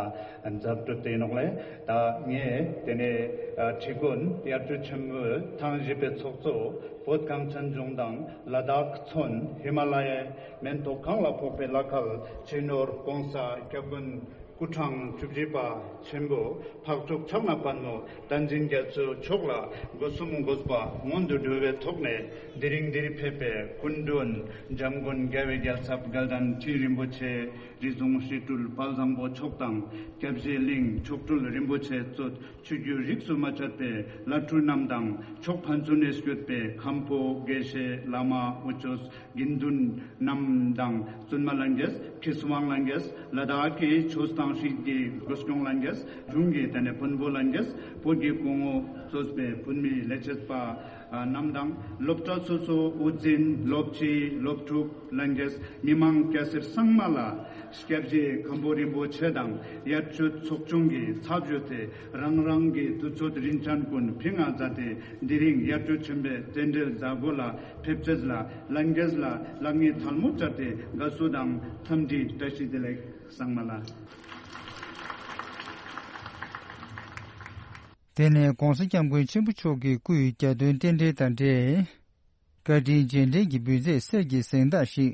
མཛད་སྒོ་དེ་ཡིན་ནོག་ལེ། ད་ངས་དེ་ནས་ཁྲི་དགོན་དབྱར་ཆོས་ཆེན་མོའི་ཐེངས་བཞི་པའི་ཚོགས་གཙོ་བོད་གངས་ཅན་ལྗོངས་དང་ལ་དྭགས་མཚོན་ཧི་མ་ལ་ཡའི་མེ་ཏོག་གང་ལ་ཕོག་པའི་བླ་མཁར་སྤྱི་ནོར་༸གོང་ས་༸སྐྱབས་མགོན་སྐུ་ཕྲེང་བཅུ་བཞི་པ་ཆེན་པོ་འཕགས་མཆོག་ཕྱག་ན་པདྨོ་བསྟན་འཛིན་རྒྱ་མཚོ་མཆོག་ལ་སྒོ་གསུམ་དགོངས་པ་སྔོན་དུ་འགྲོ་བའི་ཐོག་ནས་དེ་རིང་འདིར་ཕེབས་པའི་སྐུ་མགྲོན་འཇམ་མགོན་རྒྱལ་བའི་རྒྱལ་ཚབ་དགའ་ལྡན་ཁྲི་རིན་པོ་ཆེ་རི་རྫོང་སྤྲུལ་དཔལ་བཟང་པོ་མཆོག་དང་སྐྱབས་རྗེ་གླིང་མཆོག་སྤྲུལ་རིན་པོ་ཆེ་གཙོས་ཆོས་བརྒྱུད་རིས་སུ་མ་ཆད་པའི་བླ་སྤྲུལ་རྣམས་དང་ཕྱོགས་ཕན་ཚུན་ནས་བསྐྱོད་པའི་མཁན་པོ་དགེ་བཤེས་བླ་མ་དབུ་ཆོས་དགེ་འདུན་རྣམས་དང་བཙུན་མ་ལྷན་རྒྱས། མཁས་དབང་ལྷན་རྒྱས། ལ་དྭགས་ཀྱི་ཆོས་དང་སྲིད་ཀྱི་འགོ་སྐྱོང་ལྷན་རྒྱས། གཞུང་གི་དེ་ནས་དཔོན་པོ་ལྷན་རྒྱས། བོད་ཀྱི་སྐུ་ངོ་གཙོས་པའི་བོད་མིའི་ལས་བྱེད་པ་རྣམས་དང་སློབ་གྲྭ་སོ་སོའི་དབུ་འཛིན། སློབ་སྤྱི། སློབ་ཕྲུག་ལྷན་རྒྱས། མི་མང་སྐྱ་སེར་ཚང་མ་ལ་སྐྱབས་རྗེ་མཁན་པོ་རིན་པོ་ཆེ་དང་དབྱར་ཆོས་ཚོགས་ཆུང་གི་ཚབ་ཞུས་ཏེ་རང་རང་གི་དུས་ཚོད་རིན་ཆེན་ཀུན་ཕྱི་ནང་མཛད་དེ་དེ་རིང་དབྱར་ཆོས་ཆེན་པོའི་རྟེན་འབྲེལ་མཛད་སྒོ་ལ་ཕེབས་ཚད་ལ་ལྷན་རྒྱས་ལ་ལེགས་ཉེས་ཐལ་མོ་སྦྱར་ཏེ་དགའ་བསུ་དང་འཚམས་འདྲི་བཀྲ་ཤིས་བདེ་ལེགས་ཚང་མ་ལ། དེ་ནས་༸གོང་ས་༸སྐྱབས་མགོན་ཆེན་པོ་མཆོག་གི་སྐུའི་གྱ་སྟོན་རྟེན་འབྲེལ་དང་འབྲེལ། བཀའ་དྲིན་རྗེས་དྲན་གྱི་འབུལ་རྫས་གསེར་གྱི་གཟེངས་རྟགས་ཤིག་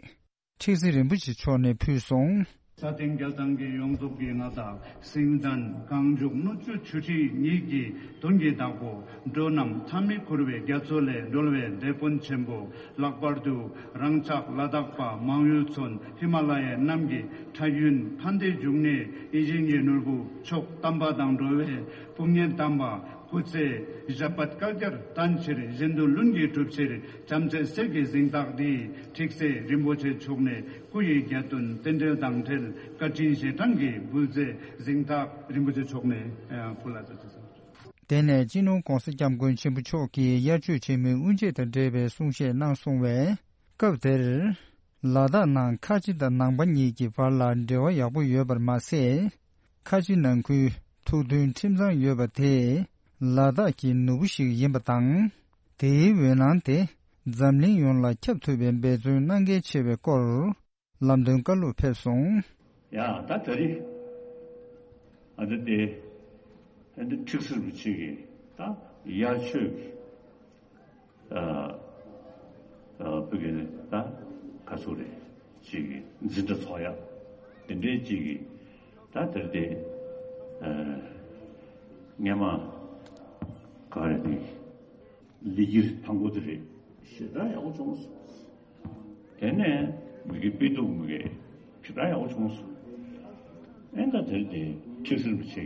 ཁྲིག་སེ་རིན་པོ་ཆེ་མཆོག་ནས་ཕུལ་སོང་། ས་སྟེང་རྒྱལ་ཐང་གི་ཡོངས་རྫོགས་ཀྱི་མངའ་བདག་སེང་བཟའ་གངས་ལྗོངས་སྣོད་བཅུད་ཆུ་ཁྲི་གཉིས་ཀྱི་དོན་གྱི་བདག་པོ། འགྲོ་རྣམས་མཐའ་མེད་འཁོར་བའི་རྒྱ་མཚོ་ལས་སྒྲོལ་བའི་དེད་དཔོན་ཆེན་པོ། ལྷག་པར་དུ་རང་ཅག་ལ་དྭགས་པ་མང་ཡུལ་ཚོ་ཧི་མ་ལ་ཡའི་གནམ་གྱི་ཁྲ་ཡོན་ཕན་བདེའི་འབྱུང་གནས་ཡིད་བཞིན་གྱི་ནོར་བུ་མཆོག་དམ་པ་དང་འགྲོ་བའི་དཔུང་གཉེན་དམ་པ། སྐུ་ཚེ་ཞབས་པད་བསྐལ་བརྒྱར་བརྟན་ཕྱིར། གཞན་དོན་ལྷུན་གྱིས་གྲུབ་ཕྱིར། བྱམས་བརྩེ་གསེར་གྱི་གཟེངས་རྟགས་འདི། ཁྲིག་སེ་རིན་པོ་ཆེ་མཆོག་ནས། སྐུ་ཡི་རྒྱལ་དོན་རྟེན་འབྲེལ་དང་འབྲེལ། བཀའ་དྲིན་རྗེས་དྲན་གྱི་འབུལ་རྫས་གཟེངས་རྟགས་རིན་པོ་ཆེ་མཆོག་ནས་ཕུལ་ལ་ཟེར། དེ་ནས་སྤྱི་ནོར་༸གོང་ས་༸སྐྱབས་མགོན་ཆེན་པོ་མཆོག་གིས་དབྱར་ཆོས་ཆེན་མོའི་དབུ་འབྱེད་དང་འབྲེལ་བའི་གསུང་བཤད་གནང་སོང་བས། སྐབས་དེར། ལ་དྭགས་ནང་ཁ་ཆེ་དང་ནང་པ་གཉིས་ཀྱི་བར་ལ་འབྲེལ་བ་ཡག་པོ་ཡོད་པར་མ་ཟད། ཁ་ཆེ་ནང་ཁུལ་ཐུགས་མཐུན་ཁྲིམས་གཙང་ཡོད་པ་དེས་ལ་དྭགས་ཀྱི་ནོར་བུ་ཞིག་ཡིན་པ་དང་། དེའི་འོད་སྣང་དེ་འཛམ་གླིང་ཡོངས་ལ་ཁྱབ་ཐུབ་པའི་འབད་བརྩོན་གནང་གལ་ཆེ་བའི་སྐོར་ལམ་སྟོན་བཀའ་སློབ་ཕེབས་སོང་། ཡ་ད་ད་རེས་ཨ་ད་དེ་ཨ་ད་ཁྲིག་སེ་རིན་པོ་ཆེ་གི་ད་དབྱར་ཆོས་ཀྱི་ཨ་ཨ་བོད་ཀྱི་ད་ག་ཚོད་རེད་ཅིག་གི་འཛིན་གྲྭ་ཚོགས་ཡ་དེ་འདྲའི་ཅིག་གི་ད་དེར་དེ་ཨ་སྔས་མ་ག་རེ་དེ་ལི་གིར་ཐང་པོ་དེ་རེད་ཞེ་དྲག་ཡག་པོ་བྱུང་སོང་། དེ་ནས་མི་གི་དཔེ་དུག་མི་གི་ཞེ་དྲག་ཡག་པོ་བྱུང་སོང་། ཨེ་ད་དེར་དེ་ཁྲིག་སེ་རིན་པོ་ཆེ་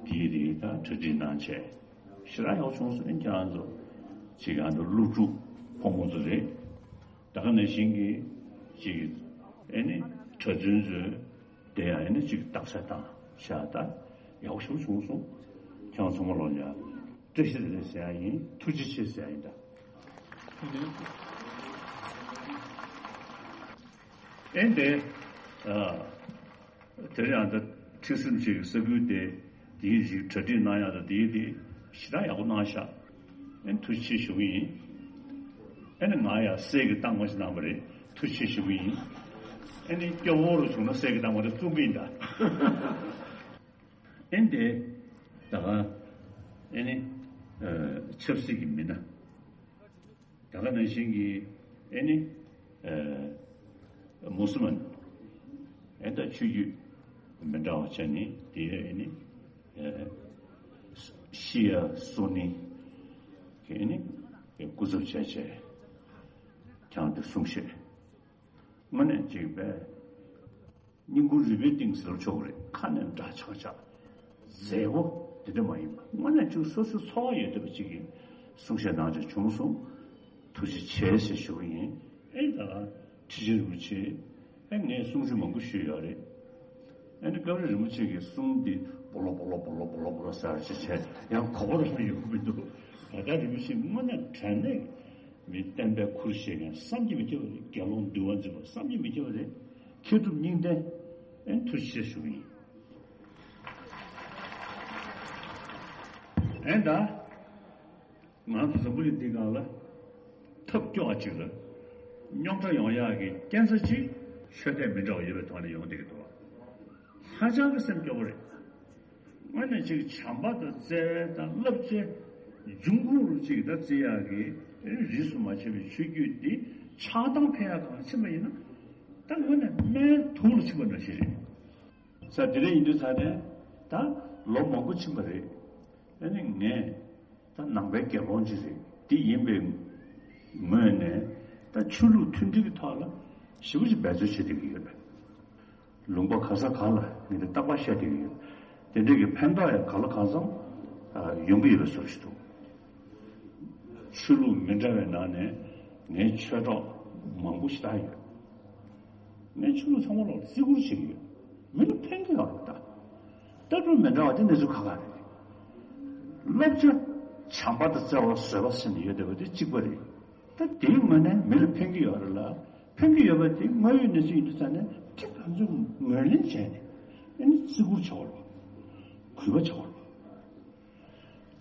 གི་དེའི་དེ་ད་གྲ་སྒྲིག་གནང་བྱས། ཞེ་དྲག་ཡག་པོ་བྱུང་སོང་། ཨེ་ཁྱེད་རང་ཚོ་ཅིག་ཨ་ནི་སློབ་ཕྲུག་ཕོ་མོ་ཚོ་རེད། ད་ག་ནང་བཞིན་གྱི་ཅིག་ཨེ་ནི་གྲྭ་བཙུན་ཚོས་དེ་ཡང་ཨེ་ནི་ཅིག་རྟགས་གསལ་བཏང་བཞག་ད་ཡག་པོ་ཞེ་པོ་བྱུང་སོང་། ཁྱེད་རང་ཚང་མ་ལོག་ཡ་བཀྲ་ཤིས་བདེ་ལེགས་ཟེར་ཡ་ཡིན། ཐུགས་རྗེ་ཆེ་ཟེར་ཡ་ཡིན་ད། ཨེ་འདི། ཨ། དེ་རིང་ཨ་ད་ཁྲིག་སེ་རིན་པོ་ཆེ་གི་ས་ཁུལ་དེ་དེའི་རིགས་གྲ་སྒྲིག་གནང་ཡག་དང་དེའི་དེ་ཞེ་དྲག་ཡག་པོ་གནང་ཤག་ཨེ་ཐུགས་རྗེ་ཆེ་ཞུ་གི་ཡིན། ཨེ་ནི་ང་ཡང་གསེར་གྱི་རྟགས་མ་ཞིག་གནང་བ་རེད། ཐུགས་རྗེ་ཆེ་ཞུ་གི་ཡིན། ཨེ་ནི་སྐྱོ་བོ་རུ་བྱུང་ན་གསེར་གྱི་རྟགས་མ་དེ་བཙུགས་གི་ཡིན་ད། ཨེ་འདི། ད་ག་ཨེ་ནི། ཨ། ཆབ་སྲིད་ཀྱི་མི་སྣ། ད་ག་ནང་བཞིན་གྱི་ཨེ་ནི། ཨ། མུ་སི་མན། ཨེ་ད་ཆོས་བརྒྱུད་མི་འདྲ་བ་ཅན་ནི་དེ་ཨེ་ནི། ཨ། ཤི་ཡ་སུ་ནི་གི་ཨེ་ནི་སྐུ་ཚབ་བྱས་བྱས་ཀྱང་དེ་གསུང་བཤད་དངོས་གནས་ཅིག་པས། སྙིང་ཁུང་རུས་པའི་གཏིང་ཟེར་ཆོག་རེད། ཁ་ནས་འདྲ་ཆགས་ཆགས་མཛེས་པོ་དེ་འདྲ་མ་ཡིན་པ་དངོས་གནས་ཅིག་སོ་སོའི་ཚོར་བ་ཡོད་བསྡད་པ་ཅིག་གིས་གསུང་བཤད་གནང་ཆོག་བྱུང་སོང་། ཐུགས་རྗེ་ཆེ་ཞེས་ཞུ་གི་ཡིན། ཨེ་ད་ཁྲི་ཆེན་རིན་པོ་ཆེ་ཨེ་ངས་གསུང་ཆོས་མང་པོ་ཞུས་ཡོད་རེད། ཨེ་ནི་སྐབས་རེ་རིན་པོ་ཆེ་གི་གསུང་འདི་སྦོ་ལོ་སྦོ་ལོ་སྦོ་ལོ་སྦོ་ལོ་སྦོ་ལོ་ཟེར་བྱས་བྱས་ཡང་གོ་བ་རང་ཡོང་གི་མི་འདུག་ད་ལྟ་རིན་པོ་ཆེ་དངོས་གནས་དྲང་གནས་མི་བསྟན་པའི་ཁུར་བཞེས་མཁན་བསམ་གྱིས་མི་ཁྱབ་པ་རེད། དགེ་སློང་འདུལ་བ་འཛིན་པ་བསམ་གྱིས་མི་ཁྱབ་པ་རེད། མཁས་གྲུབ་གཉིས་ལྡན། ཨེ་ཐུགས་རྗེ་ཆེ་ཞུ་གི་ཡིན། ཨེ་ད། ང་ཚོ་འཛམ་བུ་གླིང་འདི་སྒང་ལ་ཐབས་སྐྱོ་བ་ཅིག་ལ་རྙོག་དྲ་ཡོང་ཡག་གི་རྐྱེན་རྩ་གཅིག་ཤོད་ཐབས་མི་འདྲ་བ་ཡོད་པའི་ཐོག་ནས་ཡོང་བསྡད་ཀྱི་འདུག་བ། ཧ་ཅང་གི་སེམས་སྐྱོ་བོ་རེད། དངོས་གནས་ཅིག་བྱམས་པ་དང་བརྩེ་བ་དང་བསླབ་བྱའི་འབྱུང་ཁུངས་རུ་ཅིག་ད་བརྩི་ཡག་གི་རིས་སུ་མ་ཆད་པའི་ཆོས་བརྒྱུད་འདི་ཆགས་སྡང་འཕེལ་ཡག་གང་ཕྱིན་པ་ཡིན་ན་ད་དངོས་གནས་སྨན་དུག་ལ་ཕྱིན་པ་འདྲ་ཞིག་རེད། ས་དེ་འདྲ་ཡིན་དུས་ས་ནས་ད་ལོ་མང་པོ་ཕྱིན་པ་རེད། ཨ་ནི་ངས་ད་ནང་པའི་དགེ་སློང་ཅིག་རེད། འདི་ཡིན་པའི་ངོས་ནས་ད་ཆོས་ལུགས་མཐུན་སྒྲིལ་གྱི་ཐོག་ལ་ཞེ་པོ་ཅིག་འབད་རྩོལ་བྱེད་བསྡད་ཀྱི་ཡོད་པས། ལུང་པ་ག་ས་གང་ལ་ངས་འདི་རྟག་པར་བཤད་བསྡད་ཀྱི་ཡོད། དེ་འདྲའི་གི་ཕན་ཐོགས་ཡང་གང་ལ་གང་འཚམ་ཡོང་གི་ཡོད་པའི་བཟོ་ཞིག་འདུག་ཆོས་ལུགས་མི་འདྲ་བའི་ནང་ནས་ངའི་ཆོས་གྲོགས་མང་པོ་ཞེ་དྲག་ཡོད། ངས་ཆོས་ལུགས་ཚང་མ་ལ་བརྩི་བཀུར་བྱེད་ཀྱི་ཡོད། མི་ལ་ཕན་གྱི་ཡོད་རེད་ད། ལྟ་གྲུབ་མི་འདྲ་བ་དེ་གནས་ཚུལ་ཁག་ཁག་རེད། བསླབ་བྱ་བྱམས་པ་དང་བརྩེ་བ་བཟོད་པ་ཟེར་ནས་ཡོད་བསྡད་པ་དེ་གཅིག་པ་རེད། ད་དེའི་ངོས་ནས་མི་ལ་ཕན་གྱི་ཡོད་རེད་ལ། ཕན་གྱི་ཡོད་པ་དེ་དངོས་ཡོད་གནས་ཚུལ་ཡིན་དུས་ཙང་ནས་དེ་ག་ཚོད་ངོས་ལེན་བྱས་ནས་ཨ་ནི་བརྩི་བཀུར་བྱ་བ་རེད། གུས་པ་བྱ་བ་རེད།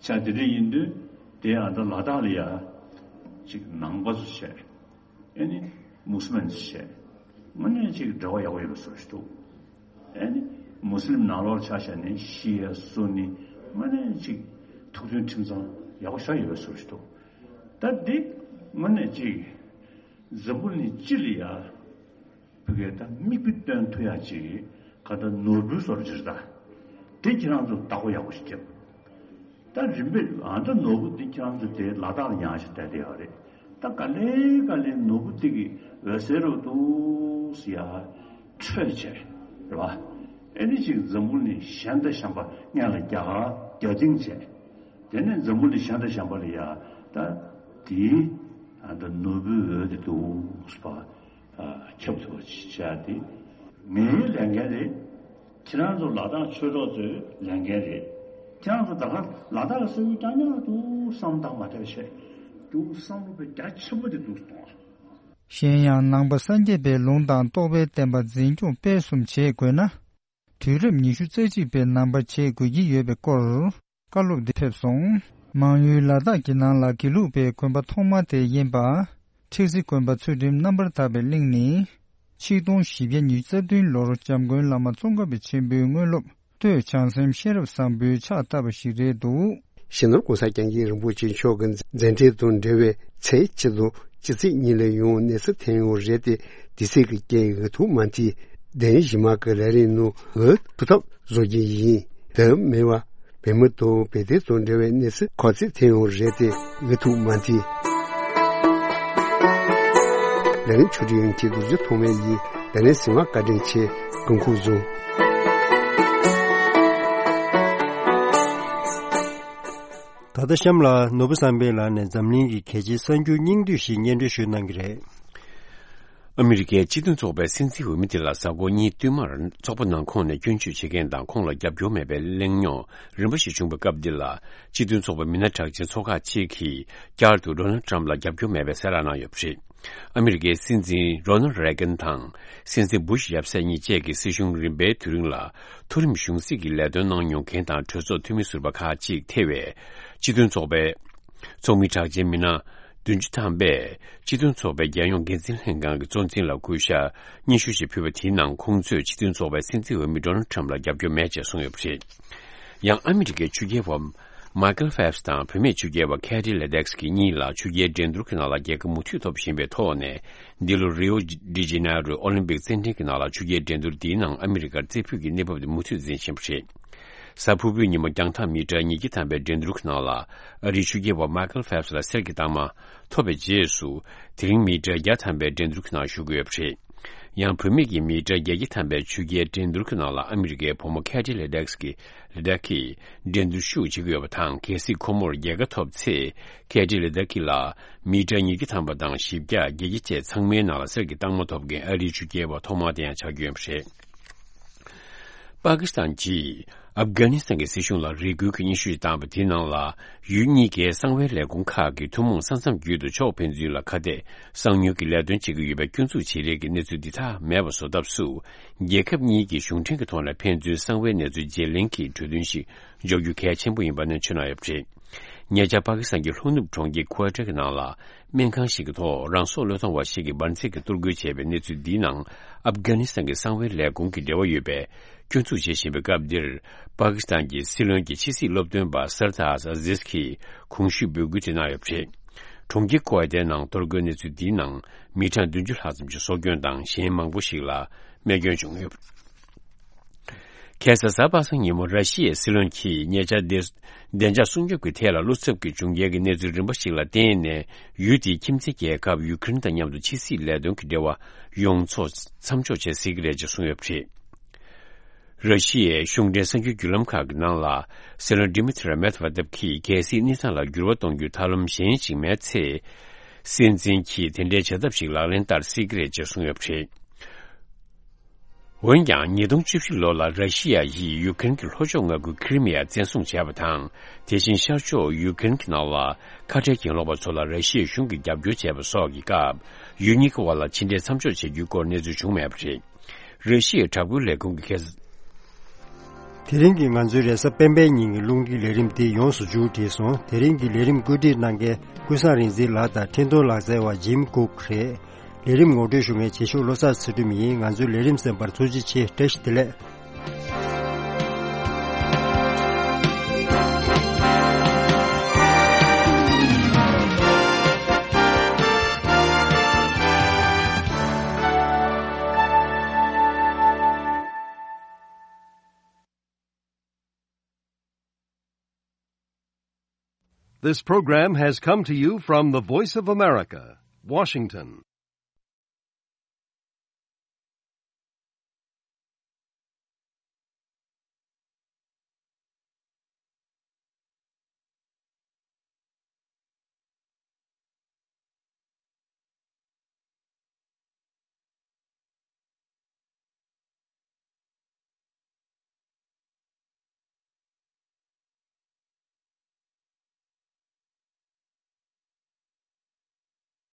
བྱས་དེ་འདྲ་ཡིན་དུས་དེ་ཨ་ད་ལ་དྭགས་ལ་ཡ་ཅིག་ནང་པ་ཚོ་བྱས། ཨ་ནི་མུ་སི་ལིམ་ཚོ་བྱས། དངོས་གནས་ཅིག་འབྲེལ་བ་ཡག་པོ་ཡོད་པའི་བཟོ་ཞིག་འདུག་ཨ་ནི་མུ་སི་ལིམ་ནང་ལོགས་ཆ་བཞག་ནས་ཤི་ཡ་སུ་ནི་དངོས་གནས་ཅིག་ཐུགས་མཐུན་ཁྲིམས་གཙང་ཡག་པོ་ཞེ་དྲག་ཡོད་པའི་བཟོ་ཞིག་འདུག་ད་འདི་དངོས་གནས་ཅིག་འཛམ་བུ་གླིང་སྤྱི་ལ་ཡ། ཕ་གིར་ད་མིག་དཔེ་སྟོན་ཐུབ་ཡག་ཅིག་ག་ད་ནོར་བུའི་བཟོ་འདྲ་ཅིག་རེད་ད། དེ་ཁྱེད་རང་ཚོ་བདག་པོ་ཡག་པོ་ཞིག་རྒྱབ། ད་རིམ་པས་ཨ་ད་ནོར་བུ་འདི་ཁྱེད་རང་ཚོ་དེ་ལ་དྭགས་ལ་ཡང་ཞིག་བསྡད་བསྡད་ཡོད་རེད། ད་ག་ལེ་ག་ལེ་ནོར་བུ་འདི་གི་འོད་ཟེར་རུ་འདུག་སེ་ཡར་འཕྲོས་བྱས་རེད་བ། ཨེ་ནི་ཅིག་འཛམ་བུ་གླིང་གཞན་དང་གཞན་པ་སྔོན་ལ་རྒྱ་གར་རྒྱ་སྟེང་བྱས། དེ་ནས་འཛམ་བུ་གླིང་ཤར་དང་བྱང་པ་ལ་ཡ་ད་དེའི་ཨ་ད་ནོར་བུའི་འོད་དེ་འདུག་པ་ཁྱབ་ཐུབ་པ་བྱ་དེ་ངའི་ལས་འགན་རེད། ཁྱེད་རང་ཚོ་ལ་དྭགས་ཆོས་གྲོགས་ཚོའི་ལས་འགན་རེད། ཁྱེད་རང་ཚོ་ད་ག་ལ་དྭགས་ཀྱི་ས་ཁུལ་རྐྱང་རྐྱང་ལ་འདུག་བསམ་བཏང་མ་ཐེབས་བྱས་འདུག་བསམ་བློ་དཔེ་རྒྱ་ཆེན་པོ་དེ་འདུག་གཏོང་བ། གཞན་ཡང་ནང་པ་སངས་རྒྱས་པའི་ལུང་དང་རྟོགས་པའི་བསྟན་པ་འཛིན་སྐྱོང་སྤེལ་གསུམ་བྱེད་དགོས་ན། དུས་རབས་ཉི་ཤུ་རྩ་གཅིག་པའི་ནང་པ་བྱེད་དགོས་ཀྱི་ཡོད་པའི་སྐོར་བཀའ་སློབ་འདི་ཕེབས་སོང་། མང་ཡུལ་ལ་དྭགས་ཀྱི་ནང་ལ་དགེ་ལུགས་པའི་དགོན་པ་ཐོག་མ་དེ་ཡིན་པ། ཁྲེག་ཟི་དགོན་པ་ཚུལ་ཁྲིམས་རྣམ་པར་དག་པའི་གླིང་ནི། ཆིག་སྟོང་བཞི་བརྒྱ་ཉི་ཤུ་རྩ་བདུན་ལོར་འཇམ་མགོན་བླ་མ་ཙོང་ཁ་པ་ཆེན་པོའི་དངོས་སློབ་སྟོད་བྱང་སེམས་ཤེས་རབ་བཟང་པོའི་ཕྱག་བཏབ་པ་ཞིག་རེད་འདུག། སྤྱི་ནོར་༸གོང་ས་༸སྐྱབས་མགོན་རིན་པོ་ཆེ་མཆོག་གི་མཛད་འཕྲིན་དང་འབྲེལ་བའི་ཚེས་གཅིག་དང་སྤྱི་ཚེས་གཉིས་ལ་ཡང་གནས་ཚུལ་ཐོན་ཡོང་རེད་དེ། དེ་ཚེ་གི་རྐྱེན་འུ་ཐུག་མ་མཐིལ་གདན་ཞུས་མ་གི་ལས་རིམ་ནང་འུ་ཐུག་ཐབས་བཟོ་རྒྱུ་ཡིན། དེ་མིན་པ་བོད་མི་དང་བོད་དོན་དང་འབྲེལ་བའི་གནས་ཚུལ་ག་ཚོད་ཐོན་ཡོང་རེད་དེ་འུ་ཐུག་མ་མཐིལ། ལས་རིམ་ཆུ་སྒྲིག་ཡོང་ཁྱེད་རྡོ་རྗེ་ཐོགས་མེད་ཡིན། དེ་ནས་གཟིགས་མ་བཀའ་དྲིན་ཆེ། དགོངས་ཁུག་བཟུང་། ད་ལྟ་གཤམ་ལ་ནོར་བུ་བསམ་འཕེལ་ལགས་ནས་འཛམ་གླིང་གི་གལ་ཆེའི་གསར་འགྱུར་སྙིང་བསྡུས་ཤིག་སྙན་སྒྲོན་ཞུས་གནང་གི་རེད། ཨ་མི་རི་ཀའི་སྤྱི་མཐུན་ཚོགས་པའི་སྲིད་འཛིན་འོས་མི་དེ་ལ་གཟའ་འཁོར་གཉིས་བསྟུད་མར་ཚོགས་པ་ནང་ཁོངས་ནས་སྐྱོན་བརྗོད་བྱེད་མཁན་དང་ཁོང་ལ་རྒྱབ་སྐྱོར་མེད་པའི་གླེང་རྙོག་རིམ་པ་ཞིག་བྱུང་བའི་སྐབས་འདི་ལ། སྤྱི་མཐུན་ཚོགས་པའི་མི་སྣ་གྲགས་ཅན་ཚོགས་ཁག་ཅིག་གིས་བསྐྱར་དུ་ཌོ་ནལ་ཊམ་ལ་རྒྱབ་སྐྱོར་མེད་པའི་གསལ་བསྒྲགས་གནང་ཡོད་པ་རེད། ཨ་མི་རི་ཀའི་སྲིད་འཛིན་རོ་ནལ་རེ་གན་དང་སྲིད་འཛིན་བུ་ཤ་ཡབ་སྲས་གཉིས་བཅས་ཀྱི་སྲིད་གཞུང་རིམ་པའི་དུས་རིང་ལ་མཐོ་རིམ་གཞུང་སྲིད་ཀྱི་ལས་དོན་གནང་མྱོང་མཁན་དང་གྲོས་ཚོགས་འཐུས་མི་ཟུར་པ་ཁག་ཅིག་ཐེ་བའི་སྤྱི་མཐུན་ཚོགས་པའི་ཚོགས་མི་གྲགས་ཅན་མི་སྣ་བདུན་ཅུ་ཐམ་པས་སྤྱི་མཐུན་ཚོགས་པའི་རྒྱལ་ཡོངས་འགན་འཛིན་ལྷན་ཁང་གི་གཙོ་འཛིན་ལ་སྐུ་ཞབས་སྙན་ཞུ་ཞིག་ཕུལ་བ་དེའི་ནང་ཁོང་ཚོས་སྤྱི་མཐུན་ཚོགས་པའི་སྲིད་འཛིན་འོས་མི་ཌོ་ནལ་ཊམ་ལ་རྒྱབ་སྐྱོར་མེད་ཅེས་གསུངས་ཡོད་པ་རེད། ཡང་ཨ་མི་རི་ཀའི་ཆོས་རྒྱལ་བ་མའི་ཀལ་ཕེལ་ཕི་སི་དང་བུད་མེད་ཆོས་རྒྱལ་བ་ཁེ་ཏི་ལེ་ཏེག་སི་ཀི་གཉིས་ལ་ཆོས་རྒྱལ་འགྲན་བསྡུར་གྱི་ནང་ལ་རྒྱལ་ཁ་མུ་མཐུད་ཐོབ་བཞིན་པའི་ཐོག་ནས། འདི་ལོ་རི་ཨོ་ཌི་ཇེ་ནེ་རོའི་ཨོ་ལིམ་པིག་རྩེད་འགྲན་གྱི་ནང་ལ་ཆོས་རྒྱལ་འགྲན་བསྡུར་འདིའི་ནང་ཨ་མི་རི་ཀར་རྩེ་ཕུད་ཀྱི་གནས་བབ་དེ་མུ་མཐུད་འཛིན་བཞིན་པ་རེད། གཟའ་ཕུར་བུའི་ཉིན་མོ་རྒྱང་ཐག་མི་ཊར་ཉིས་བརྒྱ་ཐམ་པའི་འགྲན་བསྡུར་གྱི་ནང་ལ་ཨ་རིའི་ཆོས་རྒྱལ་བ་མའི་ཀལ་ཕེལ་ཕི་སི་ལ་གསེར་གྱི་རྟགས་མ་ཐོབ་པའི་རྗེས་སུ། དེ་རིང་མི་ཊར་བརྒྱ་ཐམ་པའི་འགྲན་བསྡུར་གྱི་ནང་ཞུགས་ཀྱི་ཡོད་པ་རེད། ཡང་བུད་མེད་ཀྱི་མི་ཊར་བརྒྱད་བརྒྱ་ཐམ་པའི་ཆོས་རྒྱལ་འགྲན་བསྡུར་གྱི་ནང་ལ་ཨ་མི་རི་ཀའི་བུ་མོ་ཁེ་ཏི་ལེ་ཏེག་སི་ཀི་ལེ་ཏེག་གིས་འགྲན་བསྡུར་ཤུགས་ཆེ་གི་ཡོད་པ་དང་། གལ་སྲིད་ཁོ་མོར་རྒྱལ་ཁ་ཐོབ་ཚེ། ཁེ་ཏི་ལེ་ཏེག་གི་ལ་མི་ཊར་ཉིས་བརྒྱ་ཐམ་པ་དང་བཞི་བརྒྱ་བརྒྱད་བརྒྱ་བཅས་ཚང་མའི་ནང་ལ་གསེར་གྱི་རྟགས་མ་ཐོབ་མཁན་ཨ་རིའི་ཆོས་རྒྱལ་བ་ཐོག་མ་དེ་ཡང་ཆགས་རྒྱུ་ཡིན་པ་རེད། པ་ཀི་སི་ཐན་གྱིས་ཨབ་གྷ་ནི་སི་ཐན་གྱི་སྲིད་གཞུང་ལ་རེ་སྐུལ་གྱི་སྙན་ཞུ་ཞིག་བཏང་བ་དེའི་ནང་ལ། ཡུལ་གཉིས་ཀའི་གསང་བའི་ལས་ཁུངས་ཁག་གིས་ཐུན་མོང་ས་མཚམས་བརྒྱུད་དུ་ཕྱོགས་ཕན་ཚུན་ལ་ཁ་གཏད་གསང་ཉུལ་གྱི་ལས་དོན་བྱེད་ཀྱི་ཡོད་པའི་སྐྱོན་འཛུགས་བྱེད་རེས་ཀྱི་གནས་ཚུལ་འདི་དག་མེད་པ་བཟོ་ཐབས་སུ། རྒྱལ་ཁབ་གཉིས་ཀྱི་གཞུང་འབྲེལ་གྱི་ཐོག་ནས་ཕན་ཚུན་གསང་བའི་གནས་ཚུལ་བརྗེ་ལེན་གྱི་གྲོས་མཐུན་ཞིག་འཇོག་རྒྱུ་གལ་ཆེན་པོ་ཡིན་པ་ནས་མཚོན་གནང་ཡོད་པ་རེད། ཉེ་ཆར་པ་ཀི་སི་ཐན་གྱི་ལྷོ་ནུབ་གྲོང་ཁྱེར་ཁུ་ཝེ་ཊ་གི་ནང་ལ་སྨན་ཁང་ཞིག་གི་ཐོག་རང་སྲོག་བློས་གཏོང་བ་ཞིག་གིས་འབར་འཛེགས་ཀྱི་གཏོར་རྒོལ་བྱས་པའི་གནས་ཚུལ་འདིའི་ནང་ཨབ་གྷ་ནི་སི་ཐན་གྱི་གསང་བའི་ལས་ཁུངས་ཀྱི་འབྲེལ་བ་ཡོད་པའི་སྐྱོན་འཛུགས་བྱེད་བཞིན་པའི་སྐབས་འདིར། པ་ཀི་སི་ཐན་གྱི་སྲིད་བློན་གྱི་ཕྱི་སྲིད་སློབ་སྟོན་པ་སར་ཏཱར་ཨ་ཟིས་ཀྱིས་གོང་ཞུས་འབོད་སྐུལ་དེ་གནང་ཡོད་པ་རེད། གྲོང་ཁྱེར་ཁུ་ཝེ་ཊའི་ནང་གཏོར་རྒོལ་གནས་ཚུལ་འདིའི་ནང་མི་གྲངས་བདུན་ཅུ་ལྷག་ཙམ་གྱི་སྲོག་སྐྱོན་དང་གཞན་མང་པོ་ཞིག་ལ་རྨས་སྐྱོན་བྱུང་ཡོད། ཁ་སང་གཟའ་པ་སངས་ཉིན་མོ་ར་ཤི་ཡའི་སྲིད་བློན་གྱིས་ཉེ་ཆར་བདེ་བདེ་འཇགས་སྲུང་སྐྱོབ་ཀྱི་ཐད་ལ་བློ་འཚབ་ཀྱི་བྱུང་རྐྱེན་གྱི་གནས་ཚུལ་རིམ་པ་ཞིག་ལ་བརྟེན་ནས། ཡུལ་དེའི་ཁྱིམ་མཚེས་རྒྱལ་ཁབ་ཡུ་ཀེ་རེན་དང་མཉམ་དུ་ཕྱི་སྲིད་ལས་དོན་གྱི་འབྲེལ་བ་ཡོངས་རྫོགས་མཚམས་འཇོག་བྱེད་སྲིད་ཀྱི་རེད་ཅེས་གསུངས་ཡོད་པ་རེད། ར་ཤི་ཡའི་གཞུང་འབྲེལ་གསར་འགྱུར་བརྒྱུད་ལམ་ཁག་གི་ནང་ལ། སྲིད་བློན་ཌི་མི་ཐི་རི་མེད་ཝེ་ཏེབ་ཀྱིས་གལ་སྲིད་གནས་སྟངས་ལ་འགྱུར་བ་གཏོང་རྒྱུའི་ཐབས་ལམ་གཞན་ཞིག་མེད་ཚེ། སྲིད་འཛིན་གྱིས་དེ་འདྲའི་བྱ་ཐབས་ཤིག་ལག་ལེན་བསྟར་སྲིད་ཀྱི་རེད་ཅེས་གསུངས་ཡོད་པ་རེད། འོན་ཀྱང་། ཉིས་སྟོང་བཅུ་བཞི་ལོ་ལ་ར་ཤི་ཡ་ཡིས་ཡུ་ཀེ་རེན་གྱི་ལྷོ་ཕྱོགས་མངའ་ཁུལ་ཁི་རི་མི་ཡ་བཙན་བཟུང་བྱས་པ་དང་། དེ་བཞིན་ཤར་ཕྱོགས་ཡུ་ཀེ་རེན་གྱི་ནང་ལ་ཁ་བྲལ་གྱེན་ལོག་པ་ཚོ་ལ་ར་ཤི་ཡའི་གཞུང་གིས་རྒྱབ་སྐྱོར་བྱས་པ་སོགས་ཀྱི་སྐབས། ཡུལ་གཉིས་ཀྱི་དབར་ལ་ཕྱི་འབྲེལ་མཚམས་འཇོག་བྱེད་རྒྱུའི་སྐོར་གནས་ཚུལ་བྱུང་མེད་པ་རེད། ར་ཤི་ཡའི་དྲག་པོའི་ལས་ཁུངས་ཀྱི་ཁ། དེ་རིང་གི་ང་ཚོའི་རེས་གཟའ་སྤེན་པའི་ཉིན་གྱི་རླུང་འཕྲིན་ལས་རིམ་འདི་ཡོངས་སུ་མཇུག་བསྒྲིལ་སོང་། དེ་རིང་གི་ལས་རིམ་བཀོད་སྒྲིག་གནང་མཁན་ཀུན་བཟང་རིག་འཛིན་ལགས་དང་འཕྲིན་གཏོང་ལག་རྩལ་བ་ཇིམ་ཀུག་རེད། ལས་རིམ་ངོ་སྤྲོད་ཞུ་མཁན་རྗེས་ཕྱོགས་བློ་བཟང་ཚུལ་ཁྲིམས་ཡིན། ང་ཚོའི་ལས་རིམ་གསན་པར་ཐུགས་རྗེ་ཆེ། བཀྲ་ཤིས་བདེ་ལེགས། This program has come to you from the Voice of America, Washington.